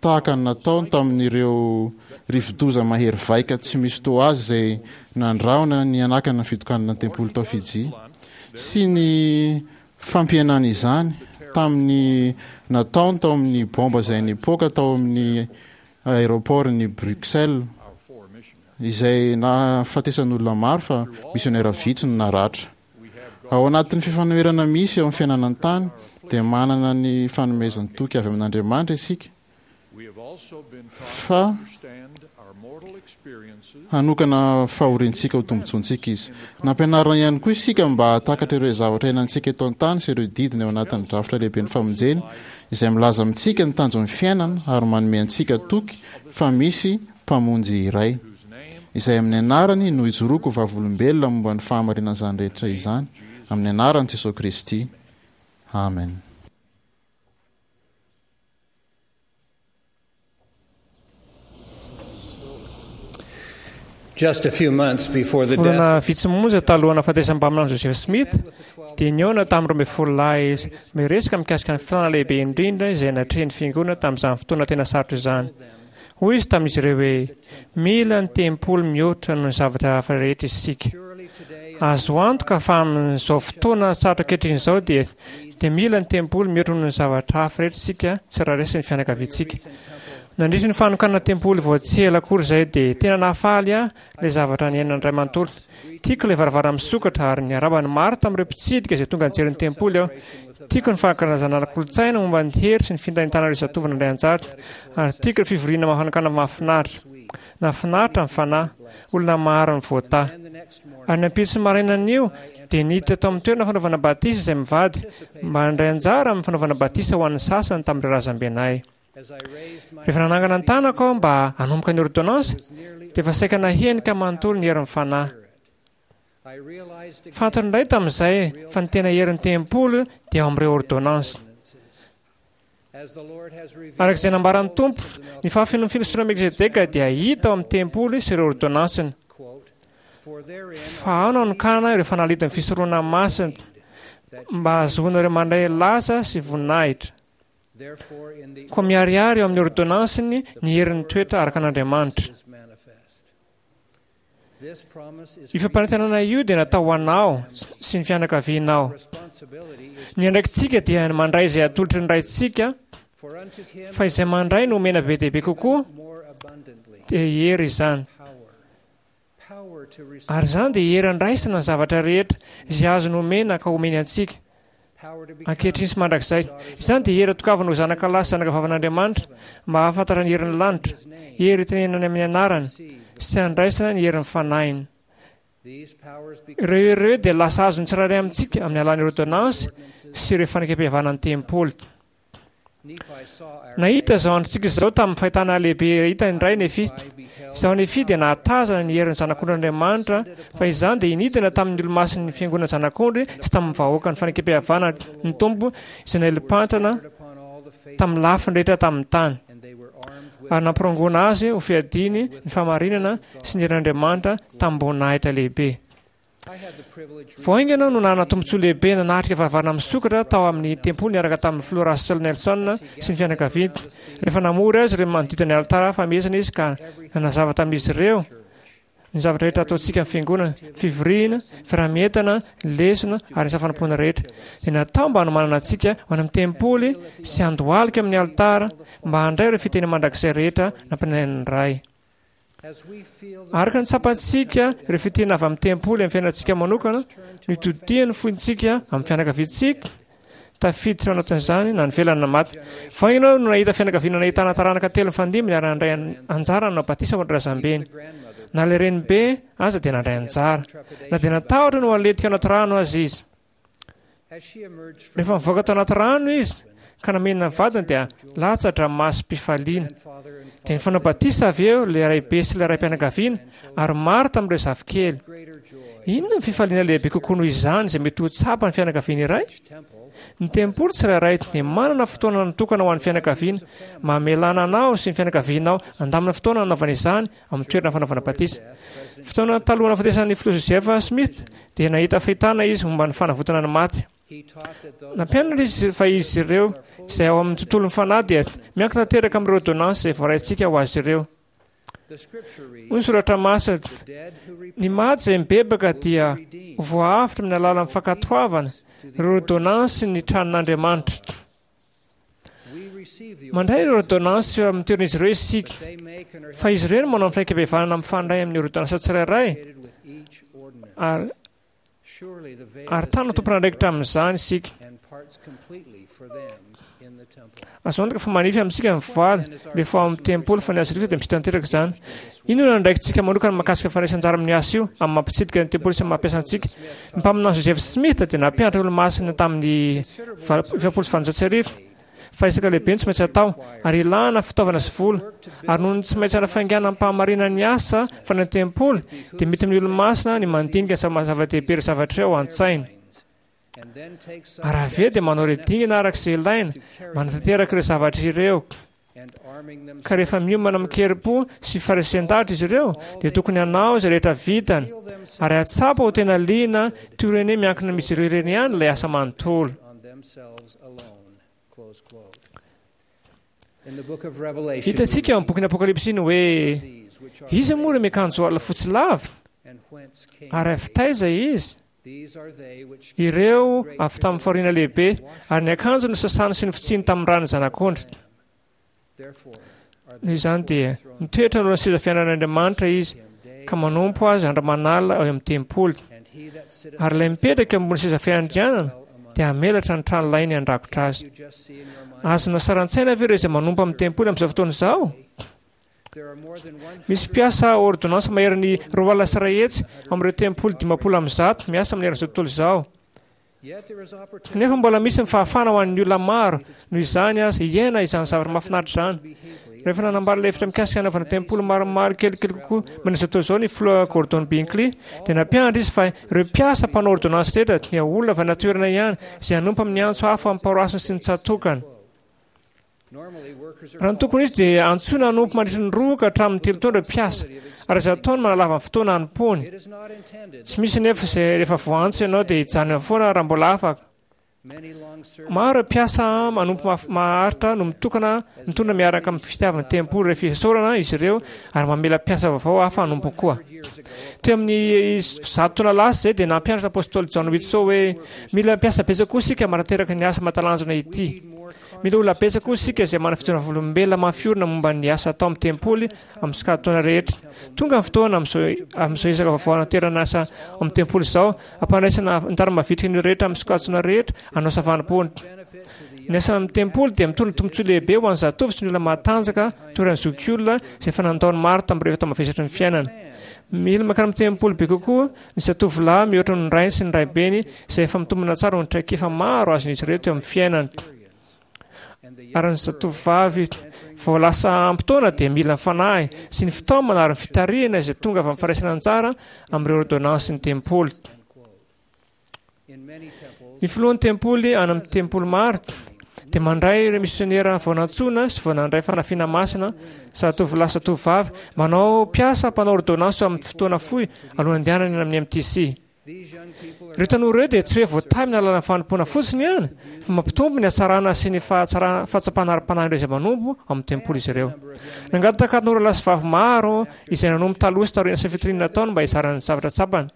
tahaka ny nataony tamin'ireo rivodoza mahery vaika tsy misy toa azy izay nandrahona ny hanakana ny fitokanana ny tempoly tao Fidji, sy ny fampihenana izany tamin'ny nataony tao amin'ny bomba izay nipoaka tao amin'ny aéroport-n'i Bruxelles, izay nahafatesan'olona maro fa misionera vitsy no naratra. Ao anatin'ny fifanoherana misy eo amin'ny fiainana an-tany, dia manana ny fanomezan-toky avy amin'Andriamanitra isika fa hanokana fahoriantsika ho tombontsoantsika Izy. Nampianarina ihany koa isika mba hahatakatra ireo zavatra iainantsika eto an-tany sy ireo didiny ao anatin'ny drafitra lehiben'ny famonjeny izay milaza amintsika ny tanjon'ny fiainana ary manome antsika toky fa misy Mpamonjy iray, izay amin'ny anarany no ijoroako ho vavolombelona momba ny fahamarinan'izany rehetra izany, amin'ny anaran'i Jesoa Kristy, Amen. Volana vitsy monja talohan'ny nahafatesan'ny mpaminany Joseph Smith, dia nihaona tamin'ny 12 lahy izy, miresaka mikasika ny filàna lehibe indrindra izay natrehin'ny Fiangonana tamin'izany fotoana tena sarotra izany. Hoy izy tamin'izy ireo hoe, Mila ny tempoly mihoatra noho ny zavatra hafa rehetra isika. Azo antoka fa amin'izao fotoana sarotra ankehitriny izao dia dia mila ny tempoly mihoatra noho ny zavatra hafa rehetra isika tsirairay sy ny fianakaviantsika. Nandritra ny fanokanana tempoly vao tsy ela akory izay dia tena nahafaly ahy ilay zavatra niainan'ny ray manontolo. Tiako ilay varavarana misokatra ary niarahaba ny maro tamin'ireo mpitsidika izay tonga nijery ny tempoly aho. Tiako ny fankalazana ara-kolontsaina momba ny hery sy ny fintaintanan'ireo zatovo nandray anjara, ary tiako ireo fivoriana mafanakana mahafinaritra. Nahafinaritra ny fanahy. Olona maro no voatahy. Ary ny ampitso marainan'io dia niditra tao amin'ny toerana fanaovana batisa izay mivady mba handray anjara amin'ny fanaovana batisa ho an'ny sasany tamin'ireo razambenay. Rehefa nanangana ny tanako aho mba hanomboka ny ôrdônansy, dia efa saika nahenika manontolo ny herin'ny Fanahy. Fantany indray tamin'izay fa ny tena herin'ny tempoly dia ao amin'ireo ôrdônansy. Araka izay nambaran'ny Tompo, ny fahafenoan'ny filosofan'i Melkizedeka dia hita ao amin'ny tempoly sy ireo ôrdônansiny. Fa ao no anokanana ireo fanalahidin'ny fisoronana masina mba hahazoana ireo mandray laza sy voninahitra. Koa miharihary eo amin'ny ôrdônansiny ny herin'ny toetra araka an'Andriamanitra. Io fampanantenana io dia natao ho anao sy ny fianakavianao. Ny andraikitsika dia ny mandray izay atolotry ny Raintsika, fa izay mandray no omena be dia be kokoa, dia hery izany. Ary izany dia hery andraisana ny zavatra rehetra izay azony omena ka omeny antsika. ankehitriny sy mandrakizay. Izany dia hery atokavana ho zanaka lahy sy zanaka vavan'Andriamanitra mba hahafantatra ny herin'ny lanitra, hery itenenany amin'ny anarany sy handraisana ny herin'ny fanahiny. Ireo hery ireo dia lasa azon'ny tsirairay amintsika amin'ny alalan'ny ôrdônansy sy ireo fanekempihavanan'ny tempoly. Nahita izao androntsika izao tamin'ny fahitana lehibe hita indray Nefia. Izaho Nefia dia nahatazana ny herin'ny Zanak'ondrin'Andriamanitra, fa izany dia nidina tamin'ny olomasin'ny Fiangonana Zanak'ondry sy tamin'ny vahoakan'ny Fanekempihavanana ny Tompo izay naelim-pantrana tamin'ny lafiny rehetra tamin'ny tany, ary nampirongoana azy ho fiadiany ny fahamarinana sy ny herin'Andriamanitra tamim-boninahitra lehibe. Vao haingana aho no nanana tombontsoa lehibe nanatrika varavarana misokatra tao amin'ny tempoly niaraka tamin'ny Filoha Russell Nelson sy ny fianakaviany. Rehefa namory azy ireo manodidina ny alitara famehezana izy ka nanazava tamin'izy ireo ny zavatra rehetra ataontsika amin'ny fiangonana, ny fivoriana, ny fiaraha-mientana, ny lesona ary ny asa fanompoana rehetra dia natao mba hanomanana antsika ho any amin'ny tempoly sy handohalika amin'ny alitara mba handray ireo fitahiana mandrakizay rehetra nampianarin'ny Ray. Araka ny tsapantsika ireo fitahiana avy amin'ny tempoly amin'ny fiainantsika manokana, no itodihan'ny fontsika amin'ny fianakaviantsika, tafiditra ao anatin'izany na ny velona na maty. Vao haingana aho no nahita fianakaviana nahitana taranaka telo nifandimby niara-nandray anjara nanao batisa ho an'ny razambeny. Na ilay renibe aza dia nandray anjara, na dia natahotra ny ho aletika anaty rano aza izy. Rehefa nivoaka tao anaty rano izy ka namena ny vadiny dia latsa-dranomasom-pifaliana. Dia nifanao batisa avy eo ilay raibe sy ilay raim-pianakaviana ary maro tamin'ireo zafikely. Inona ny fifaliana lehibe kokoa noho izany izay mety ho tsapan'ny fianakaviana iray? Ny tempoly tsirairay dia manana fotoana natokana ho an'ny fianakaviana, mamelana anao sy ny fianakavianao handamina fotoana hanaovana izany amin'ny toerana fanaovana batisa. Fotoana talohan'ny nahafatesan'ny filoha Joseph Smith dia nahita fahitana izy momba ny fanavotana ny maty. Nampianatra izy fa izy ireo izay ao amin'ny tontolon'ny fanahy dia miankina tanteraka amin'ireo ôrdônansy izay voaraintsika ho azy ireo. Hoy ny soratra masina, Ny maty izay mibebaka dia ho voaavotra amin'ny alalan'ny fankatoavana ireo ôrdônansy ny tranon'Andriamanitra. Mandray ireo ôrdônansy eo amin'ny toeran'izy ireo isika, fa izy ireo no manao ny fanekem-pihavanana mifandray amin'ny ôrdônansa tsirairay, ary ary tany ho tompon'andraikitra amin'izany isika. Azo antoka fa manify amintsika ny voaly rehefa ao amin'ny tempoly, fa ny azy rehetra dia misy tanteraka izany. Inona no andraikitsika manokana mahakasika ny fandraisana anjara amin'io asa io, amin'ny maha mpitsidika ny tempoly sy amin'ny maha mpiasa antsika? Ny mpaminany Joseph Smith dia nampianatra olomasina tamin'ny 1840 fa ezaka lehibe no tsy maintsy atao, ary ilana fitaovana sy vola, ary noho ny tsy maintsy hanafainganam-pahamarinana ny asa fanao ny tempoly, dia mety amin'ny olomasina ny mandinika ny zava-dehibe ireo zavatra ireo ao an-tsainy. Ary avy eo dia manao ireo dingana araka izay ilaina mba hanatanteraka ireo zavatra ireo. Ka rehefa miomana amin-kerim-po sy faharesen-dahatra izy ireo, dia tokony hanao izay rehetra vitany, ary hahatsapa ho tena liana toy ireny hoe miankina amin'izy ireo ireny ihany ilay asa manontolo. Hitantsika ao amin'ny bokin'ny Apokalypsy ny hoe iza moa ireo miakanjo ala fotsy lava, ary avy taiza izy? Ireo avy tamin'ny fahoriana lehibe, ary ny akanjony nosasany sy nofotsiany tamin'ny ran'ny Zanak'ondry. Noho izany dia mitoetra anoloan'ny seza fiandrianan'Andriamanitra izy, ka manompo azy andro aman'alina ao amin'ny tempoly. Ary ilay mipetraka eo ambony seza fiandrianana dia hamelatra ny tranolainy handrakotra azy. Azonao sary an-tsaina ve ireo izay manompo amin'ny tempoly amin'izao fotoana izao? Misy mpiasa ôrdônansy maherin'ny 102 amin'ireo tempoly 150 miasa manerana izao tontolo izao. Kanefa mbola misy ny fahafahana ho an'ny olona maro, noho izany aza, hiaina izany zavatra mahafinaritra izany. Rehefa nanambara ilay hevitra mikasika hanaovana tempoly maromaro kelikely kokoa manerana izao tontolo izao ny filoha Gordon Binkley, dia nampianatra izy fa ireo mpiasa mpanao ôrdônansy rehetra dia olona avy any an-toerana ihany izay hanompo amin'ny antso hafa amin'ny paroasiny sy ny tsatòkany. Raha ny tokony ho izy dia antsoina hanompo mandritra ny roa ka hatramin'ny telo taona ireo mpiasa, ary azo atao ny manalava ny fotoana hanompoany. Tsy misy anefa izay rehefa voaantso ianao dia hijanona eo foana raha mbola afaka. Maro ireo mpiasa manompo maharitra no mitokana mitondra miaraka amin'ny fitiavan'ny tempoly rehefa isaorana izy ireo ary mamela mpiasa vaovao hafa hanompo koa. Teo amin'ny zato taona lasa izay dia nampianatra apostoly John Whitsoe hoe mila mpiasa betsaka koa isika manateraka ny asa mahatalanjona ity. Mila olona betsaka koa isika izay manana fijoroana vavolombelona mafy orina momba ny asa atao amin'ny tempoly amin'ny sokajin-taona rehetra. Tonga ny fotoana amin'izao ezaka vaovao hanaterana asa ao amin'ny tempoly izao, hampandraisana ny tara-mavitrika ny olona rehetra amin'ny sokajin-taona rehetra hanao asa fanompoana. Ny asa amin'ny tempoly dia mitondra tombontsoa lehibe ho an'ny zatovo sy ny olona matanjaka toy ireny zokiolona izay efa nandao ny maro tamin'ireo tao-mavesatry ny fiainana. Mila mankany amin'ny tempoly be kokoa ny zatovolahy mihoatra noho ny rainy sy ny raibeny izay efa mitombina tsara noho ny traikefa maro azon'izy ireo teo amin'ny fiainany. Ary ny zatovovavy vao lasa ampy taona dia mila ny fanahy sy ny fitaomana ary ny fitarihana izay tonga avy amin'ny fandraisana anjara amin'ireo ôrdônansin'ny tempoly. Ny filohan'ny tempoly any amin'ny tempoly maro dia mandray ireo misionera vao nantsoina sy vao nandray fanafiana masina, zatovolahy sy zatovovavy, manao mpiasa mpanao ôrdônansy amin'ny fotoana fohy alohan'ny handehanany any amin'ny MTC. Ireo tanora ireo dia tsy hoe voatahy amin'ny alalan'ny fanompoana fotsiny ihany, fa mampitombo ny hatsarana sy ny fahatsapana ara-panahin'ireo izay manompo ao amin'ny tempoly izy ireo. Nangataka tanora lahy sy vavy maro izay nanompo taloha sy taorian'ny asa fitoriana nataony mba hizara ny zavatra tsapany.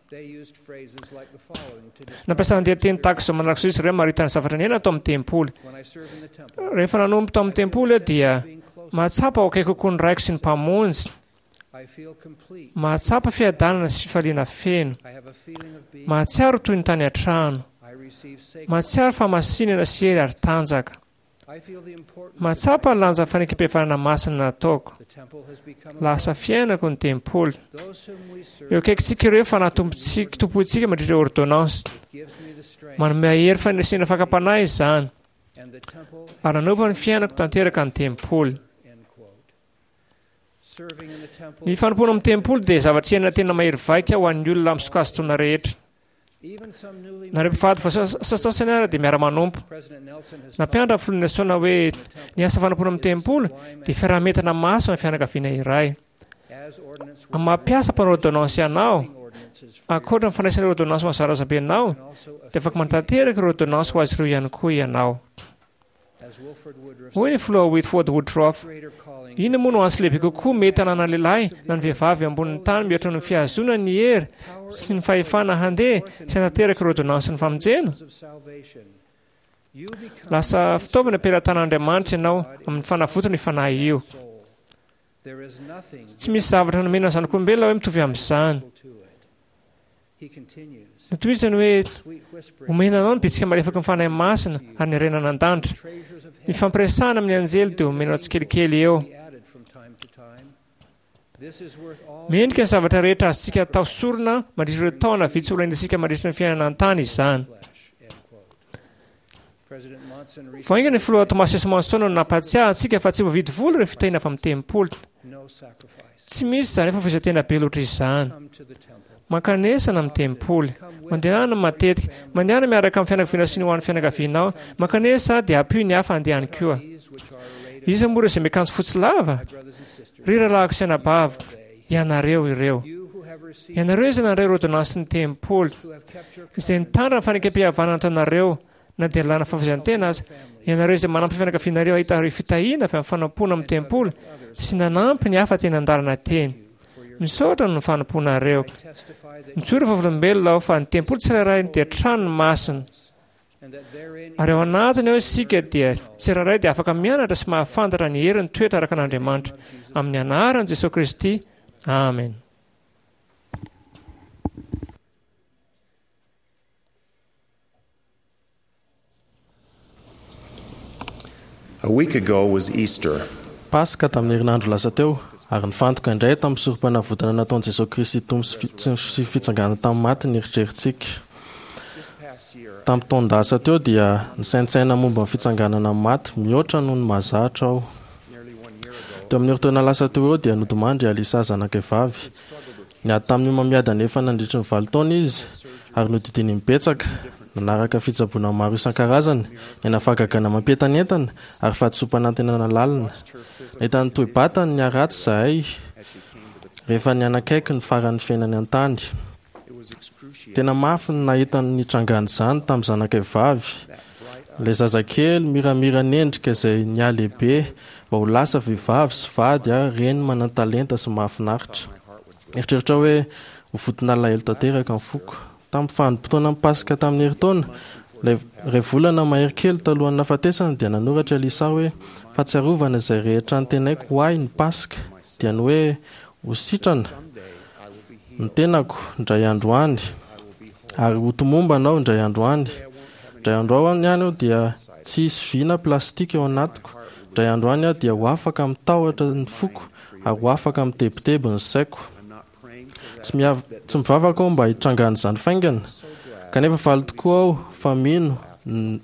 Nampiasa andian-teny tahaka izao manaraka izao izy ireo hamaritana ny zavatra niainany tao amin'ny tempoly. Rehefa nanompo tao amin'ny tempoly aho dia mahatsapa ho akaiky kokoa ny Raiko sy ny Mpamonjy. Mahatsapa fiadanana sy fifaliana feno. Mahatsiaro toy ny tany an-trano. Mahatsiaro fahamasinana sy hery ary tanjaka. Mahatsapa ny lanjan'ny fanekempihavanana masina nataoko. Lasa fiainako ny tempoly. Eo akaikintsika ireo fanahy tompontsika, tompointsika mandritra ireo ôrdônansy. Manome hery fandresena fakam-panahy izany. Ary nanova ny fiainako tanteraka ny tempoly. Ny fanompoana amin'ny tempoly dia zavatra iainana tena mahery vaika ho an'ny olona amin'ny sokajin-taona rehetra. Na ireo mpivady vao sasasany ara dia miara-manompo. Nampianatra ny filoha Nelson hoe ny asa fanompoana amin'ny tempoly dia fiaraha-mientana masina ny fianakaviana iray. Amin'ny maha mpiasa mpanao ôrdônansy anao, ankoatra ny fandraisana ireo ôrdônansy ho an'ny zarazambenao, dia afaka manatanteraka ireo ôrdônansy ho azy ireo ihany koa ianao. Hoy ny filoha Whitford Woodruff, Inona moa no antso lehibe kokoa mety hananan'ny lehilahy na ny vehivavy eo ambonin'ny tany mihoatra noho ny fihazoana ny hery sy ny fahefana handeha sy hanateraka ireo ôrdônansin'ny famonjena? Lasa fitaovana am-pelatanan'Andriamanitra ianao amin'ny fanavotana io fanahy io. Tsy misy zavatra nomena ny zanak'olombelona hoe mitovy amin'izany. Notohizany hoe, Omena anao ny bitsika malefaky ny Fanahy Masina ary ny harena an-danitra. Ny fampiresahana amin'ny anjely dia omenao tsikelikely eo. Mendrika ny zavatra rehetra azontsika atao sorona mandritra ireo taona vitsy ho lainantsika mandritra ny fiainana an-tany izany. Vao haingana ny filoha Thomas S. Monson no nampahatsiahy antsika fa tsy voavidy vola ireo fitahiana avy amin'ny tempoly. Tsy misy izany fahafoizan-tena be loatra izany. Mankanesana amin'ny tempoly. Mandehana matetika. Mandehana miaraka amin'ny fianakaviana sy ny ho an'ny fianakavianao. Mankanesa dia ampio ny hafa handeha any koa. Iza moa ireo izay miakanjo fotsy lava? Ry rahalahiko sy anabaviko, ianareo ireo. Ianareo izay nandray ireo ôrdônansin'ny tempoly, izay nitandrina ny fanekempihavanana nataonareo na dia lalàna fahafoizan-tena aza, ianareo izay manampy ny fianakavianareo hahita ireo fitahiana avy amin'ny fanompoana amin'ny tempoly sy nanampy ny hafa teny an-dalana teny. Misaotra noho ny fanompoanareo. Mijoro vavolombelona aho fa ny tempoly tsirairay dia trano masina. Ary ao anatiny ao isika dia tsirairay dia afaka mianatra sy mahafantatra ny herin'ny toetra araka an'Andriamanitra. Amin'ny anaran'i Jesoa Kristy, amena. A week ago was Easter. Paska tamin'ny herinandro lasa teo, ary nifantoka indray tamin'ny sorompanavotana nataon'i Jesoa Kristy Tompo sy fitsanganany tamin'ny maty ny eritreritsika. Tamin'ny taon-dasa teo dia nisaintsaina momba ny fitsanganana amin'ny maty mihoatra noho ny mahazatra aho. Teo amin'ny herintaona lasa teo eo dia nodimandry i Alisa zanakay vavy. Niady tamin'ny homamiadana efa nandritry ny valo taona izy ary nodidiany imbetsaka, nanaraka fitsaboana maro isan-karazany, niaina fahagagana mampientanentana ary fahadisoam-panantenana lalina. Nahita ny toe-batany niharatsy izahay rehefa nihanakaiky ny faran'ny fiainany an-tany. Tena mafy ny nahita ny nitrangan'izany tamin'ny zanakay vavy, ilay zazakely miramiran'endrika izay nihalehibe mba ho lasa vehivavy sy vady ary reny manan-talenta sy mahafinaritra. Nieritreritra aho hoe ho vonton'alahelo tanteraka ny foko. Tamin'ny vanim-potoanan'ny Paska tamin'ny herintaona, ilay iray volana mahery kely talohan'ny nahafatesany, dia nanoratra i Alisa hoe, Fahatsiarovana izay rehetra antenaiko ho ahy ny Paska, dia ny hoe ho sitrana ny tenako indray andro any, ary ho tomombana aho indray andro any. Indray andro any aho dia tsy hisy vy na plastika ao anatiko. Indray andro any aho dia ho afaka amin'ny tahotra ny foko ary ho afaka amin'ny tebiteby ny saiko. Tsy tsy mivavaka aho mba hitrangan'izany faingana, kanefa faly tokoa aho fa mino ny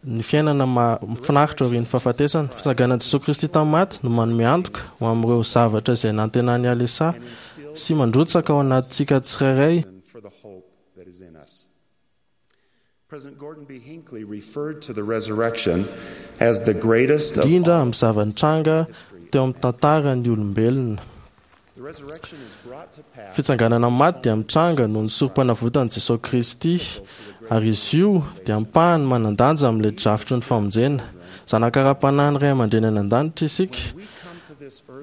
ny fiainana mahafinaritra aorian'ny fahafatesana. Fitsanganan'i Jesoa Kristy tamin'ny maty no manome antoka ho amin'ireo zavatra izay nantenan'i Alesà sy mandrotsaka ao anatintsika tsirairay. Indrindra amin'ny zava-nitranga teo amin'ny tantaran'ny olombelona. Fitsanganana amin'ny maty dia mitranga noho ny sorompanavotan'i Jesoa Kristy, ary izy io dia ampahany manan-danja amin'ilay drafitry ny famonjena. Zanaka ara-panahin'ny Ray aman-dreny any An-danitra isika,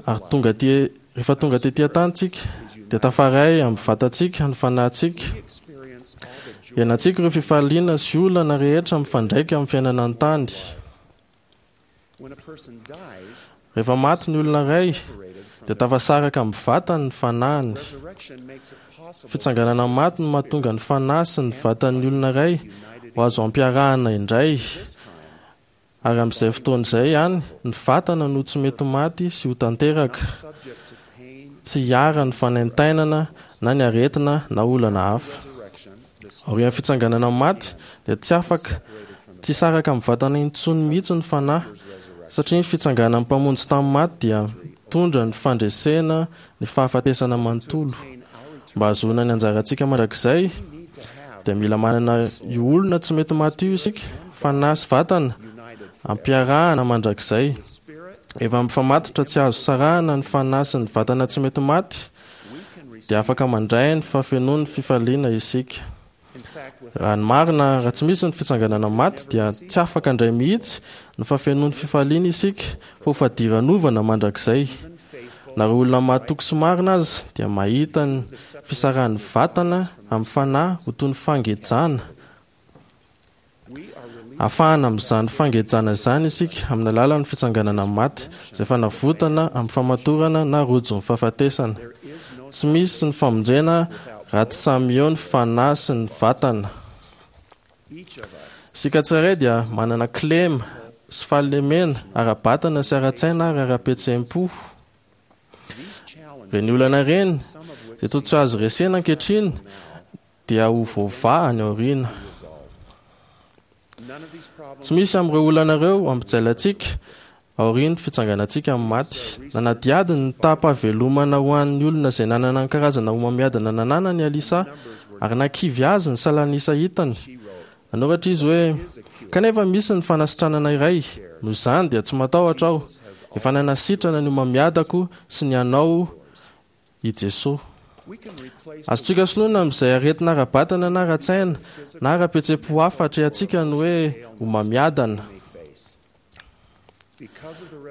ary tonga aty, rehefa tonga tety an-tany isika, dia tafaray amin'ny vatantsika ny fanahintsika. Iainantsika ireo fifaliana sy olana rehetra mifandraika amin'ny fiainana an-tany. Rehefa maty ny olona iray, dia tafasaraka amin'ny vatany ny fanahiny. Fitsanganana amin'ny maty no mahatonga ny fanahy sy ny vatan'ny olona iray ho azo ampiarahana indray, ary amin'izay fotoana izay ihany ny vatana no tsy mety maty sy ho tanteraka, tsy hiharan'ny fanaintainana na ny aretina na olana hafa. Aorian'ny fitsanganana amin'ny maty dia tsy afaka tsy hisaraka amin'ny vatana intsony mihitsy ny fanahy, satria ny fitsanganan'ny Mpamonjy tamin'ny maty dia mitondra ny fandresena ny fahafatesana manontolo. Mba hahazoana ny anjarantsika mandrakizay dia mila manana io olona tsy mety maty io isika, fanahy sy vatana ampiarahana mandrakizay. Efa mifamatotra tsy azo sarahana ny fanahy sy ny vatana tsy mety maty, dia afaka mandray ny fahafenoan'ny fifaliana isika. Raha ny marina, raha tsy misy ny fitsanganana maty, dia tsy afaka handray mihitsy ny fahafenoan'ny fifaliana isika, fa ho fadiranovana mandrakizay. Na ireo olona mahatoky sy marina aza dia mahita ny fisarahan'ny vatana amin'ny fanahy ho toy ny fangejana, Afahana amin'izany fangejana izany isika amin'ny alalan'ny fitsanganana amin'ny maty, izay fanavotana amin'ny famatorana na rojon'ny fahafatesana. Tsy misy ny famonjena raha tsy samy eo ny fanahy sy ny vatana. Isika tsirairay dia manana kilema sy fahalemena ara-batana sy ara-tsaina ary ara-pihetseham-po. Ireny olana ireny, izay toa tsy azo resena ankehitriny, dia ho voavaha any aoriana. Tsy misy amin'ireo olana ireo hampijaly antsika aorian'ny fitsanganantsika amin'ny maty. Nanadihady ny taham-pahavelomana ho an'ny olona izay nanana ny karazana homamiadana nananany i Alisa, ary nahakivy azy ny salan'isa hitany. Nanoratra izy hoe, Kanefa misy ny fanasitranana iray, noho izany dia tsy matahotra aho. Efa nanasitrana ny homamiadako sy ny anao i Jesoa. Azontsika soloina amin'izay aretina ara-batana na ara-tsaina na ara-pihetseham-po hafa atrehantsika ny hoe homamiadana.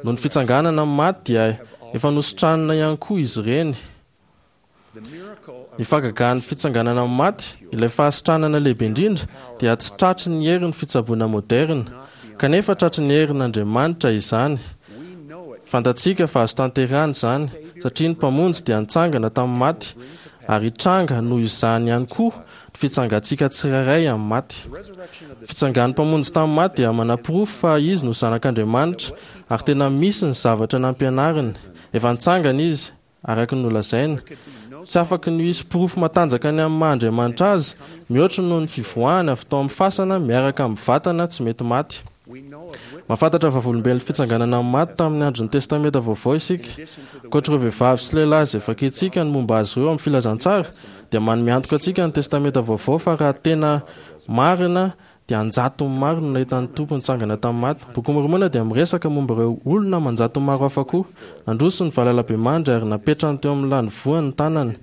Noho ny fitsanganana amin'ny maty dia efa nositranina ihany koa izy ireny. Ny fahagagan'ny fitsanganana amin'ny maty, ilay fahasitranana lehibe indrindra, dia tsy tratry ny herin'ny fitsaboana moderina, kanefa tratry ny herin'Andriamanitra izany. Fantatsika fa azo tanterahina izany, satria ny Mpamonjy dia nitsangana tamin'ny maty, ary hitranga noho izany ihany koa ny fitsangantsika tsirairay amin'ny maty. Ny fitsangan'ny Mpamonjy tamin'ny maty dia manaporofo fa Izy no Zanak'Andriamanitra, ary tena misy ny zavatra nampianariny. Efa nitsangana Izy, araka ny nolazainy. Tsy afaky ny hisy porofo matanjaka ny amin'ny maha Andriamanitra Azy, mihoatra noho ny fivoahany avy tao amin'ny fasana miaraka amin'ny vatana tsy mety maty. Mahafantatra vavolombelon'ny fitsanganana amin'ny maty tamin'ny andron'ny Testamenta Vaovao isika. Ankoatra ireo vehivavy sy lehilahy izay vakintsika ny momba azy ireo amin'ny Filazantsara, dia manome antoka antsika ny Testamenta Vaovao fa raha tena marina dia an-jatony maro no nahita ny Tompo nitsangana tamin'ny maty. Ny Bokin'i Môrmôna dia miresaka momba ireo olona aman-jatony maro hafa koa. Nandroso ny valalabemandry ary napetrany teo amin'ny lanivoany ny tanany,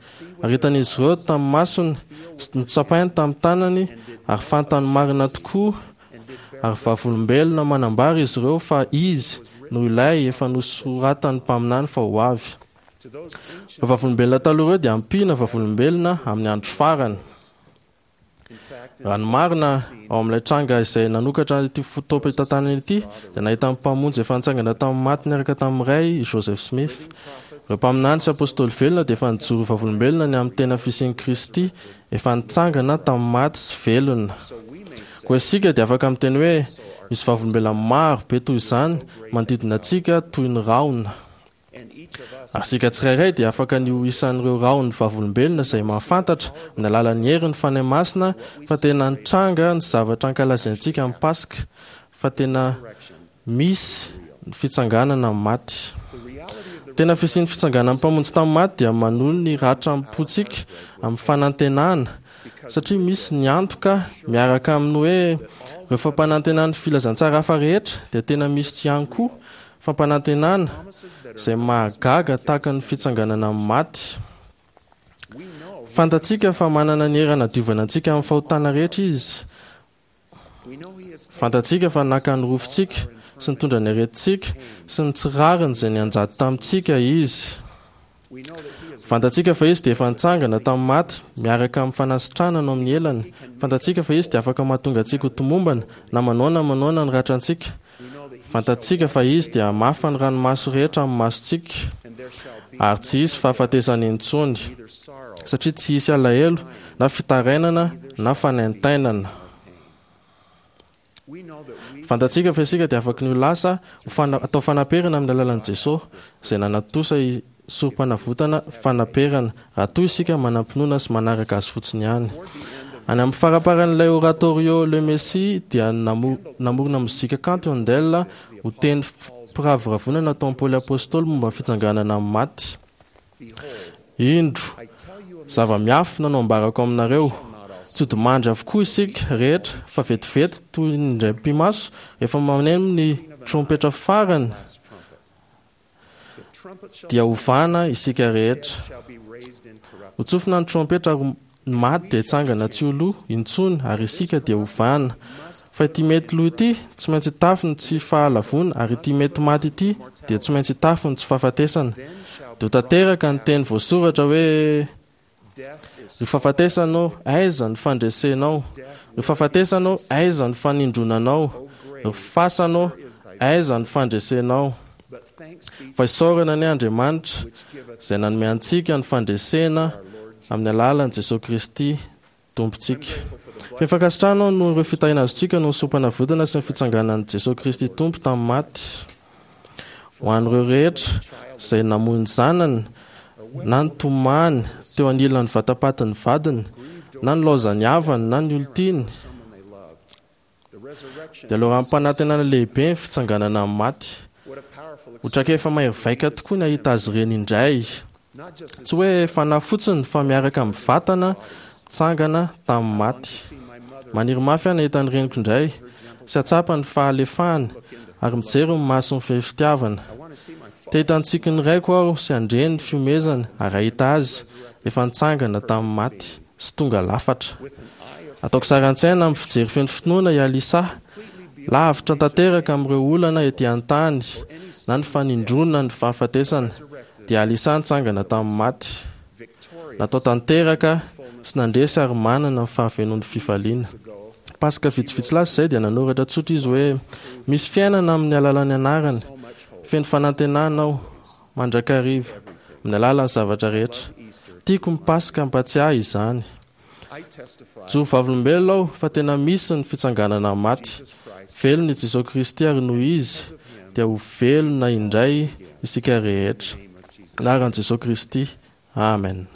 ary hitan'izy ireo tamin'ny masony sy notsapainy tamin'ny tanany ary fantany marina tokoa ary vavolombelona manambara izy ireo fa Izy no Ilay efa nosoratan'ny mpaminany fa ho avy. Ireo vavolombelona taloha ireo dia ampiana vavolombelona amin'ny andro farany. Raha ny marina, ao amin'ilay tranga izay nanokatra ity fotoam-pitantanana ity, dia nahita ny Mpamonjy efa nitsangana tamin'ny maty niaraka tamin'ny Ray i Joseph Smith. Ireo mpaminany sy apôstôly velona dia efa nijoro vavolombelona ny amin'ny tena fisian'i Kristy efa nitsangana tamin'ny maty sy velona. Koa isika dia afaka miteny hoe misy vavolombelona maro be toy izany manodidina antsika toy ny rahona. Ary isika tsirairay dia afaka ny ho isan'ireo rahon'ny vavolombelona izay mahafantatra, amin'ny alalan'ny herin'ny Fanahy Masina, fa tena nitranga ny zavatra ankalazaintsika amin'ny Paska, fa tena misy ny fitsanganana amin'ny maty. Ny tena fisian'ny fitsanganan'ny Mpamonjy tamin'ny maty dia manolo ny ratram-pontsika amin'ny fanantenana, satria misy ny antoka miaraka amin'ny hoe ireo fampanantenan'ny filazantsara hafa rehetra dia tena misy ihany koa Fampanantenana izay mahagaga tahaka ny fitsanganana amin'ny maty. Fantatsika fa manana ny hery hanadiovana antsika amin'ny fahotana rehetra Izy. Fantatsika fa naka ny rofintsika sy nitondra ny aretintsika sy ny tsy rariny izay nianjady tamintsika Izy. Fantatsika fa Izy dia efa nitsangana tamin'ny maty miaraka amin'ny fanasitranana ao amin'ny elany. Fantatsika fa Izy dia afaka mahatonga antsika ho tomombana na manaona manaona ny ratrantsika. Fantatsika fa Izy dia hamafa ny ranomaso rehetra amin'ny masontsika, ary tsy hisy fahafatesana intsony, satria tsy hisy alahelo na fitarainana na fanaintainana. Fantatsika fa isika dia afaky ny ho lasa ho fana, atao fanaperana amin'ny alalan'i Jesosy, izay nanatontosa sorom-panavotana fanaperana, raha toa isika manam-pinoana sy manaraka Azy fotsiny ihany. Any amin'ny faramparan'ilay oratorio Le Messie dia namorona mozika kanto i Handel ho teny firavoravoana nataon'i Paoly Apostoly momba ny fitsanganana amin'ny maty. Indro, zava-miafina no ambarako aminareo, tsy hodimandry avokoa isika rehetra, fa vetivety toy ny indray mipi-maso, rehefa maneno ny trompetra farany, dia hovana isika rehetra. Hotsofina ny trompetra ary ny maty dia hitsangana tsy ho lo intsony ary isika dia hovana. Fa ity mety lo ity tsy maintsy hitafy ny tsy fahalavoana ary ity mety maty ity dia tsy maintsy hitafy ny tsy fahafatesana. Dia ho tanteraka ny teny voasoratra hoe, Ry fahafatesana ô, aiza ny fandresenao? Ry fahafatesana ô, aiza ny fanindronanao? Ry fasana ô, aiza ny fandresenao? Fa isaorana anie Andriamanitra, izay nanome antsika ny fandresena amin'ny alalan'i Jesoa Kristy Tompontsika. Feno fankasitrahana aho noho ireo fitahiana azontsika noho ny sorom-panavotana sy ny fitsanganan'i Jesoa Kristy Tompo tamin'ny maty. Ho an'ireo rehetra izay namoy ny zanany na nitomany teo anilan'ny vatapatin'ny vadiny na nilaozan'ny havany na ny olon-tiany, dia loharanom-panantenana lehibe ny fitsanganana amin'ny maty. Ho traikefa mahery vaika tokoa ny hahita azy ireny indray. Tsy hoe fanahy fotsiny fa miaraka amin'ny vatana nitsangana tamin'ny maty. Maniry mafy aho ny hahita ny reniko indray sy hahatsapa ny fahalefahany ary mijery ny masony feno fitiavana. Te hahita ny tsikin'ny raiko aho sy handre ny fihomezany ary hahita azy efa nitsangana tamin'ny maty sy tonga lafatra. Ataoko sary an-tsaina amin'ny fijery feno finoana i Alisa, lavitra tanteraka amin'ireo olana ety an-tany na ny fanindronana ny fahafatesana. Dia Alisa nitsangana tamin'ny maty. Natao tanteraka sy nandresy ary manana ny fahafenoan'ny fifaliana. Paska vitsivitsy lasa izay dia nanoratra tsotra izy hoe, Misy fiainana amin'ny alalan'ny anarany. Feno fanantenana aho, mandrakariva, amin'ny alalan'ny zavatra rehetra. Tiako ny Paska hampatsiahy izany. Joro vavolombelona aho fa tena misy ny fitsanganana amin'ny maty. Velona i Jesoa Kristy ary noho Izy dia ho velona indray isika rehetra. Anaran'i Jesoa Kristy, Amen.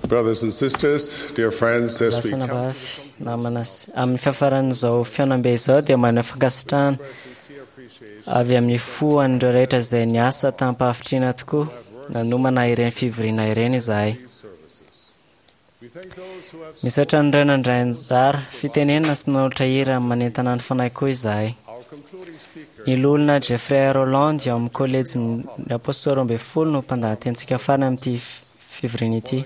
Brothers and sisters, dear friends, as we Lahy sy come anabavy, namana sy amin'ny fiafaran'izao fihaonambe izao dia maneho fankasitrahana avy amin'ny fo an'ireo rehetra izay niasa tamim-pahavitrihana tokoa nanomana ireny fivoriana ireny izahay. Misaotra an'ireo nandray anjara fitenenana sy nanolotra hira manentana ny fanahy koa izahay. Ny loholona Jeffrey Rolland ao amin'ny Kolejin'ny Apôstôly 12 no mpandahatenintsika farany amin'ity fivoriana ity.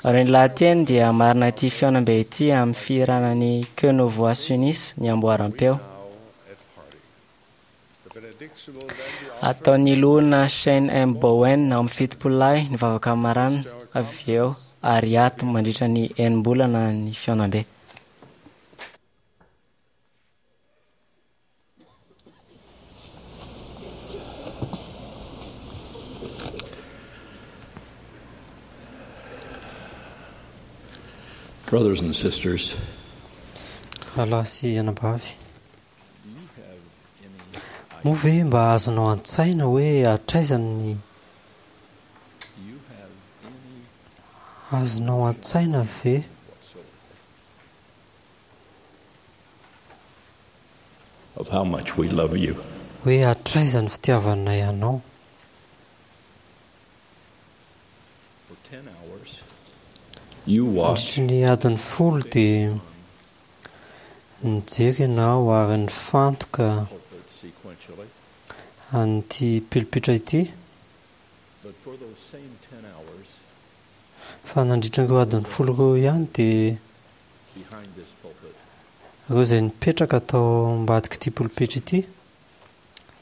Ary ny lahateny dia hamarina ity fihaonambe ity amin'ny fihirana ny Que nos voix s'unissent ny amboaram-peo. Ataon'ny loholona Shane M. Bowen ao amin'ny 70 ny vavaka marana avy eo ary hiato mandritra ny enim-bolana ny fihaonambe. Brothers and sisters, Rahalahy sy anabavy, moa ve mba azonao an-tsaina hoe hatraiza ny azonao an-tsaina ve of how much we love you. hoe hatraiza ny fitiavanay anao? For 10 hours, you watched Nandritry ny adiny 10 dia nijery ianao ary nifantoka pulpit sequentially, an'ity pilipitra ity, but for those same 10 hours fa nandritra ireo adiny 10 ireo ihany dia behind this pulpit, ireo izay nipetraka tao ambadik'ity pilipitra ity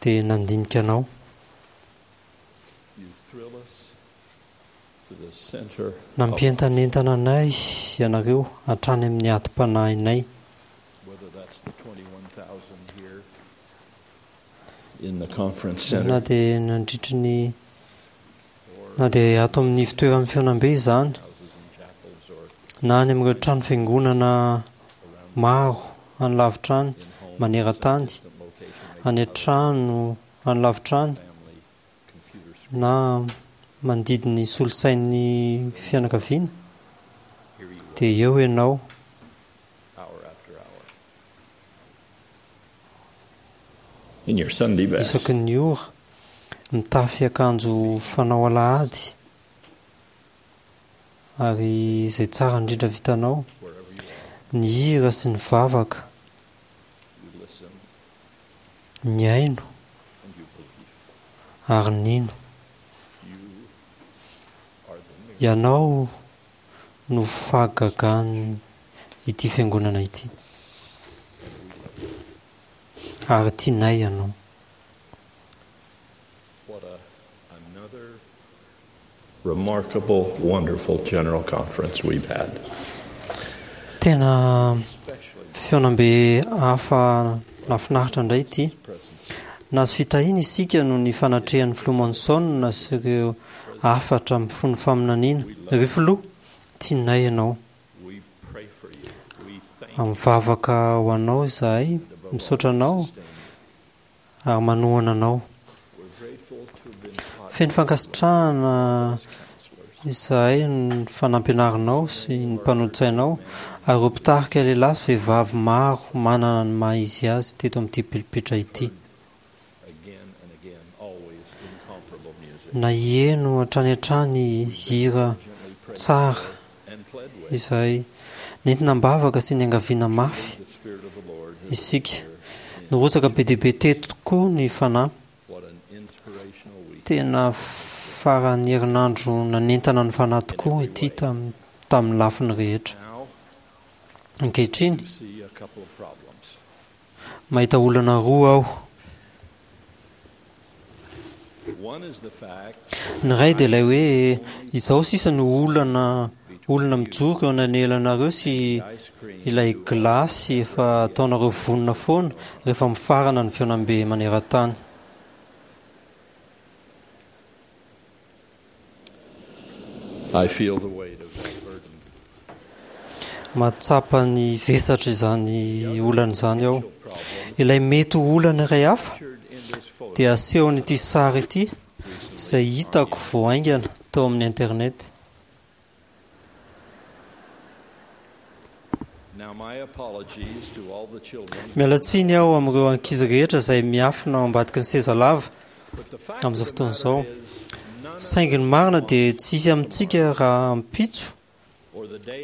dia nandinika anao. you thrill us to the center of Nampientanentana anay ianareo hatrany amin'ny adim-panahinay. whether that's the 21,000 here in the conference Na center dia nandritry ny na dia ato amin'ny fitoeran'ny fihaonambe izany, houses and chapels or na any amin'ireo trano fiangonana maro any lavitra any, maneran-tany, distant location, any an-trano any lavitra any, family computer screen. na mandidy ny solosain'ny fianakaviana, Here you dia eo ianao hour after hour. In your Sunday best. isaky ny ora, mitafy akanjo fanao alahady, ary izay tsara indrindra vitanao, Wherever you are, ny hira sy ny vavaka, you listen ny aino and you believe. ary nino. You are the miracle. Ianao no fahagagan ity fiangonana ity. Ary tianay ianao. What a another remarkable, wonderful general conference we've had. Tena fihaonambe hafa nahafinaritra indray ity. Nahazo fitahiana isika noho ny fanatrehan'ny filoha Monson sy ireo hafatra mifono faminaniana. Ry filoha, tianay ianao. We pray for you. We thank Mivavaka ho anao izahay, misaotra anao ary manohana anao. We're grateful to have been taught Feno fankasitrahana izahay ny fanampianarinao sy ny mpanolotsainao ary ireo mpitarika lehilahy sy vehivavy maro manana ny maha izy azy teto amin'ity pilipitra ity. again and again, always incomparable music. Naheno hatrany hatrany hira tsara And pled with izahay nentina am-bavaka sy niangaviana mafy the Spirit of the Lord who isika. Nirotsaka be dia be teto tokoa ny fanahy. what an inspirational week. Tena faran'ny herinandro nanentana ny fanahy tokoa ity tam- tamin'ny lafiny rehetra. Now Ankehitriny, you see a couple of problems. mahita olana roa aho. One is the fact Ny iray dia ilay hoe izao sisa no olana olona mijoro eo ananelanareo sy ice cream ilay glasy efa ataonareo vonona foana rehefa mifarana ny fihaonambe maneran-tany. I feel the weight of that burden. Mahatsapa ny vesatra izany olana izany aho. Ilay mety ho olana iray hafa Pictured in this photo dia asehon'ity sary ity izay hitako vao haingana tao amin'ny internet. Miala tsiny aho amin'ireo ankizy rehetra izay miafina ao ambadiky ny seza lava amin'izao fotoana izao. Saingy ny marina dia tsy hisy amintsika rahampitso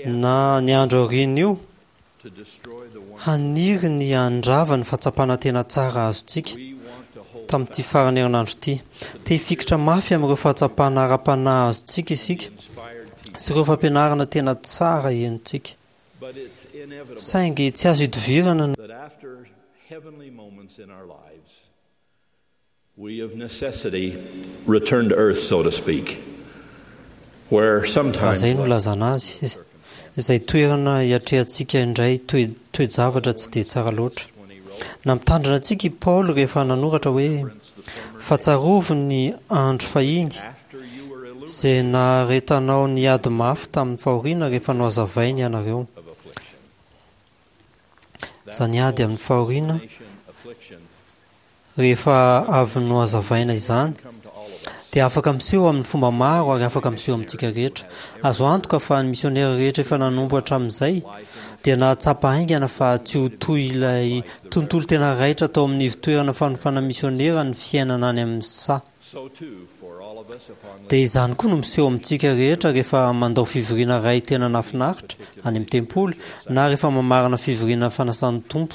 na ny andro aorian'io haniry ny handrava ny fahatsapana tena tsara azontsika tamin'ity faran'ny herinandro ity. Te hifikitra mafy amin'ireo fahatsapana ara-panahy azontsika isika sy ireo fampianarana tena tsara henontsika. Saingy tsy azo idovirana ny. We of necessity return to earth, so to speak, where Raha sometimes izay no ilazana azy, izay toerana hiatrehantsika indray toe-javatra tsy dia tsara loatra. Nampitandrina antsika i Paoly rehefa nanoratra hoe, Fa tsarovy ny andro fahiny, izay naharetanao niady mafy tamin'ny fahoriana rehefa nohazavainy ianareo. Izany ady amin'ny fahoriana Rehefa avy nohazavaina izany, dia afaka miseho amin'ny fomba maro ary afaka miseho amintsika rehetra. Azo antoka fa ny misionera rehetra efa nanompo hatramin'izay dia nahatsapa haingana fa tsy ho toy ilay tontolo tena raitra tao amin'ny ivon-toerana fanofana misionera ny fiainana any amin'ny saha. Dia izany koa no miseho amintsika rehetra rehefa mandao fivoriana iray tena nahafinaritra any amin'ny tempoly na rehefa mamarana fivoriana fanasan'ny Tompo.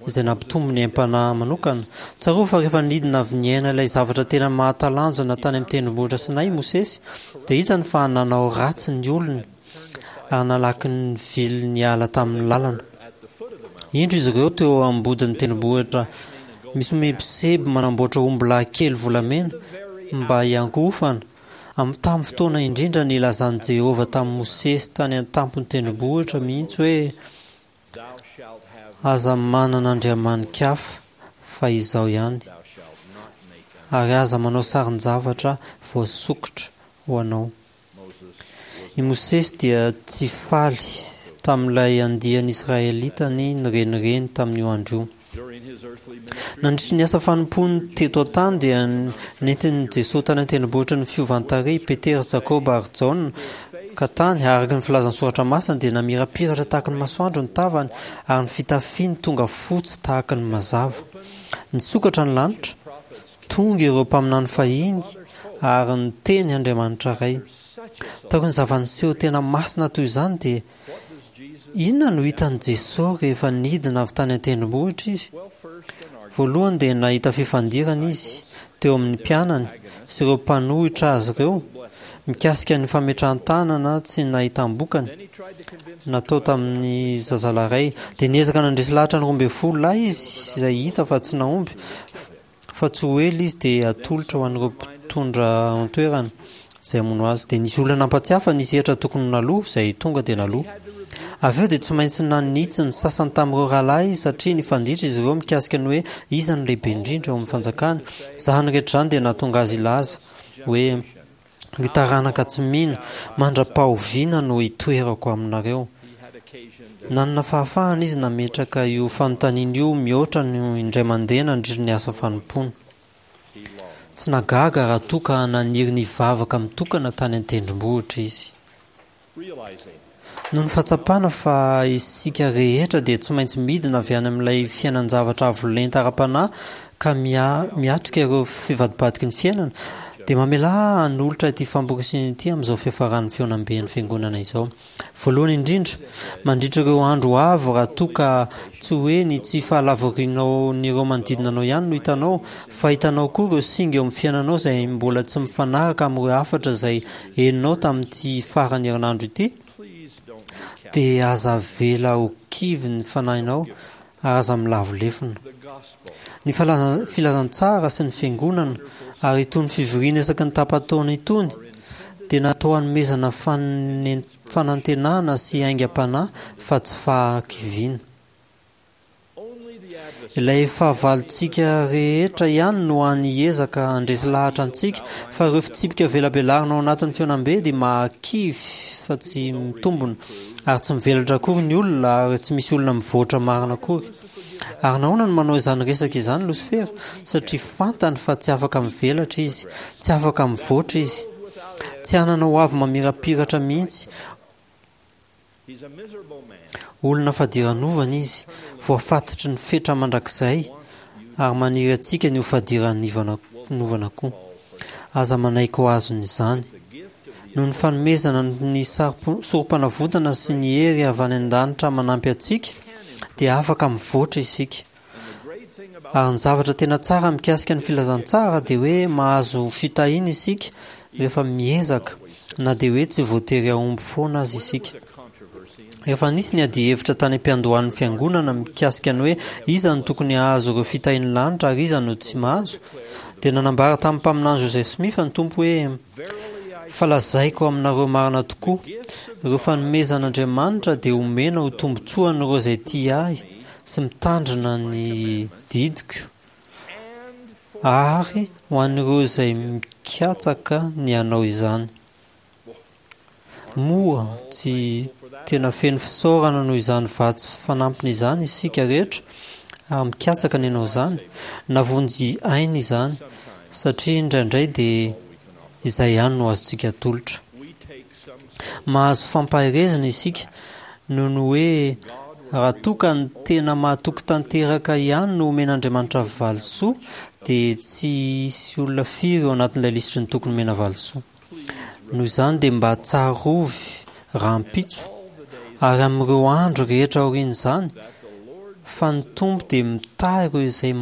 izay nampitombo ny aim-panahy manokana. Tsarovy fa rehefa nidina avy niaina ilay zavatra tena mahatalanjona tany amin'ny Tendrombohitra Sinay i Mosesy, dia hitany fa nanao ratsy ny olony ary nalaky nivily niala tamin'ny lalana. Indro izy ireo teo am-bodin'ny tendrombohitra misomebiseby manamboatra ombilahy kely volamena mba hiankohofana, amin'ny tamin'ny fotoana indrindra nilazan'i Jehovah tamin'i Mosesy tany an-tampon'ny tendrombohitra mihitsy hoe, Aza manana andriamani-kafa fa Izaho ihany, ary aza manao sarin-javatra voasokitra ho anao. I Mosesy dia tsy faly tamin'ilay andian'Israelitany nirenireny tamin'io andro io. Nandritry ny asa fanompoany teto an-tany dia nentin'i Jesoa tany an-tendrombohitry ny fiovan-tarehy i Petera sy Jakoba ary Jaona, ka tany, araka ny filazan'ny Soratra Masina, dia namirapiratra tahaka ny masoandro ny tavany ary ny fitafiany tonga fotsy tahaka ny mazava. Nisokatra ny lanitra, tonga ireo mpaminany fahiny ary niteny Andriamanitra Ray. Taorian'ny zava-niseho tena masina toy izany dia Inona no hitan'i Jesoa rehefa nidina avy tany an-tendrombohitra Izy? Voalohany dia nahita fifandirana Izy teo amin'ny mpianany sy ireo mpanohitra Azy ireo mikasika ny fametrahan-tanana tsy nahitam-bokany natao tamin'ny zazalahy iray. Dia niezaka nandresy lahatra ny 12 lahy Izy izay hita fa tsy nahomby. Fa tsy ho ela izy dia hatolotra ho an'ireo mpitondra ao an-toerana izay hamono azy. Dia nisy olona nampatsiahy fa nisy hetra tokony ho naloa, izay tonga dia naloa. Avy eo dia tsy maintsy nanitsy ny sasany tamin'ireo rahalahy izy satria nifanditra izy ireo mikasika ny hoe iza no lehibe indrindra eo amin'ny fanjakana. Izany rehetra izany dia nahatonga azy hilaza hoe, Ry taranaka tsy mino, mandra-pahoviana no hitoerako aminareo? Nanana fahafahana izy nametraka io fanontaniana io mihoatra ny indray mandeha nandritra ny asa fanompoana. Tsy nahagaga raha toa ka naniry ny hivavaka mitokana tany an-tendrombohitra izy. Noho ny fahatsapana fa isika rehetra dia tsy maintsy midina avy any amin'ilay fiainan-javatra avo lenta ara-panahy ka miatrika ireo fivadibadiky ny fiainana, dia mamelà ahy hanolotra ity famporisihina ity amin'izao fiafaran'ny fihaonamben'ny Fiangonana izao. Voalohany indrindra, mandritra ireo andro ho avy raha toa ka tsy hoe ny tsy fahalavorianao-n'ireo manodidina anao ihany no hitanao, fa hitanao koa ireo singa eo amin'ny fiainanao izay mbola tsy mifanaraka amin'ireo hafatra izay henonao tamin'ity faran'ny herinandro ity, dia aza avela ho kivy ny fanahinao ary aza milavo lefona. Ny filazantsara sy ny fiangonana ary itony fivoriana isaky ny tapa-taona itony dia natao hanomezana fanantenana sy aingam-panahy fa tsy fahakiviana. Ilay fahavalontsika rehetra ihany no hany hiezaka handresy lahatra antsika fa ireo fitsipika velabelarina ao anatin'ny fihaonambe dia mahakivy fa tsy mitombina ary tsy mivelatra akory ny olona ary tsy misy olona mivoatra marina akory. Ary nahoana no manao izany resaka izany Losifera? Satria fantany fa tsy afaka mivelatra izy, tsy afaka mivoatra izy. Tsy hanana ho avy mamirapiratra mihitsy. Olona fadiranovana izy, voafatotry ny fetra mandrakizay, ary maniry antsika ny ho fadiranovana koa. Aza manaiky ho azon'izany. Noho ny fanomezana ny sorompanavotana sy ny hery avy any an-danitra manampy antsika, dia afaka mivoatra isika. Ary ny zavatra tena tsara mikasika ny filazantsara dia hoe mahazo fitahiana isika rehefa miezaka, na dia hoe tsy voatery hahomby foana aza isika. Rehefa nisy ny adihevitra tany am-piandohan'ny Fiangonana mikasika ny hoe iza no tokony hahazo ireo fitahian'ny lanitra ary iza no tsy mahazo, dia nanambara tamin'ny Mpaminany Joseph Smith ny Tompo hoe, Fa lazaiko aminareo marina tokoa, ireo fanomezan'Andriamanitra dia omena ho tombontsoan'ireo izay tia Ahy sy mitandrina ny didiko, ary ho an'ireo izay mikatsaka ny hanao izany. Moa tsy tena feno fisaorana noho izany vatsy fanampiny izany isika rehetra ary mikatsaka ny hanao izany? Navonjy aina izany, satria indraindray dia izay ihany no azontsika atolotra. Mahazo fampaherezana isika noho ny hoe raha toa ka ny tena mahatoky tanteraka ihany no omen'Andriamanitra valisoa dia tsy hisy olona firy eo anatin'ilay lisitry ny tokony homena valisoa. Noho izany dia mba tsarovy rahampitso ary amin'ireo andro rehetra aorian'izany fa ny Tompo dia mitahy ireo izay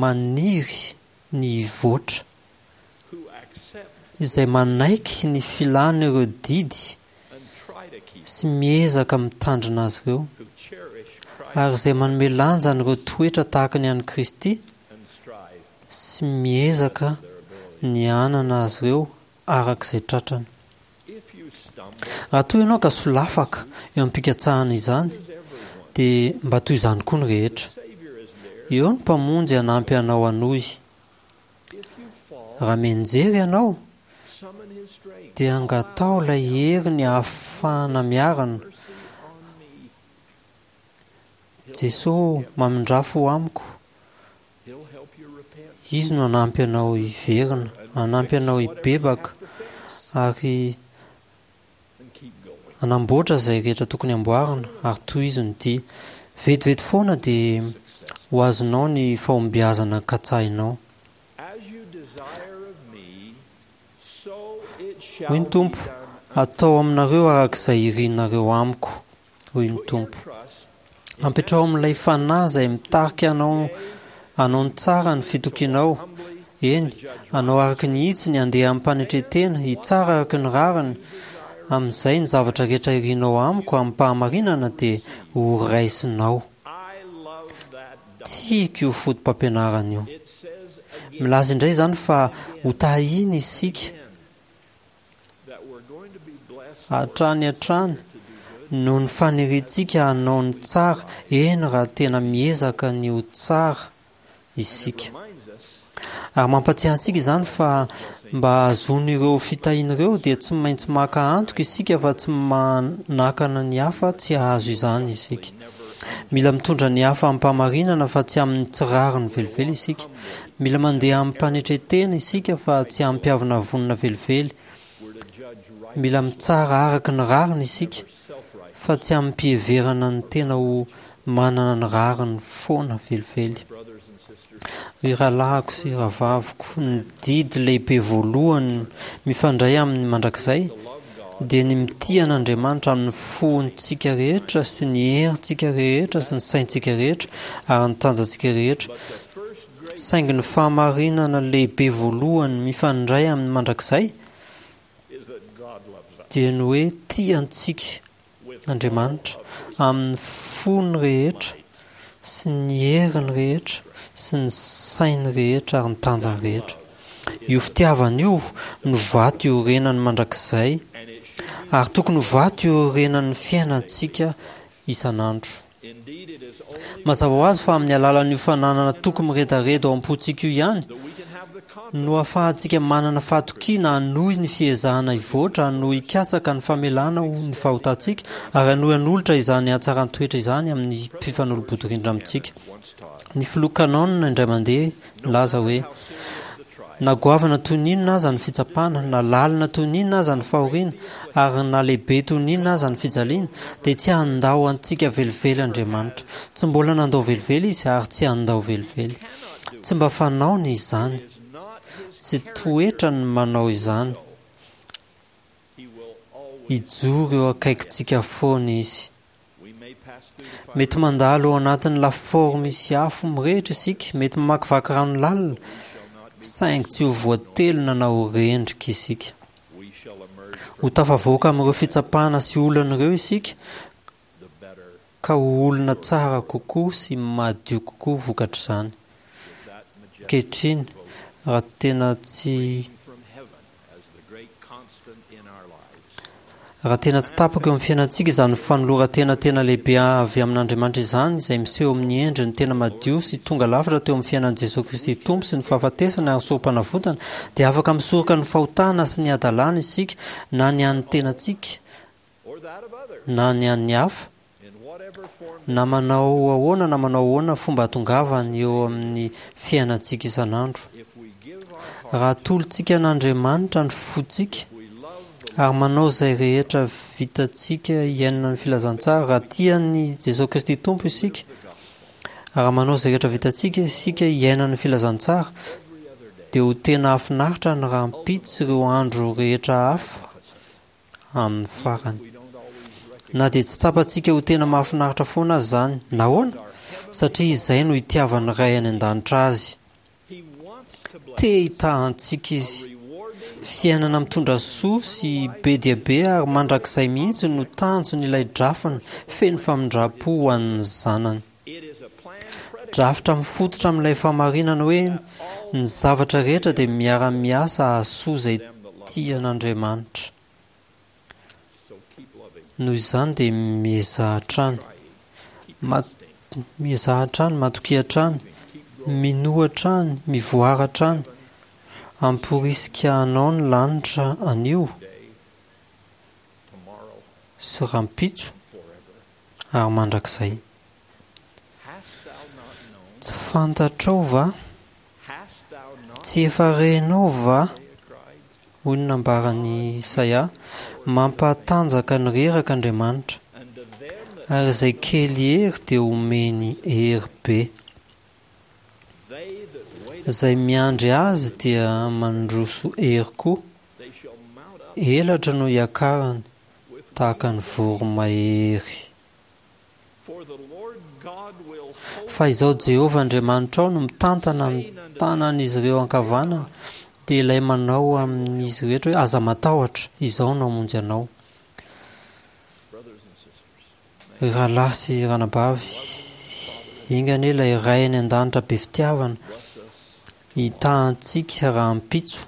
maniry ny hivoatra, izay manaiky ny filany ireo didy sy miezaka mitandrina azy ireo, ary izay manome lanja an'ireo toetra tahaka ny an'i Kristy sy miezaka ny hanana azy ireo araka izay tratrany. Raha toa ianao ka solafaka eo am-pikatsahana izany, dia mba toy izany koa ny rehetra. Eo ny Mpamonjy hanampy anao hanohy. Raha mianjera ianao, dia angataho ilay heriny hahafahana miarina. Jesoa ô, mamindrà fo amiko. Izy no hanampy anao hiverina, hanampy anao hibebaka, ary hanamboatra izay rehetra tokony hamboarina, ary tohizo ny dia. Vetivety foana dia ho azonao ny fahombiazana katsahinao. Hoy ny Tompo, Atao aminareo araka izay irinareo amiko. hoy ny Tompo. Ampitrao amin'ilay Fanahy izay mitarika anao hanao ny tsara ny fitokianao, eny, hanao araka ny hitsiny, handeha amim-panetren-tena, hitsara araka ny rariny, amin'izay ny zavatra rehetra irinao amiko amim-pahamarinana dia ho raisinao. Tiako io fotopampianarana io. Milaza indray izany fa hotahiana isika Hatrany hatrany, noho ny faniriantsika hanao ny tsara, eny raha tena miezaka ny ho tsara isika. Ary mampatsiahy antsika izany fa mba hahazoana ireo fitahiana ireo dia tsy maintsy maka antoka isika fa tsy manakana ny hafa tsy hahazo izany isika. Mila mitondra ny hafa amim-pahamarinana fa tsy amin'ny tsy rariny velively isika. Mila mandeha amim-panetren-tena isika fa tsy amim-piavonavonana velively. Mila mitsara araka ny rariny isika fa tsy amim-piheverana ny tena ho manana ny rariny foana velively. Ry rahalahiko sy rahavaviko, ny didy lehibe voalohany mifandray amin'ny mandrakizay dia ny mitia an'Andriamanitra amin'ny fontsika rehetra sy ny herintsika rehetra sy ny saintsika rehetra ary ny tanjantsika rehetra. Saingy ny fahamarinana lehibe voalohany mifandray amin'ny mandrakizay dia ny hoe tia antsika Andriamanitra amin'ny fony rehetra sy ny heriny rehetra sy ny sainy rehetra ary ny tanjany rehetra. Io fitiavana io no vato iorenany mandrakizay ary tokony ho vato iorenan'ny fiainantsika isan'andro. Mazava ho azy fa amin'ny alalan'io fananana toky miredareda ao am-pontsika io ihany no ahafahantsika manana fahatokiana hanohy ny fiezahana hivoatra, hanohy hikatsaka ny famelana ny fahotantsika, ary hanohy hanolotra izany hatsaran-toetra izany amin'ny mpifanolo-bodirindrina amintsika. Ny filoha Cannon indray mandeha nilaza hoe, Na goavana toy ny inona aza ny fitsapana, na lalina toy ny inona aza ny fahoriana, ary na lehibe toy ny inona aza ny fijaliana, dia tsy handao antsika velively Andriamanitra. Tsy mbola nandao velively Izy ary tsy handao velively. Tsy mba fanaony izany. Tsy toetrany ny manao izany. Hijoro eo akaikintsika foana Izy. Mety mandalo ao anatin'ny lafaoro misy afo mirehitra isika, mety mamakivaky rano lalina, saingy tsy ho voatelina na ho rendrika isika. Ho tafavoaka amin'ireo fitsapana sy olana ireo isika, ka ho olona tsara kokoa sy madio kokoa vokatr'izany. Ankehitriny, raha tena tsy. Raha tena tsy tapaka eo amin'ny fiainantsika izany fanoloran-tena tena lehibe avy amin'Andriamanitra izany, izay miseho amin'ny endriny tena madio sy tonga lafatra teo amin'ny fiainan'i Jesoa Kristy Tompo sy ny fahafatesany ary sorompanavotana, dia afaka misoroka ny fahotana sy ny hadalana isika, na ny an'ny tenantsika na ny an'ny hafa, na manao ahoana na manao ahoana fomba ahatongavany eo amin'ny fiainantsika isan'andro. Raha atolotsika an'Andriamanitra ny fontsika ary manao izay rehetra vitantsika hiainana ny filazantsara, raha tia an'i Jesoa Kristy Tompo isika, raha manao izay rehetra vitantsika isika hiainana ny filazantsara, dia ho tena hahafinaritra ny rahampitso sy ireo andro rehetra hafa amin'ny farany. Na dia tsy tsapantsika ho tena mahafinaritra foana aza izany. Nahoana? Satria izay no itiavan'ny Ray any An-danitra azy. Te hitaha antsika Izy. Fiainana mitondra soa sy be dia be ary mandrakizay mihitsy no tanjon'ilay drafiny feno famindram-po ho an'ny zanany. Drafitra mifototra amin'ilay fahamarinana hoe ny zavatra rehetra dia miara-miasa hahasoa izay tia an'Andriamanitra. Noho izany dia miezaha hatrany. Miezaha hatrany, matokia hatrany, minoa hatrany, mivoara hatrany. Hamporisika anao ny lanitra anio sy rahampitso ary mandrakizay. Tsy fantatrao va? Tsy efa renao va? Hoy ny nambaran'i Isaia, Mampahatanjaka ny reraka Andriamanitra, ary izay kely hery dia omeny hery be. Izay miandry Azy dia mandroso hery koa, elatra no hiakarany tahaka ny voromahery. Fa izao Jehovah Andriamanitrao no mitantana ny tanan'izy ireo ankavanana, dia ilay manao amin'izy rehetra hoe, Aza matahotra, izaho no hamonjy anao. Ry rahalahy sy ranabavy, enga anie ilay Ray any An-danitra be fitiavana hitaha antsika rahampitso,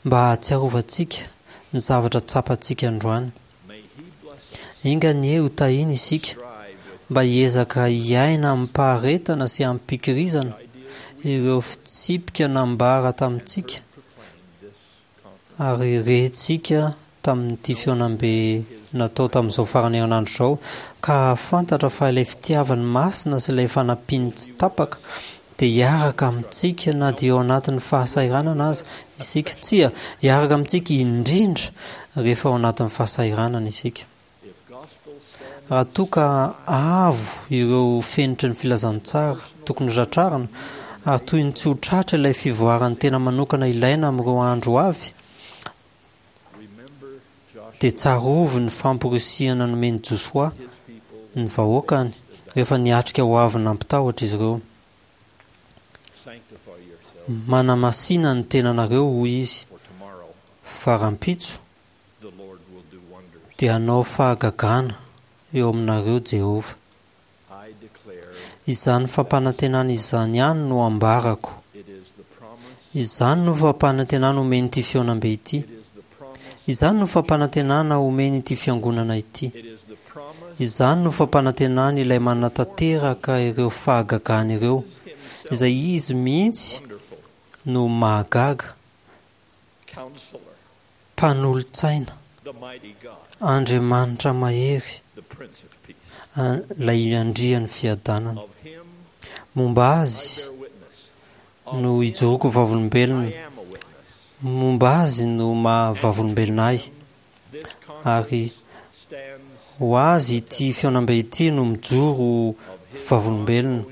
mba hahatsiarovantsika ny zavatra tsapantsika androany. Enga anie ho tahiana isika mba hiezaka hiaina amim-paharetana sy amim-pikirizana ireo fitsipika nambara tamintsika ary rentsika tamin'ity fihaonambe natao tamin'izao faran'ny herinandro izao ka hahafantatra fa ilay fitiavany masina sy ilay fanampiany tsy tapaka dia hiaraka amintsika na dia ao anatin'ny fahasahiranana aza isika. Tsia, hiaraka amintsika indrindra rehefa ao anatin'ny fahasahiranana isika. Raha toa ka avo ireo fenitry ny filazantsara tokony hotratrarina ary toy ny tsy ho tratra ilay fivoaran'ny tena manokana ilaina amin'ireo andro ho avy, dia tsarovy ny famporisihana nomen'i Josoa ny vahoakany rehefa niatrika ho avy nampitahotra izy ireo. Manamasina ny tenanareo, hoy izy, fa rahampitso dia hanao fahagagana eo aminareo Jehovah. Izany fampanantenana izany ihany no ambarako. Izany no fampanantenana omen'ity fihaonambe ity. Izany no fampanantenana omen'ity fiangonana ity. Izany no fampanantenany ilay manatanteraka ireo fahagagana ireo, izay Izy mihitsy no mahagaga. Mpanolotsaina, Andriamanitra mahery, ilay Andrian'ny fiadanana. Momba Azy. no ijoroako vavolombelona. Momba Azy no maha vavolombelona ahy. Ary ho Azy ity fihaonambe ity no mijoro ho vavolombelona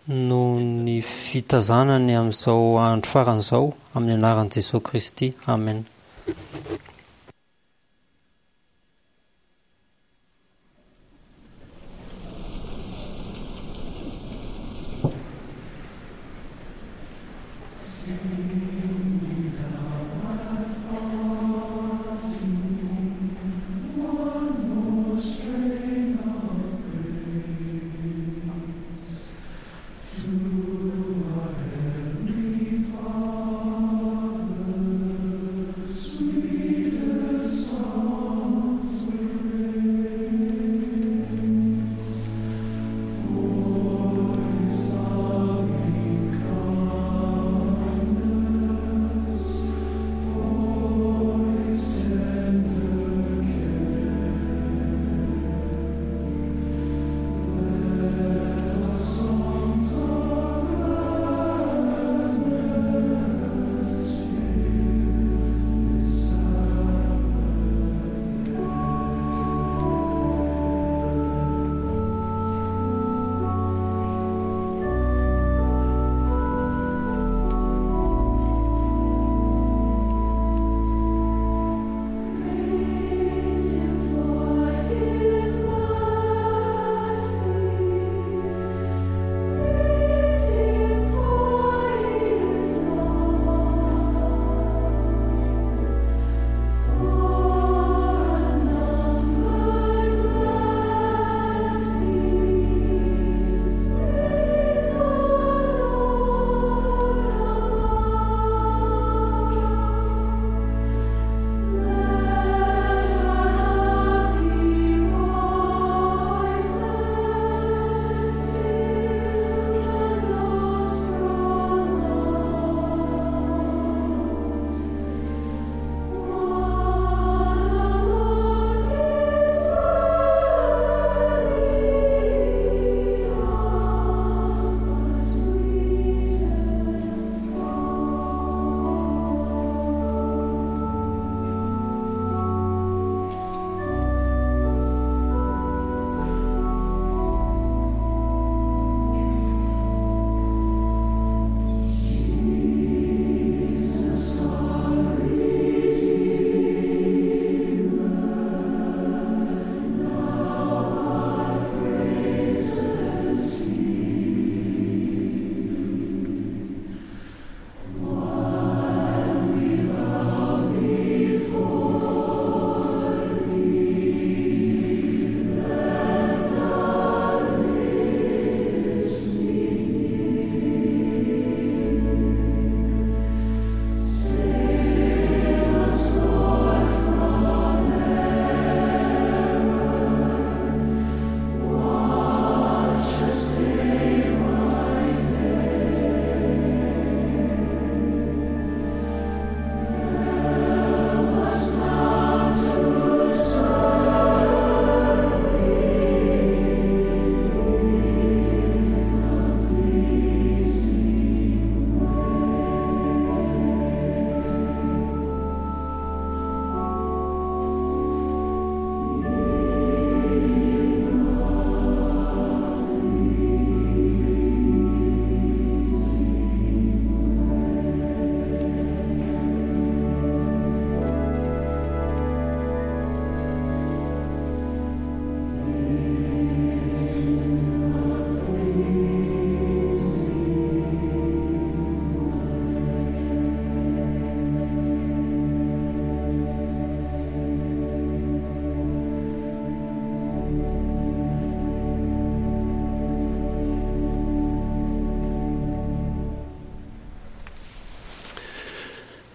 noho ny fitazanany amin'izao andro farany izao, amin'ny anaran'i Jesoa Kristy, amena.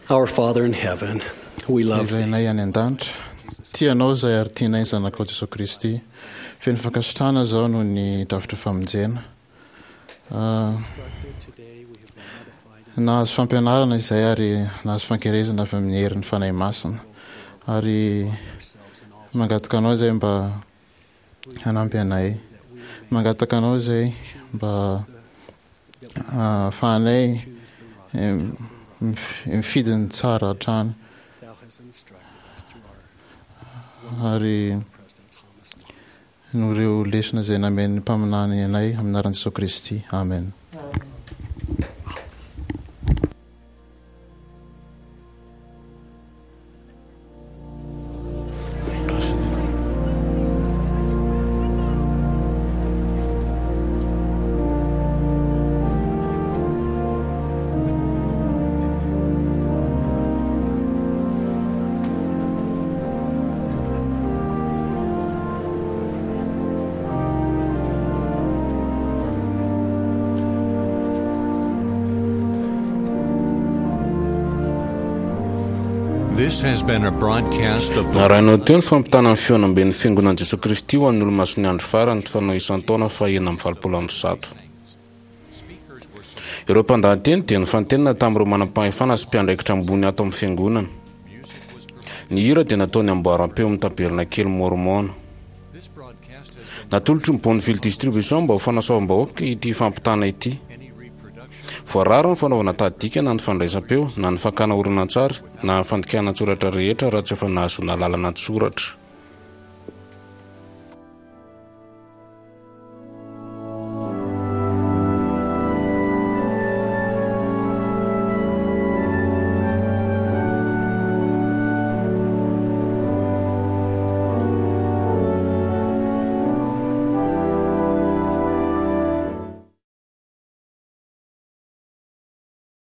Our Father in heaven, we love Ry Rainay any an-danitra, tia Anao izahay ary tianay ny Zanakao Jesoa Kristy. Feno fankasitrahana izaho noho ny drafitra famonjena. Nahazo fampianarana izahay ary nahazo fankerezana avy amin'ny herin'ny Fanahy Masina. Ary mangataka Anao izahay mba hanampy anay. Mangataka Anao izay mba ahafahanay mifidy ny tsara hatrany. Ary noho ireo lesona izay namen'ny mpaminany anay amin'ny anaran'i Jesoa Kristy. Amen. This has been a broadcast of the Narahinao teo ny fampitana ny fihaonamben'ny Fiangonan'i Jesoa Kristy ho an'ny Olomasin'ny Andro Farany, fanao isan-taona faha-186. Ireo mpandahateny dia nifantenina tamin'ireo manam-pahefana sy mpiandraikitra ambony ato amin'ny Fiangonana. Ny hira dia nataon'ny amboaram-peo amin'ny Tabernakely Môrmôna. Natolotry ny Bonneville Distribution mba ho fanasoavam-bahoaka ity fampitana ity. Voarara ny fanaovana tahadika na ny fandraisam-peo na ny fakana horonantsary na ny fandikana an-tsoratra rehetra raha tsy efa nahazoana alalana an-tsoratra.